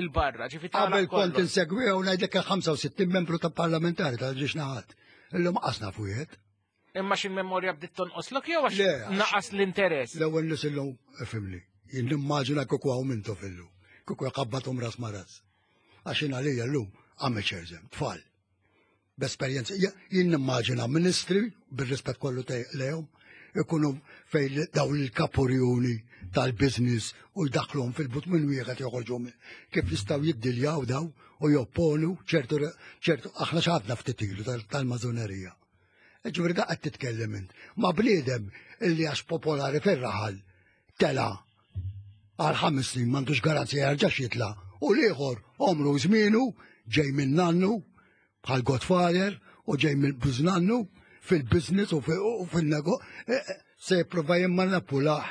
il-barra, ġifi Qabel tagħlaq kont kollox. insegwiha u ngħidlek ħamsa u sittin membru ta' parlamentari tal-ġiex naħat. Illum qasna fujiet. Imma xil-memorja bdiet tonqoslok jew għax Le, għax- naqas l-interess. L-ewwel nies illum ifhimni. Jien nimmaġina kieku hawn mintu fillu. Kieku jqabbathom ras ma ras. Għax jien għalija llum amateurs hemm, tfal. B'esperjenza, jien nimmaġina ministri, bir-rispett kollu te- lejhom, ikunu fej daw il-kapurjuni tal-biznis u jdaħluhom fil-but minn wieħed joħorġu minn kif jistgħu jiddiljaw daw u jopponu ċertu ċertu aħna x'għadna ftit ilu tal- tal-mażonerija. Ġifieri da qed titkellem int. Ma bniedem illi għax popolari fir-raħal tela għal ħames snin m'għandux garanzija jerġax jitla' u l-ieħor omru żmienu ġej minn nannu bħal Godfather u ġej minn bużnannu fil-business u fil-nego eh, eh, se jipprova jimmanipulaħ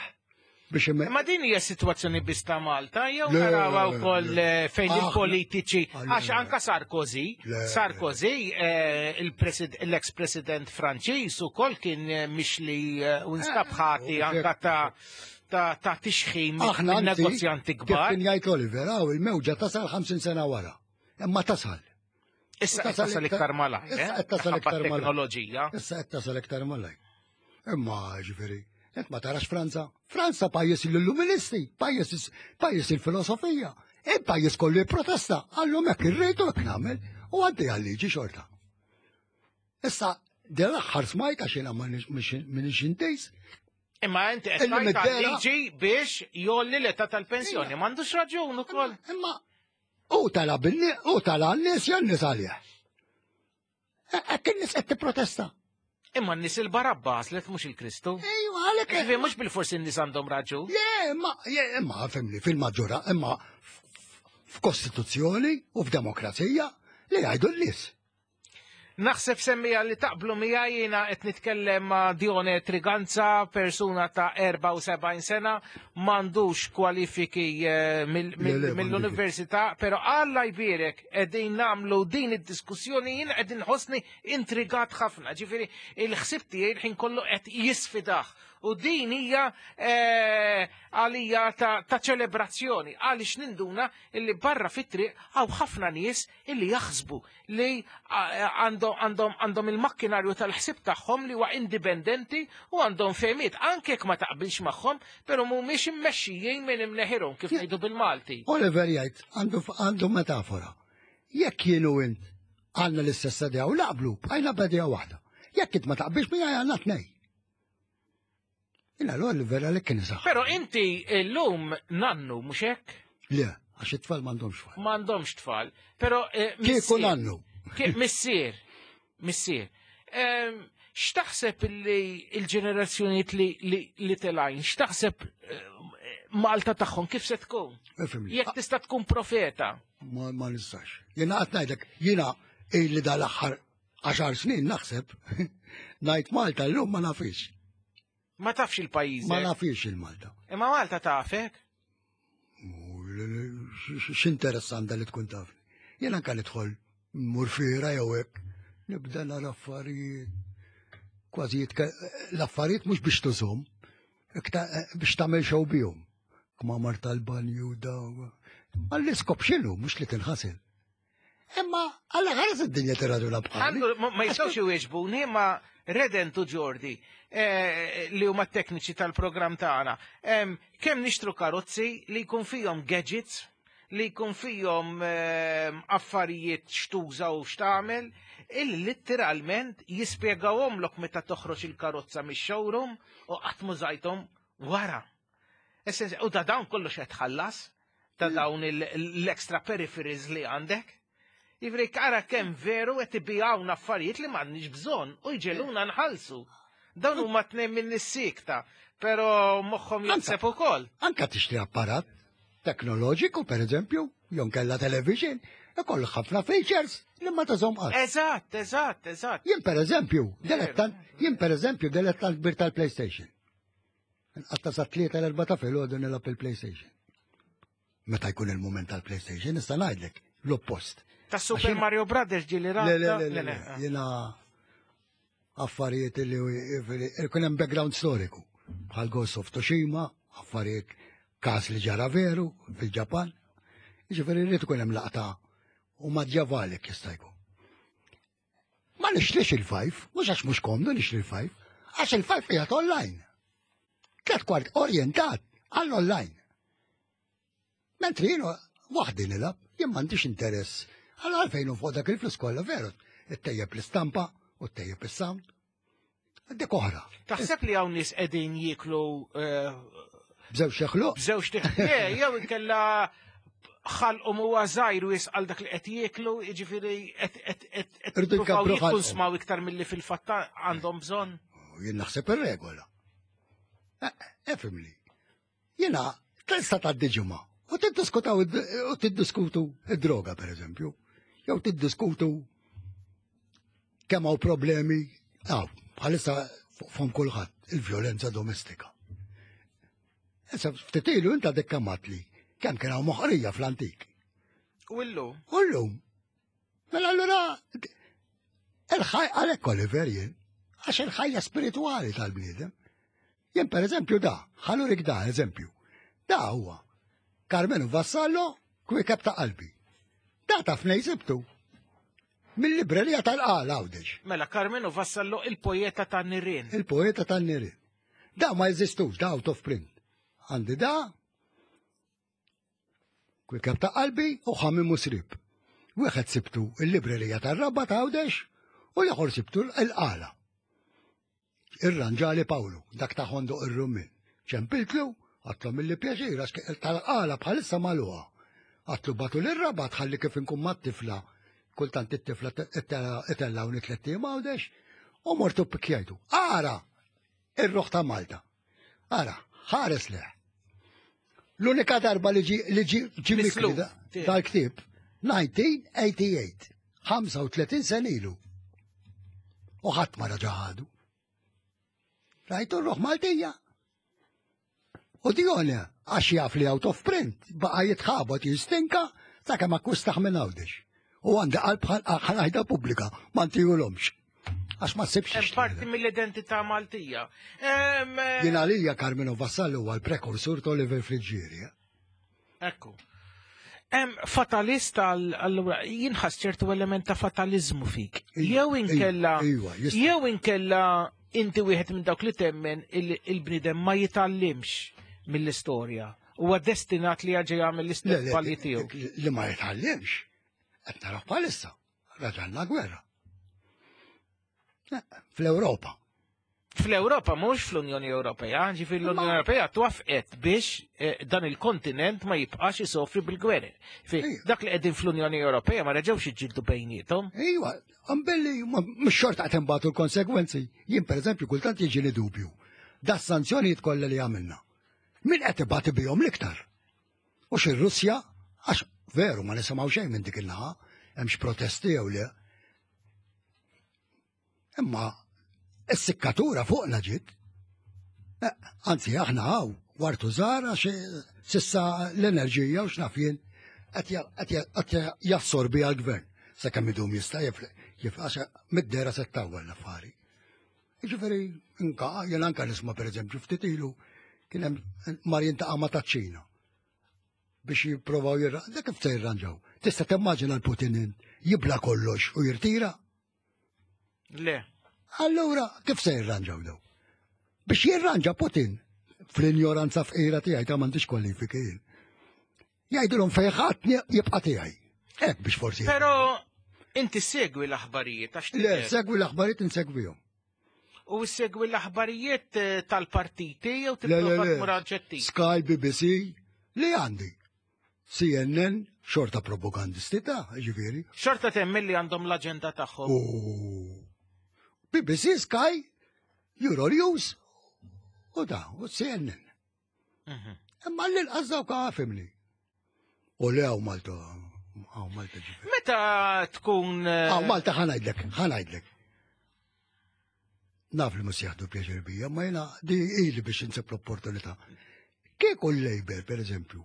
biex imme. Ma din hija sitwazzjoni biss ta' Malta, jew Le, narawha le, wkoll le. eh, fejn Aħna- il-politiċi, Ah, le, għax le. anka Sarkozy, Le, le. Sarkozy, eh, il-presid- l-ex-president Franċiż ukoll kien eh, mixli eh, u nstab ħati u anka ta' ta' ta' tixħim Aħna minn anzi, negozjanti kif kbar. kien jgħid Oliver, għaw il-mewġa tasal ħamsin sena wara. Imma tasal. Issa qed tasal iktar malajr, Issa eh? qed tasal Ħabba iktar malajr. teknoloġija. Issa qed tasal iktar malajr. Imma ġifieri, int ma tarax Franza. Franza pajjiż l-illuministi, pajjiż pajjiż il-filosofija. Il-pajjiż kollu jipprotesta, għallhom hekk irridu hekk nagħmel u għaddi għal-liġi xorta. Issa, din l-aħħar smajt għax jiena m'iniex intejs, Imma inti qed Illi tgħid mid-dera- liġi biex jolli l-età tal-pensjoni. M'għandux raġun ukoll. Imma u tala billi u tala n-nies jew n-nies għalih. Hekk in-nies qed tipprotesta. Imma n-nies il-Barabba għaslet mhux il-Kristu. Ejwa, għalhekk. Ġifieri mhux bil-forsi n-nies għandhom raġun. Le, imma, je, imma fimni, fil-maġġora, imma f- f'kostituzzjoni u f'demokrazija li jgħidu n-nies. Naħseb semmija li taqblu miegħi, jiena qed nitkellem ma' Dione Triganza, persuna ta' erbgħa u sebgħin sena, m'għandux kwalifiki eh, mill- Le, mill- le, mill-università, però Alla jbierek qegħdin nagħmlu din id-diskussjoni, jien qed inħossni intrigat ħafna. Ġifieri il-ħsieb tiegħi il-ħin kollu qed jisfidah. U din hija eh, għalija ta', ta' ċelebrazzjoni għaliex ninduna illi barra fit-triq hawn ħafna nies illi jaħsbu li għandhom għandhom għandhom il-makkinarju tal-ħsib tagħhom li huwa indipendenti u għandhom fehmiet anke jekk ma taqbilx magħhom, però mhumiex immexxijin minn imneħirhom, kif ngħidu bil-Malti. Oliver jgħid għandu għandu metafora. Jekk jienu int għandna l-istess idea u naqblu, bqajna b'idea waħda. Jekk int ma taqbilx miegħi, għandna tnej. Jina l-Oliver għalhekk kien isaħ. Però inti llum nannu, mhux hekk? Le, għax it-tfal m'għandhomx tfal. M'għandhomx tfal. Però eh, Kieku missier- nannu. Ki- Missier, missier. Ehm, X'taħseb li il-ġenerazzjonijiet li, li, li telgħin, x'taħseb eh, Malta tagħhom kif se tkun? Ifhimni. Jekk tista' tkun profeta. Ma, ma nistax. Jena qed ngħidlek, jiena illi dal-aħħar għaxar snin naħseb, ngħid Malta llum ma nafix. Ma tafx il-pajjiż. Ma nafix il-Malta. Imma Malta tafek? X'interess għandha li tkun tafni? Jien anka nidħol mmur fiera jew hekk, nibda nara affarijiet. Kważi jitka- l-affarijiet mhux biex tużhom, iktar biex tagħmel show bihom. Kmamar tal-banju daw. Ma l-iskop x'inhu, mhux li tinħasel. Imma għalla ħares id-dinja tirraduna bħali. Għandu, ma ma jistgħux iwieġbuni, ma Redent u Jordi eh, li huma tekniċi tal-programm tagħna. Em, Kemm nixtru karozzi li jkun fihom gadgets, li jkun fihom em, affarijiet xtuża u x'tagħmel, illi litteralment jispjegawhomlok meta toħroġ il-karozza mix-showroom u qatt mużajthom wara. Essenzi, u ta' dawn kollox qed tħallas, ta' dawn il- l-extra peripheries li għandek. Ivri ara kemm veru qed ibijawna affarijiet li m'għandniex bżonn u jġeluna nħallsu. Dawn huma tnejn minn is-sikta, però moħħhom jaħseb ukoll. Anka tixtri apparat teknoloġiku, per eżempju, jew kella television, ikollu ħafna features li ma tażhom qatt. Eżatt, eżatt, eżatt. Jien per eżempju, dilettant, jien per eżempju dilettant kbir tal-PlayStation. Nqatta sa tlieta l-erba' ta' filgħodu nilgħab il-PlayStation. Meta jkun il-mument tal-PlayStation, nista' ngħidlek l-oppost. Ta' Super Mario Brothers ġieli Le, le, le, le, le, jiena affarijiet li jkun hemm background storiku. Bħal Ghost of Tsushima, affarijiet każ li ġara veru fil-Ġapan. Jiġifieri rrid ikun hemm laqta u madjavalek jista' jkun. Ma nixtrix il-five, mhux għax mhux komdu nixtri il-five, għax il-five qiegħed online. Tlet kwart orientat għall-online. Mentri jiena waħdi nilgħab, jien m'għandix interess. Għal għalfejn u fuq dak il-flus kollha veru, ittejjeb l-istampa u ttejjeb is-sound. Dik oħra. Taħseb li hawn nies qegħdin jieklu eh, B'żewġ xeħluq? B'żewġ Le, jew inkella ħalqhom huwa żgħir u jisqal dak li qed jieklu, jiġifieri qed qed qed qed Irridu jippruvaw jkabbru ħalqhom. jikkonsmaw iktar milli fil-fatt għandhom bżonn. Jien naħseb ir-regola. Efimli. Jiena tista' tgħaddi ġimgħa u tiddiskutaw u tiddiskutu id-droga pereżempju. Jew tiddiskutu kemm hawn problemi hawn bħalissa fuq kulħadd il-vjolenza domestika. Issa ftit ilu inta dik kemm li kemm kien hawn moħqrija fl-antik. U illum? U llum. Mela allura il-ħaj għalhekk Oliver jien, għax il-ħajja spiritwali tal-bniedem. Jien per eżempju da, ħa nurik da eżempju. Da huwa Karmenu Vassallo, kwiekeb ta' qalbi. Da taf fejn sibtu. Mill-librerija tal-Qala Għawdex. Mela Karmenu Vassallo il-poeta tan-nirien. Il-poeta tan-nirien. Da ma jeżistux, da out of print. Għandi da, kwiekeb ta' qalbi u ħamim u srib. Wieħed sibtu il-librerija tar-Rabat Għawdex u l-ieħor sibtu l-Qala. Irranġali Pawlu, dak ta' Ħondoq ir-Rummin. Ċempiltlu, għedtlu mill pjaċir, għax tal-Qala bħalissa magħluqa. Għedtlu bagħtu l-Rabat ħalli kif inkun mat-tifla, kultant it-tifla itellawni tlett ijiem Għawdex, u mortu pikjajtu. Ara, ir-ruħ ta' Malta. Ara, ħares leħ. L-unika darba li ġi li ġi ġi mikri dal-ktieb, elf disa' mija u tmienja u tmenin, ħamsa u tletin sena ilu. U ħadd ma raġa ħadu. Rajtu r-ruħ Maltija. U Dione, għax jaf li out of print, baqa jitħabot jistinka, sa' kemm akkwistaħ minn Għawdex. U għandi qalb ħa ngħidha pubblika, ma ntihulhomx. Għax ma ssibx. Hemm parti mill-identità Maltija. Em, eh, Jien għalija Karmenu Vassallo huwa l-prekursur ta' Oliver Friggieri. eh. Ekku. Em fatalist għal allura jinħass ċertu element ta' fatalizmu fik. Jew inkella Iva, jista' jew inkella inti wieħed minn dawk li temmen il- il-bniedem ma jitgħallimx mill-istorja. Huwa destinat li jerġa' jagħmel Le, l-istess le, żbalji tiegħu. Li ma jitgħallimx. Qed naraw bħalissa. Raġanna gwerra. Eh, Fl-Ewropa. Fl-Ewropa mhux fl-Unjoni Ewropea, ġifieri l-Unjoni Ewropea twafqet biex eh, dan il-kontinent ma jibqax isofri bil-gwerer. Fi dak li qegħdin fl-Unjoni Ewropea ma reġgħux jiġġieldu bejniethom. Iva, għambelli, mhux xorta qed imbagħtu l-konsegwenzi. Jien pereżempju kultant jiġini dubju. Da sanzjonijiet kollha li għamilna. Min qed ibati bihom l-iktar? U ir-Russja, għax veru ma nisimgħu xejn minn dik il-naħa, hemmx protesti jew le. Imma is-sikkatura fuqna ġiet. Eh, Anzi, aħna hawn wartu żgħar għax s'issa l-enerġija u x'naf jien qed ja- qed ja- qed jassorbi għall-gvern. Sakemm idum jista' jifle jif għax mid-dera se ttawwal l-affari. Jiġifieri inka jien anka nisma' pereżempju ftit ilu kien hemm mar jintaqa' ma' taċ-Ċina biex jipprovaw jirra. Dak kif se jirranġaw? Tista' timmaġina l-Putin jibla kollox u jirtira? Le. Allura, kif se jirranġaw daw? Biex jirranġa Putin, fl-injoranza fqira tiegħi ta' m'għandix kwalifiki jien. Jgħidulhom fejn jibqa' tiegħi. Hekk biex forsi. Però inti segwi l-aħbarijiet għax Le, tidher. segwi l-aħbarijiet insegwihom. U segwi l-aħbarijiet eh, tal-partiti jew Le, le, tipprova le. tmur oġġettiv. Sky, B B C, li għandi. C N N, xorta propagandisti ta' ġifieri. Xorta temmen li għandhom l-aġenda tagħhom. U B B C, Sky, Euronews u da, u C N N. Imma l-inqas dawk fhimni. U le hawn Malta, hawn Malta ġifieri. Meta tkun eh, Hawn Malta ħa ngħidlek, ħa ngħidlek. Naf li mhux jieħdu pjaċir bija, ma jiena di ili biex insib l-opportunità. Kieku l-Labour, per eżempju,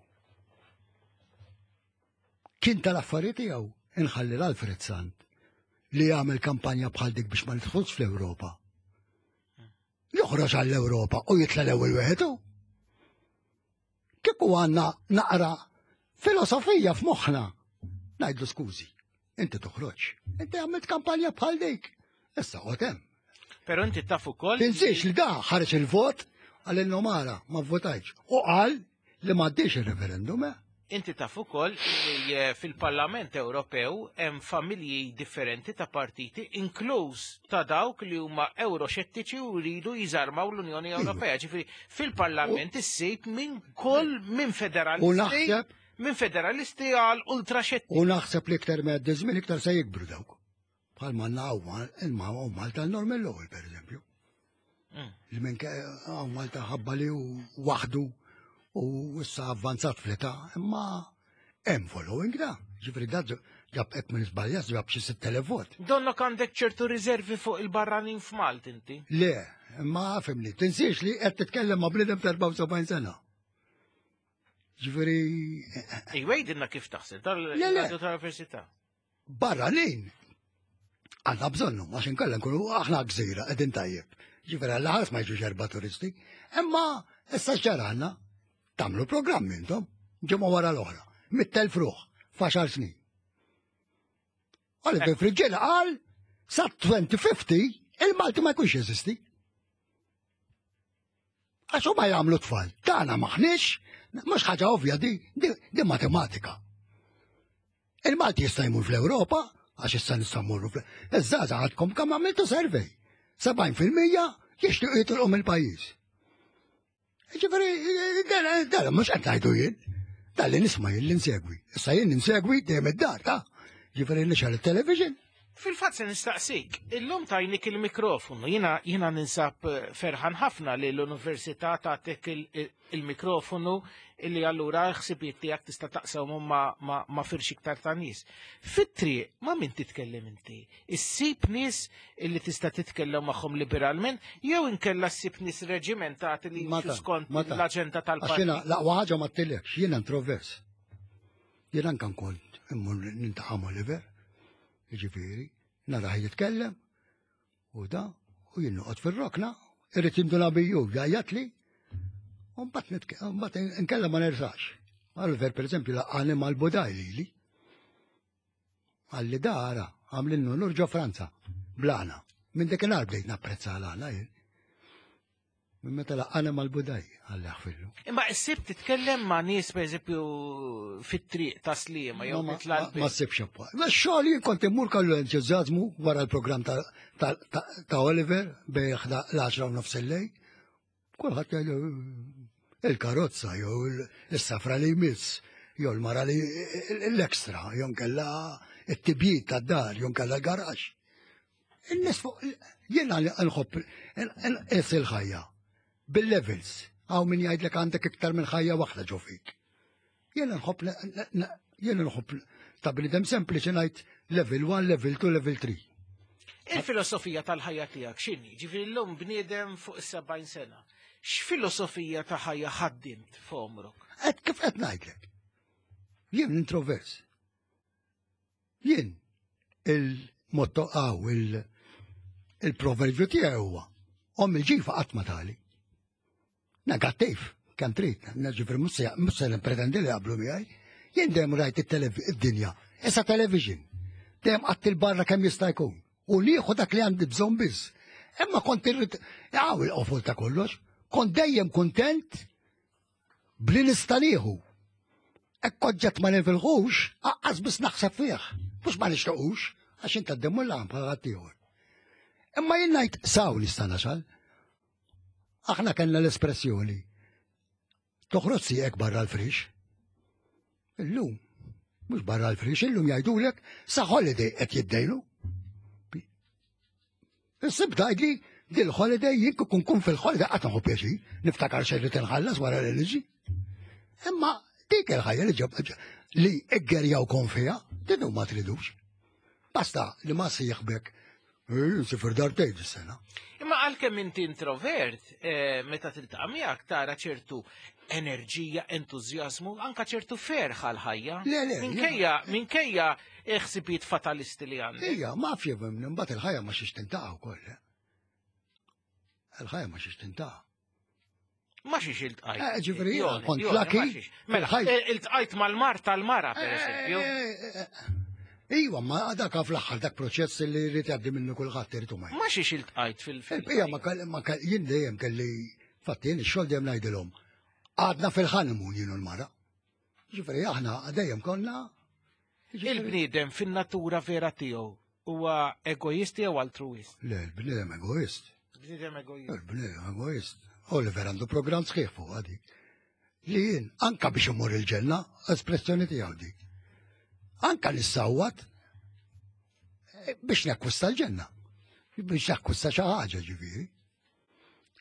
kien tal-affarijiet tiegħu inħalli l-Alfred Sant li jagħmel kampanja bħal dik biex ma nidħolx fl-Ewropa. Joħroġ għall-Ewropa u jitla l-ewwel wieħed hu. Kieku għandna naqra filosofija f'moħħna. Ngħidlu skużi, inti toħroġ. Inti għamilt kampanja bħal dik. Issa qgħod hemm. Però inti taf ukoll. Tinsiex li da ħareġ il-vot għal mara ma votajx. U qal li m'għaddiex il-referendum, eh? Inti taf ukoll li eh, fil-Parlament Ewropew hemm familji differenti ta' partiti, inkluż ta' dawk li huma euroxettiċi u jridu jiżarmaw l-Unjoni Ewropea. Ġifieri fil-Parlament issib minn kull minn U federalisti naħseb minn federalisti għal ultraxettiċi. U naħseb li iktar ma jgħaddi żmien iktar se jikbru dawk. Bħal ma għandna hawn Malta l-Norman Lowell, per eżempju. Mm. Li minn hawn Malta ħabba li hu waħdu u issa avvanzat fl-età, imma hemm following da. Ġifieri da ġab hekk minn żbaljas ġab xi sitt elef vot. Donnok għandek ċertu riservi fuq il-barranin f'Malta inti. Le, imma fhimni, tinsiex li qed titkellem ma' bniedem ta' erbgħa u sebgħin sena. Ġifieri Ejwa, għidilna kif taħseb, Le, le. dal-radio tal-università. Barranin għandna bżonnu, għax inkella nkunu aħna gżira, qegħdin tajjeb. Ġifieri għalla ħares ma jiġux erba' turisti. Imma issa x'ġara għandna? Tagħmlu programmi intom, ġimgħa wara l-oħra, mitt elf ruħ, f'għaxar snin. Oliver Friggieri qal sa elfejn u ħamsin il-Malti ma jkunx jeżisti. Għax huma jagħmlu tfal, tagħna maħniex, mhux ħaġa ovvja di, di, di matematika. Il-Malti jista' jmur fl-Ewropa, għax issa nista' mmorru fl Iż-żgħażagħ għadkom kemm għamiltu survey. sebgħin fil-mija jixtiequ jitilqu mill-pajjiż. Ġifieri, dan mhux qed ngħidu jien. Dan li nisma' jien li nsegwi. Issa jien insegwi dejjem id-dar, ta' ġifieri nixgħel it-television. Fil-fatt se nistaqsik, illum tajnik il-mikrofonu, jiena jiena ninsab eh, ferħan ħafna li l-università tagħtik il-mikrofonu illi allura ħsibiet tiegħek tista' taqsam ma, ma, ma firx iktar ta' nies. Fit-triq ma' min titkellem inti? Issib nies illi tista' titkellem magħhom liberalment jew inkella ssib nies reġimentati li Ma jimxu ta' skont ma ta' l-aġenda Għax tal-partit. jiena l-aqwa ħaġa ma ttilekx, jiena introvers. Jiena anke kont immur niltaqa' Oliver, jiġifieri, narah jitkellem, u da, u jien noqgħod fir-rokna, irrid jinduna biju, jgħajjat li, u mbagħad nitke- mbagħad inkella ma nersax. Oliver, per eżempju, laqqani mal-Budaj lili. Għalli da ara, għamlinnu nur ġo Franza, blana. Minn dakinhar bdejt napprezza l-għana jien. Minn meta laqqani mal-Budaj, għalli ħfillu. Imma issib titkellem ma' nies pereżempju fit-triq ta' Sliema jew Ma- titla' ma- Ma ssibx appoġġ. Ma xogħol jien kont immur kollu entużjażmu wara l-programm ta' ta' ta' ta' Oliver bejn l-għaxra u nofs il-lejl. Kulħadd jgħidu il-karozza jew il-safra li jmiss, jew l-mara li l-ekstra, jew nkella it-tibjid tad-dar, jew nkella l-garax. Il-nies fuq jiena nħobb is il-ħajja bil-levels. Hawn min jgħidlek għandek iktar minn ħajja waħda ġo fik. Jiena nħobb jiena nħobb ta' bniedem sempliċi ngħid level one, level two, level three. Il-filosofija tal-ħajja tiegħek x'inhi? Ġifieri llum bniedem fuq is-sebgħin sena. X'filosofija ta' ħajja ħaddimt f'għomrok? Qed kif qed ngħidlek. Jien introvers. Jien il-motto għaw il- il-proverbju tiegħi huwa omm il-ġifa qatt ma tali. Negattiv, kemm trid, ġifieri mhux se nippretendi li qablu miegħi. Jien dejjem rajt id-dinja, issa television. Dejjem qatt il-barra kemm jista' jkun. U nieħu dak li għandi bżonn biss. Imma kont irrid għaw il-qofol ta' kollox, kont dejjem kontent bli nista' nieħu. Hekk oġġett ma nifilħux, aqqas biss naħseb fih. Mhux ma nixtiequx, għax inta d-demmu l bħal ħaddieħor. Imma jien ngħid saw nista' nasal. Aħna kellna l-espressjoni. Toħroġ sieqek barra l-frix. Illum, mhux barra l-frix, illum jgħidulek sa holiday qed jiddejnu. Issib tgħidli Dil-holiday jien kun kun fil-holiday qatt nieħu pjaċir, niftakar xejn li tinħallas wara l-liġi. Imma dik il-ħajja li ġab li iggerjawkom fiha, din ma tridux. Basta li ma sieħbek, sifir darbtejn dis-sena. Imma għalkemm inti introvert, eh, meta tiltaqa' miegħek tara ċertu enerġija, entużjażmu, anka ċertu ferħ għal-ħajja. Le, le, Minkejja, minkejja ħsibijiet fatalisti li għandek. Ija, ma fjebem, mbagħad il-ħajja ma xiex tintaqa' wkoll. eh. Il-ħajja ma xiex tintaqa'. Ma xiex iltqajt. Eh, ġifieri, Jone, kont Jone, lucky, ma xiex. Mela, il-ħajja- eh, iltqajt mal-mar tal-mara, per eżempju. Iwa, ma dak fl-aħħar dak proċess li jrid jgħaddi minnu kulħadd irid u ma. Ma xiex iltqajt fil-fil. Il-bqija ma kell ma kell jien dejjem kelli fatti jien ix-xogħol dejjem ngħidilhom. Għadna fil-honeymoon jien u l-mara. Ġifieri aħna dejjem konna Il-bniedem fin-natura vera tiegħu huwa egoist jew altruist? Le, il-bniedem egoist. Bniedem egoist. Il-bniedem egoist. Oliver għandu programm sħiħ fuq għadi. Li jien anka biex imur il-ġenna, espressjoni tiegħu dik. Anka nissawwat eh, biex nakkwista l-ġenna. Biex nakkwista xi ħaġa ġifieri.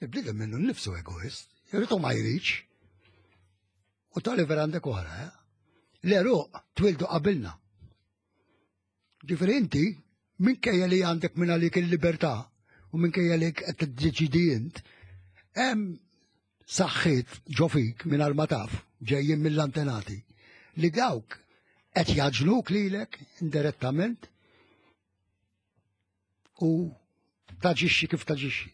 Il-bniedem minnu nnifsu egoist, jrid u ma jridx. U Oliver għandek oħra, eh? L-eruq twildu qabilna. Ġifieri inti, minkejja li għandek minn għalik il-libertà u minkejja li qed tiddeċidi int, hemm saħħiet ġo fik minn ma taf ġejjin mill-antenati li dawk qed jaġnuk lilek indirettament u taġixxi kif taġixxi.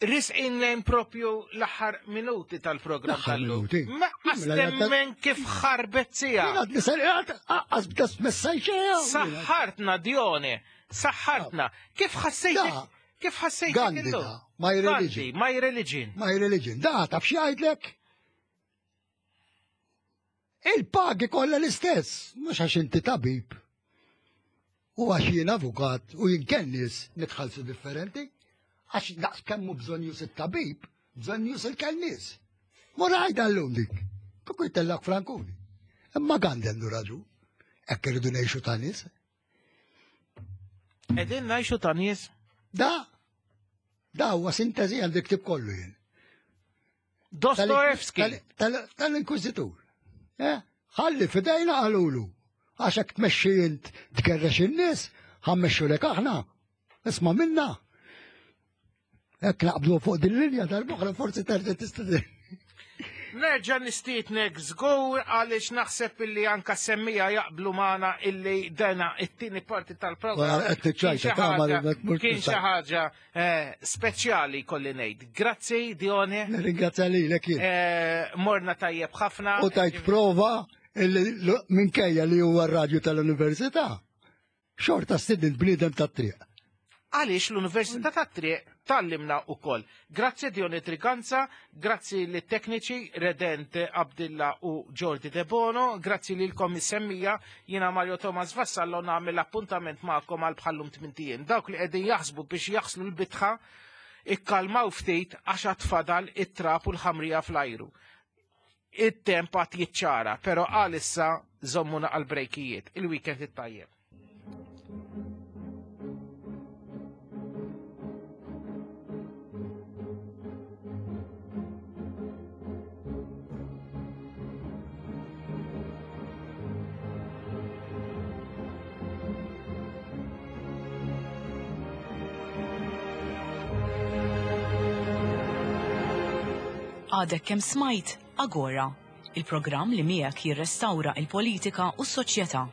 Risqin lejn propju l-aħħar minuti tal-programm L-aħħar tal-lum. minuti. Ma qas kif ħarbet sija. Għas bdas messajċeja. Saħħartna Dione, saħħartna. Kif ħassejtek? Kif ħassejtek Gandhi illum? da, my religion. Gandhi, my religion. My religion. Da, taf xi jgħidlek? Il-pagi kollha l-istess, mhux għax inti tabib. U għax jien avukat u jien kennis nitħallsu differenti, għax daqs kemm hu bżonn it-tabib, bżonn il-kennis. Mur għajda llum dik. Kieku jtellak frankuni. Imma Gandhi għandu raġun. Hekk irridu ngħixu ta' nies. Qegħdin ngħixu ta' nies. Da, da huwa sintesi għandi ktib kollu jien. Dostoevsky. Tal-Inkwizitur. Eh? Ħalli fidejna qalulu. Għax hekk tmexxi int tgerrex in-nies, ħa mmexxu lek aħna. Isma' minna. Hekk naqblu fuq din linja tal-boħra forsi terġa' tista' Nerġa' nistiednek żgur għaliex naħseb illi anka semmija jaqblu magħna illi dena it-tieni parti tal-programm. Wara qed niċċajta, Kien xi ta' ma ħaġa- mur Kien xi tista'. ħaġa eh, speċjali kolli ngħid. Grazzi Dione. Nirringrazzja lilek jien. Eh, Morna tajjeb ħafna. U tajt prova illi l- minkejja li huwa r-radju tal-università. Xorta stidin bniedem tat-triq. Għaliex l-Università tat-Triq tgħallimna ukoll. Grazzi Dione Triganza, grazzi lit tekniċi Redent Abdilla u Jordi De Bono, grazzi lilkom is-semmija, jiena Mario Thomas Vassallo nagħmel appuntament magħkom għal bħallum tmint ijiem. Dawk li qegħdin jaħsbu biex jaħslu l-bitħa, ikkalmaw ftit għax għad fadal it-trab u l-ħamrija fl-ajru. It-temp għad jiċċara, pero għalissa żommuna għal-brejkijiet. Il-weekend it-tajjeb. Għadek kemm smajt Agora, il-programm li miegħek jirrestawra il-politika u s-soċjetà.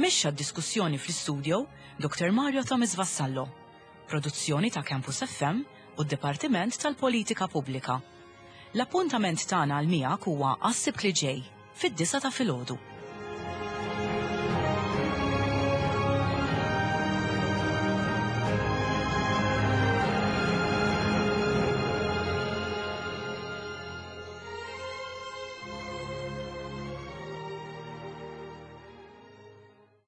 Mexxa d-diskussjoni fl-istudio Dr. Mario Thomas Vassallo. Produzzjoni ta' Campus FM u d-Dipartiment tal-Politika Pubblika. L-appuntament tagħna għal miegħek huwa għas-Sibt li ġej fid-disa ta' filgħodu.